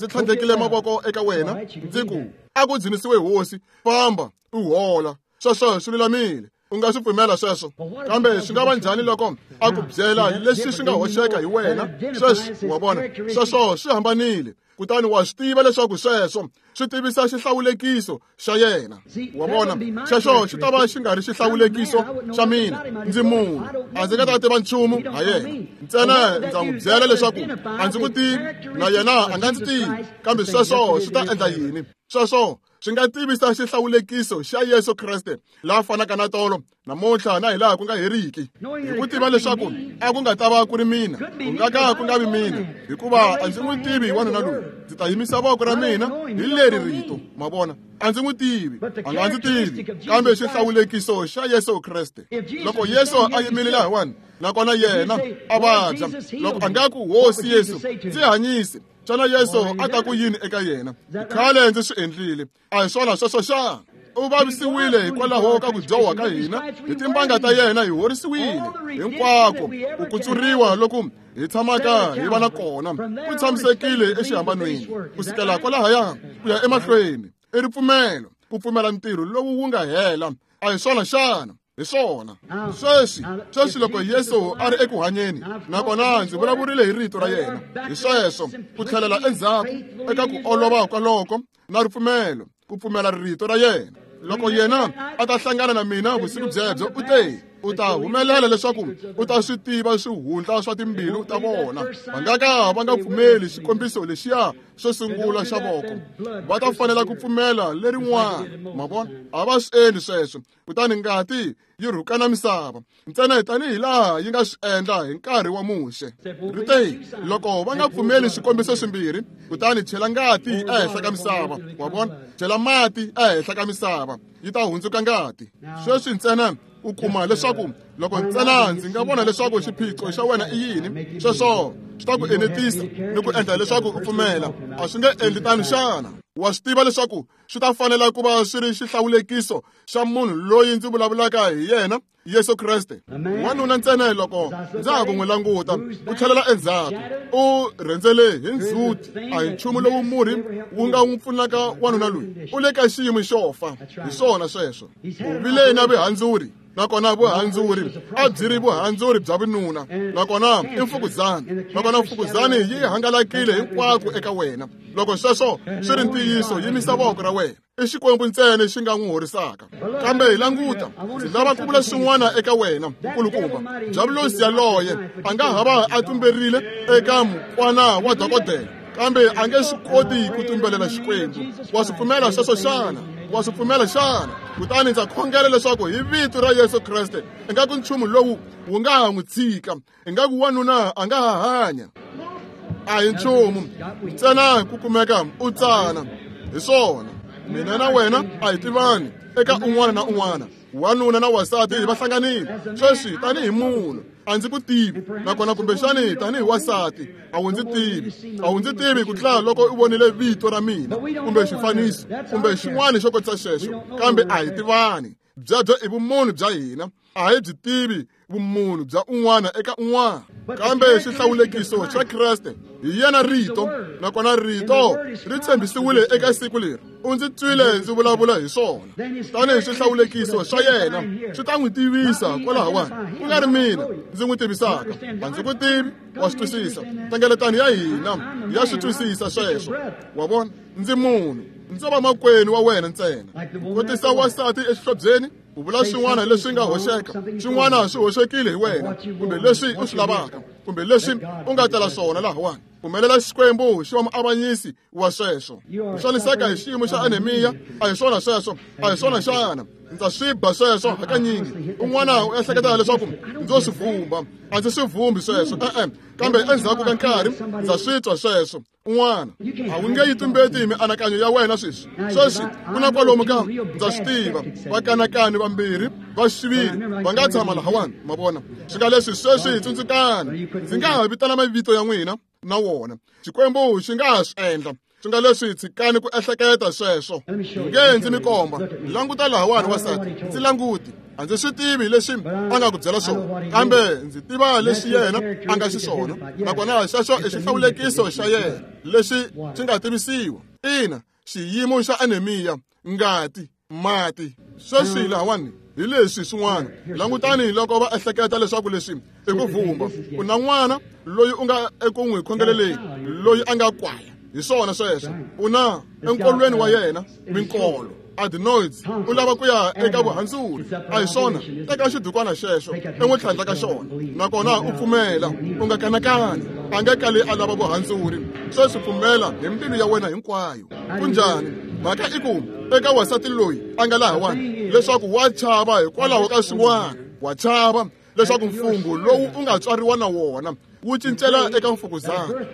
tlhandlekile mavoko eka wena, ndzi ku a ku dzunisiwe hosi, famba u hola, sweswo swi lulamile. U nga swi pfumela sweswo. Kambe swi nga va njhani loko a ku byela leswi swi nga hoxeka hi wena? Sweswi wa vona, sweswo swi hambanile. Kutani wa swi tiva leswaku sweswo swi tivisa xihlawulekiso xa yena. Wa vona, xexo xi ta va xi nga ri xihlawulekiso xa mina. Ndzi munhu, a ndzi nga ta tiva nchumu ha yena. Ntsena ndza n'wi byela leswaku a ndzi n'wi tivi, na yena a nga ndzi tivi. Kambe sweswo swi ta endla yini? Sweswo swi nga tivisa xihlawulekiso xa Yesu Kreste la fanaka na tolo, namuntlha na hilaha ku nga heriki. Hi ku tiva leswaku a ku nga ta va ku ri mina, ku nga ka ku nga vi mina, hikuva a ndzi n'wi tivi wanuna loyi. Ndzi ta yimisa voko ra mina hi leri rito, ma vona. A ndzi n'wi tivi, a nga ndzi tivi, kambe xihlawulekiso xa Yesu Kreste. Loko Yesu a yimile lahawani, nakona yena a vabya, loko a nga ku hosi Yesu, ndzi hanyise, xana Yesu a ta ku yini eka yena? Khale ndzi swi endlile. A hi swona sweswo xana? U vavisiwile hikwalaho ka ku dyoha ka hina, hi timbanga ta yena hi horisiwile. Hinkwako ku kutsuriwa loku hi tshamaka hi va na kona ku tshamisekile exihambanweni, ku sukela kwalahaya ku ya emahlweni. I ripfumelo, ku pfumela ntirho lowu wu nga hela. A hi swona xana? Hi swona. Sweswi loko Yesu a ri eku hanyeni, nakona ndzi vulavurile hi rito ra yena, hi sweswo ku tlhelela endzhaku eka ku olova kwaloko na ripfumelo, ku pfumela rito ra yena. Loko yena a ta hlangana na mina vusiku byebyo, u te u ta humelela leswaku u ta swi tiva swihundla swa timbilu ta vona. Va nga ka va nga pfumeli xikombiso lexiya xo sungula xa voko, va ta fanela ku pfumela lerin'wana. Ma vona, a va swi endli sweswo. Kutani ngati yi rhukana misava ntsena tanihi laha yi nga swi endla hi nkarhi wa Muxe. Ri te loko va nga pfumeli swikombiso swimbirhi, kutani chela ngati ehenhla ka misava. Wa vona, chela mati ehenhla ka misava, yi ta hundzuka ngati. Sweswi ntsena u kuma leswaku loko ntsena ndzi nga vona leswaku xiphiqo xa wena i yini, sweswo swi ta ku enetisa ni ku endla leswaku u pfumela. A swi nge endli tano xana? Wa swi tiva leswaku swi ta fanela ku va swi ri xihlawulekiso xa munhu loyi ndzi vulavulaka hi yena, Yesu Kreste. Wanuna ntsena loko ndza ha ku n'wi languta, u tlhelela endzhaku, u rhendzele hi ndzhuti. A hi nchumu lowu murhi wu nga n'wi pfunaka wanuna loyi, u le ka xiyimo xo fa. Hi swona sweswo. U vile na vihandzuri. Nakona vuhandzuri a byi ri vuhandzuri bya vununa, nakona i mfukuzana, nakona mfukuzani yi hangalakile hinkwako eka wena. Loko sweswo swi ri ntiyiso, yimisa voko ra wena. I Xikwembu ntsena xi nga n'wi horisaka. Kambe hi languta, ndzi lava ku vula swin'wana eka wena, nkulukumba. Diyavulosi yaloye a nga ha va a tumberile eka mukwana wa dokodela, kambe a nge swi koti ku tumbelela Xikwembu. Wa swi pfumela sweswo xana? Wa swi pfumela xana? Kutani ndza khongela leswaku hi vito ra Yesu Kreste, ingaku nchumu lowu wu nga ha n'wi tshika, ingaku wanuna a nga ha hanya. A hi nchumu ntsena ku kumeka u tsana. Hi swona, mina na wena a hi tivani eka un'wana na un'wana. Wanuna na wasati va hlanganile sweswi tanihi munhu, a ndzi ku tivi, nakona kumbexani tanihi wasati a wu ndzi tivi, a wu ndzi tivi ku tlula loko u vonile vito ra mina kumbe xifaniso kumbe xin'wana xo kotisa xexo, kambe a hi tivani. Byebyo i vumunhu bya hina, a hi byi tivi vumunhu bya un'wana eka un'wana. Kambe xihlawulekiso xa Kreste hi yena rito, nakona rito ri tshembisiwile eka siku leri. U ndzi twile ndzi vulavula hi swona. Tanihi xihlawulekiso xa yena swi ta n'wi tivisa kwalahawani, ku nga ri mina ndzi n'wi tivisaka. A ndzi ku tivi, wa swi twisisa. Hlengeletano ya hina ya swi twisisa sweswo. Wa vona, ndzi munhu, ndzo va makwenu wa wena ntsena. Kotisa wasati exihlobyeni, u vula swin'wana leswi nga hoxeka, swin'wana swi hoxekile hi wena, kumbe leswi u swi lavaka, kumbe leswi u nga tala swona lahawani. Pfumelela Xikwembu xi va muavanyisi wa sweswo. Ku xaniseka hi xiyimo xa anemiya a hi swona sweswo, a hi swona xana? Ndza swi ba sweswo hakanyingi. Un'wana u ehleketa leswaku ndzo swi vumba, a ndzi swi vumbi sweswo, e-e. Kambe endzhaku ka nkarhi ndza swi twa sweswo. Un'wana a wu nge yi tumbeti mianakanyo ya wena sweswi. Sweswi ku na kwalomu ka, ndza swi tiva, vakanakani vambirhi va xiviri va nga tshama lahawani, ma vona. Swi nga leswi sweswi tsundzukani, ndzi nga ha vitana mavito ya n'wina na wona. Xikwembu xi nga ha swi endla. Swi nga leswi tshikani ku ehleketa sweswo. Nge ndzi mi komba. Languta lahawani wasati, ndzi languti. A ndzi swi tivi leswi a nga ku byela swona, kambe ndzi tiva leswi yena a nga xiswona, nakona xexo i xihlawulekiso xa yena lexi xi nga tivisiwa. Ina, xiyimo xa anemiya, ngati, mati. Sweswi lahawani hi leswi swin'wana. Langutani loko va ehleketa leswaku leswi i ku vumba. U na n'wana loyi u nga eku n'wi khongeleleni, loyi a nga kwala. Hi swona sweswo. U na enkolweni wa yena minkolo, adenoids, u lava ku ya eka vuhandzuri. A hi swona, teka xidukwana xexo i n'wi tlhandla ka xona, nakona u pfumela, u nga kanakani. A nge kali a lava vuhandzuri. Sweswi pfumela hi mbilu ya wena hinkwayo. Kunjhani? Mhaka i ku eka wasati loyi a nga lahawani leswaku wa chava hikwalaho ka swin'wana, wa chava leswaku mfungho lowu u nga tswariwa na wona wu cincela eka mfukuzana.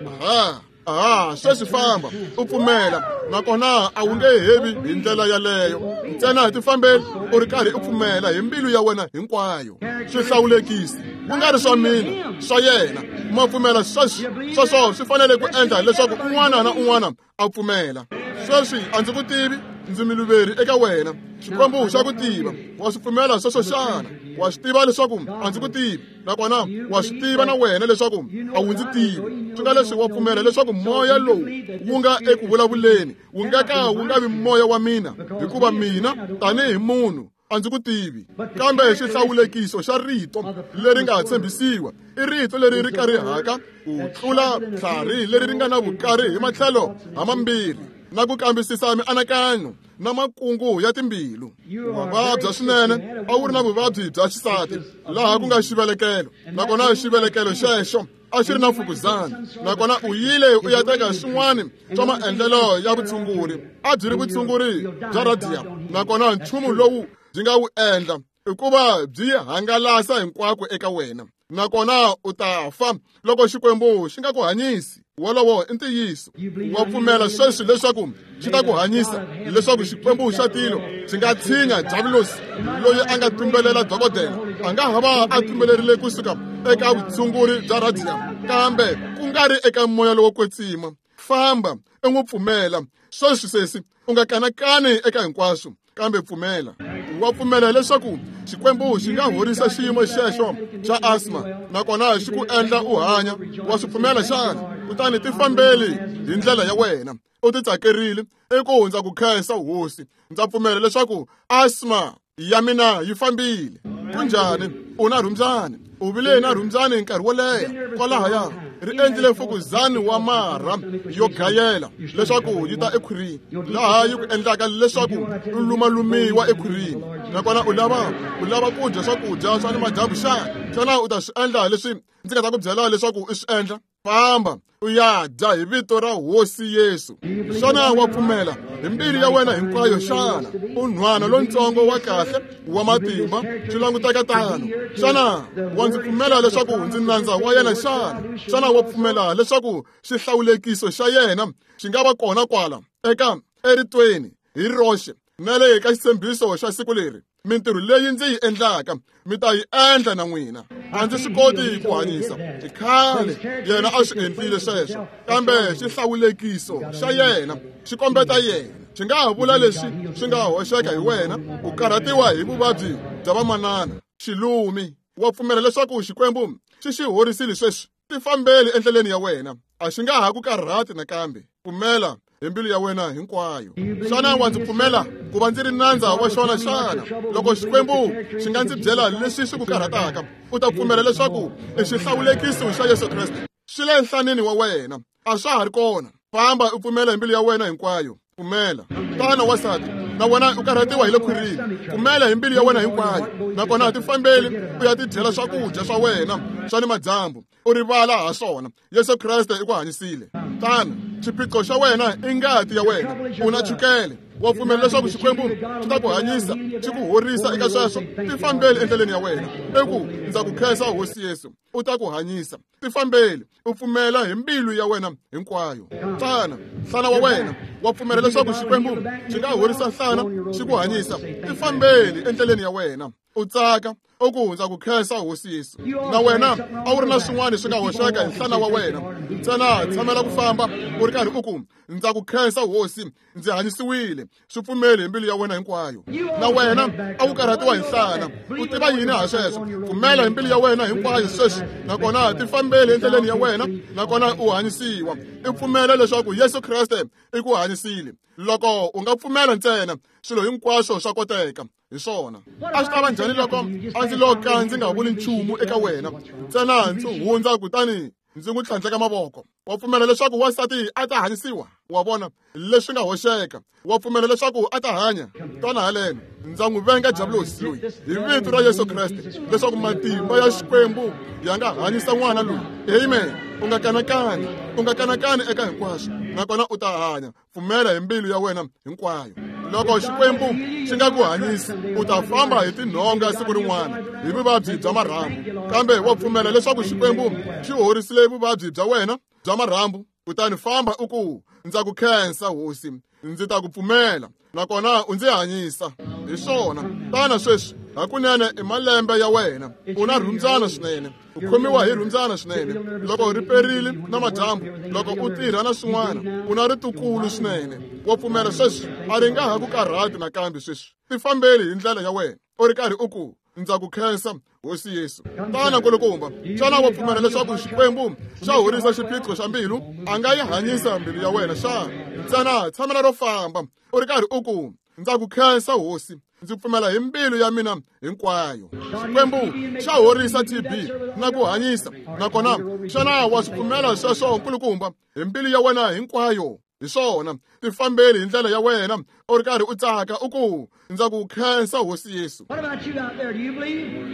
Aha, sweswi famba u pfumela, nakona a wu nge hevi hi ndlela yaleyo. Ntsena hi tifambeli u ri karhi u pfumela hi mbilu ya wena hinkwayo. Swihlawulekisi ku nga ri swa mina, swa yena. Ma pfumela sweswi? Sweswo swi fanele ku endla leswaku un'wana na un'wana a pfumela. Sweswi a ndzi ku tivi, ndzi miluveri eka wena. Xikwembu xa ku tiva. Wa swi pfumela sweswo xana? Wa swi tiva leswaku a ndzi ku tivi, nakona wa swi tiva na wena leswaku a wu ndzi tivi. Swi nga leswi wa pfumela leswaku moya lowu wu nga eku vulavuleni wu nga ka wu nga vi moya wa mina, hikuva mina tanihi munhu a ndzi ku tivi. Kambe xihlawulekiso xa rito leri nga tshembisiwa i rito leri ri karihaka ku tlula tlhari leri ri nga na vukari hi matlhelo hamambirhi, na ku kambisisa mianakanyo na makungu ya timbilu. Wa vabya swinene, a wu ri na vuvabyi bya xisati laha ku nga xivelekelo, nakona xivelekelo xexo a xi ri na mfukuzana, nakona u yile u ya teka swin'wana swa maendlelo ya vutshunguri. A byi ri vutshunguri bya radium, nakona nchumu lowu byi nga wu endla i ku va byi hangalasa hinkwako eka wena, nakona u ta fa loko Xikwembu xi nga ku hanyisi. Wolowo i ntiyiso. Wa pfumela sweswi leswaku xi ta ku hanyisa, leswaku Xikwembu xa tilo xi nga tshinya diavulosi loyi a nga tumbelela dokodela. A nga ha va a tumbelerile kusuka eka vutshunguri bya radium, kambe ku nga ri eka moya lowo kwetsima. Famba u n'wi pfumela sweswi sesi, u nga kanakani eka hinkwaswo, kambe pfumela. Wa pfumela leswaku Xikwembu xi nga horisa xiyimo xexo xa asma, nakona xi ku endla u hanya. Wa swi pfumela xana? Kutani tifambeli hi ndlela ya wena, u titsakerile. I ku ndza ku khensa hosi, ndza pfumela leswaku asma ya mina yi fambile. Kunjhani? U na rhumbyani. U vile na rhumbyani nkarhi wo leha. Kwalahaya ri endlile mfukuzani wa marha yo gayela leswaku yi ta ekhwirini, laha yi ku endlaka leswaku u lumalumiwa ekhwirini. Nakona u lava ku dya swakudya swa ni madyambu xana? Xana u ta swi endla leswi ndzi nga ta ku byela leswaku u swi endla? Famba u ya dya hi vito ra Hosi Yesu. Xana wa pfumela hi mbilu ya wena hinkwayo xana? U nhwana lontsongo wa kahle wa matimba, swi languteka tano. Xana wa ndzi pfumela leswaku ndzi nandza wa yena xana? Xana wa pfumela leswaku xihlawulekiso xa yena xi nga va kona kwala eka eritweni hi roxe na le ka xitshembiso xa siku leri? Mintirho leyi ndzi yi endlaka mi ta yi endla na n'wina. A ndzi swi koti ku hanyisa, i khale yena a swi endlile sweswo, kambe xihlawulekiso xa yena xi kombeta yena. Xi nga ha vula leswi swi nga hoxeka hi wena, u karhatiwa hi vuvabyi bya vamanana, xilumi. Wa pfumela leswaku Xikwembu xi xi horisile sweswi? Tifambeli endleleni ya wena, a xi nga ha ku karhati nakambe. Pfumela hi mbilu ya wena hinkwayo. Xana wa ndzi pfumela ku va ndzi ri nandza wa xona xana? Loko Xikwembu xi nga ndzi byela leswi swi ku karhataka, u ta pfumela leswaku i xihlawulekiso xa Yesu Kreste xi le nhlanini wa wena, a swa ha ri kona. Famba u pfumela hi mbilu ya wena hinkwayo. Pfumela. Tana wansati, na wena u karhatiwa hi le khwirini. Pfumela hi mbilu ya wena hinkwayo, nakona tifambeli u ya tidyela swakudya swa wena swa ni madyambu, u rivala ha swona. Yesu Kreste i ku hanyisile. Tana, xiphiqo xa wena i ngati ya wena. U na chukele. Wa pfumela leswaku Xikwembu xi ta ku hanyisa, xi ku horisa eka sweswo? Tifambeli endleleni ya wena. I ku ndza ku khensa Hosi Yesu, u ta ku hanyisa. Tifambeli u pfumela hi mbilu ya wena hinkwayo. Tana, nhlana wa wena, wa pfumela leswaku Xikwembu xi nga horisa nhlana, xi ku hanyisa? Tifambeli endleleni ya wena, u tsaka, u ku ndza ku khensa Hosi Yesu. Na wena a wu ri na swin'wana swi nga hoxeka hi nhlana wa wena, ntsena tshamela ku famba u ri karhi u ku ndza ku khensa Hosi, ndzi hanyisiwile. Swi pfumeli hi mbilu ya wena hinkwayo. Na wena a wu karhatiwa hi nhlana, u tiva yini ha sweswo? Pfumela hi mbilu ya wena hinkwayo sweswi, nakona tifambeli endleleni ya wena, nakona u hanyisiwa. I pfumela leswaku Yesu Kreste i ku hanyisile. Loko u nga pfumela ntsena, swilo hinkwaswo swa koteka. Hi swona. A swi ta va njhani loko a ndzi lo ka ndzi nga vuli nchumu eka wena, ntsena ndzi hundza kutani ndzi n'wi tlhandleka mavoko? Wa pfumela leswaku wansati a ta hanyisiwa? Wa vona leswi nga hoxeka. Wa pfumela leswaku a ta hanya? Twana haleno, ndza n'wi venga diabulosi loyi hi vito ra Yesu Kreste, leswaku matimba ya Xikwembu ya nga hanyisa n'wana loyi. Amen. U nga kanakani, u nga kanakani eka hinkwaswo, nakona u ta hanya. Pfumela hi mbilu ya wena hinkwayo. Loko Xikwembu xi nga ku hanyisi, u ta famba hi tinhonga siku rin'wana hi vuvabyi bya marhambu. Kambe wa pfumela leswaku Xikwembu xi horisile vuvabyi bya wena bya marhambu? Kutani famba u ku ndza ku khensa Hosi, ndzi ta ku pfumela, nakona u ndzi hanyisa. Hi swona. Tana sweswi, hakunene i malembe ya wena. U na rhumbyana swinene, u khomiwa hi rhumbyana swinene. Loko ri perile na madyambu, loko u tirha na swin'wana, u na ritukulu swinene. Wa pfumela sweswi? A ri nga ha ku karhati nakambe sweswi. Tifambeli hi ndlela ya wena, u ri karhi u ku ndza ku khensa Hosi Yesu. Tana nkulukumba, xana wa pfumela leswaku Xikwembu xa horisa xiphiqo xa mbilu? A nga yi hanyisa mbilu ya wena xana? Ntsena tshamela ro famba u ri karhi u ku ndza ku khensa Hosi, ndzi pfumela hi mbilu ya mina hinkwayo. Xikwembu xa horisa TB na ku hanyisa, nakona xana wa swi pfumela sweswo nkulukumba hi mbilu ya wena hinkwayo? Hi swona. Tifambeli hi ndlela ya wena u ri karhi u tsaka, u ku ndza ku khensa Hosi Yesu. What about you out there? Do you believe?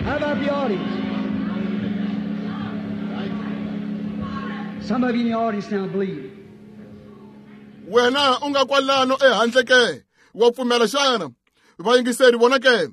How about the audience? Some of you in the audience now believe. Wena u nga kwalano ehandle ke, wa pfumela xana? Vayingiseri vona ke,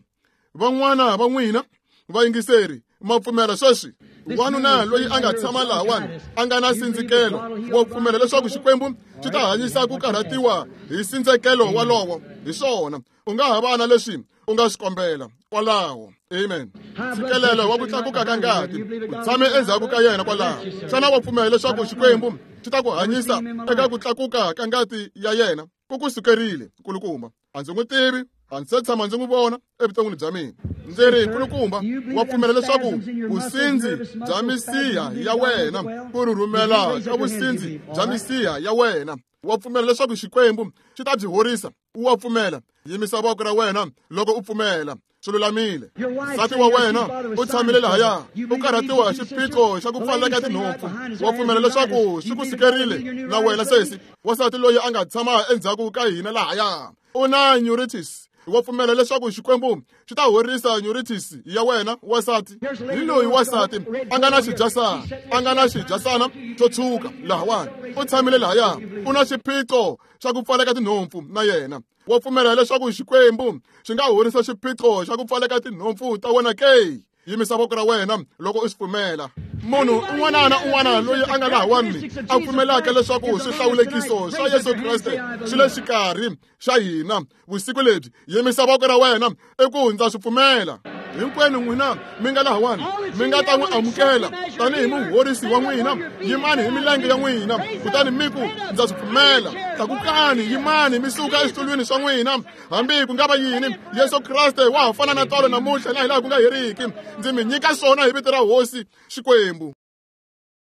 van'wana va n'wina vayingiseri ma pfumela sweswi? Wanuna loyi a nga tshama lahawani a nga na sindzikelo, wa pfumela leswaku Xikwembu xi ta hanyisa ku karhatiwa hi sindzekelo walowo? Hi swona. U nga ha va na leswi u nga swi kombela kwalaho. Amen. Ntshikelelo wa ku tlakuka ka ngati u tshame endzhaku ka yena kwalaho. Xana wa pfumela leswaku Xikwembu xi ta ku hanyisa eka ku tlakuka ka ngati ya yena? Ku ku sukerile, nkulukumba. A ndzi n'wi tivi, a ndzi se tshama ndzi n'wi vona evuton'wini bya mina. Ndzi ri, nkulukumba, wa pfumela leswaku vusindzi bya misiha ya wena ku rhurhumela ka vusindzi bya misiha ya wena? Wa pfumela leswaku Xikwembu xi ta byi horisa? Wa pfumela? Yimisa voko ra wena loko u pfumela. Swi lulamile. Nsati wa wena u tshamile lahaya, u karhatiwa hi xiphiqo xa ku pfaleka tinhompfu. Wa pfumela leswaku swi ku sikerile na wena sesi? Wansati loyi a nga tshama endzhaku ka hina lahaya u na neuritis. Wa pfumela leswaku Xikwembu xi ta horisa neuritis ya wena wansati? Hi loyi wansati a nga na xidyasana, a nga na xidyasana xo tshuka lahawani, u tshamile lahaya, u na xiphiqo xa ku pfaleka tinhompfu na yena. Wa pfumela leswaku Xikwembu xi nga horisa xiphiqo xa ku pfaleka tinhompfu ta wena ke? Yimisa voko ra wena loko u swi pfumela. Munhu un'wana na un'wana loyi a nga lahawani a pfumelaka leswaku swihlawulekiso swa Yesu Kreste swi le xikarhi xa hina vusiku lebyi, yimisa voko ra wena i ku ndza swi pfumela. Hinkwenu n'wina mi nga lahawani mi nga ta n'wi amukela tanihi muhorisi wa n'wina, yimani hi milenge ya n'wina kutani mi ku ndza swi pfumela. Tlakukani, yimani mi suka eswitulwini swa n'wina. Hambi ku nga va yini, Yesu Kreste wa ha fana na tolo namuntlha na hilaha ku nga heriki. Ndzi mi nyika swona hi vito ra Hosi Xikwembu.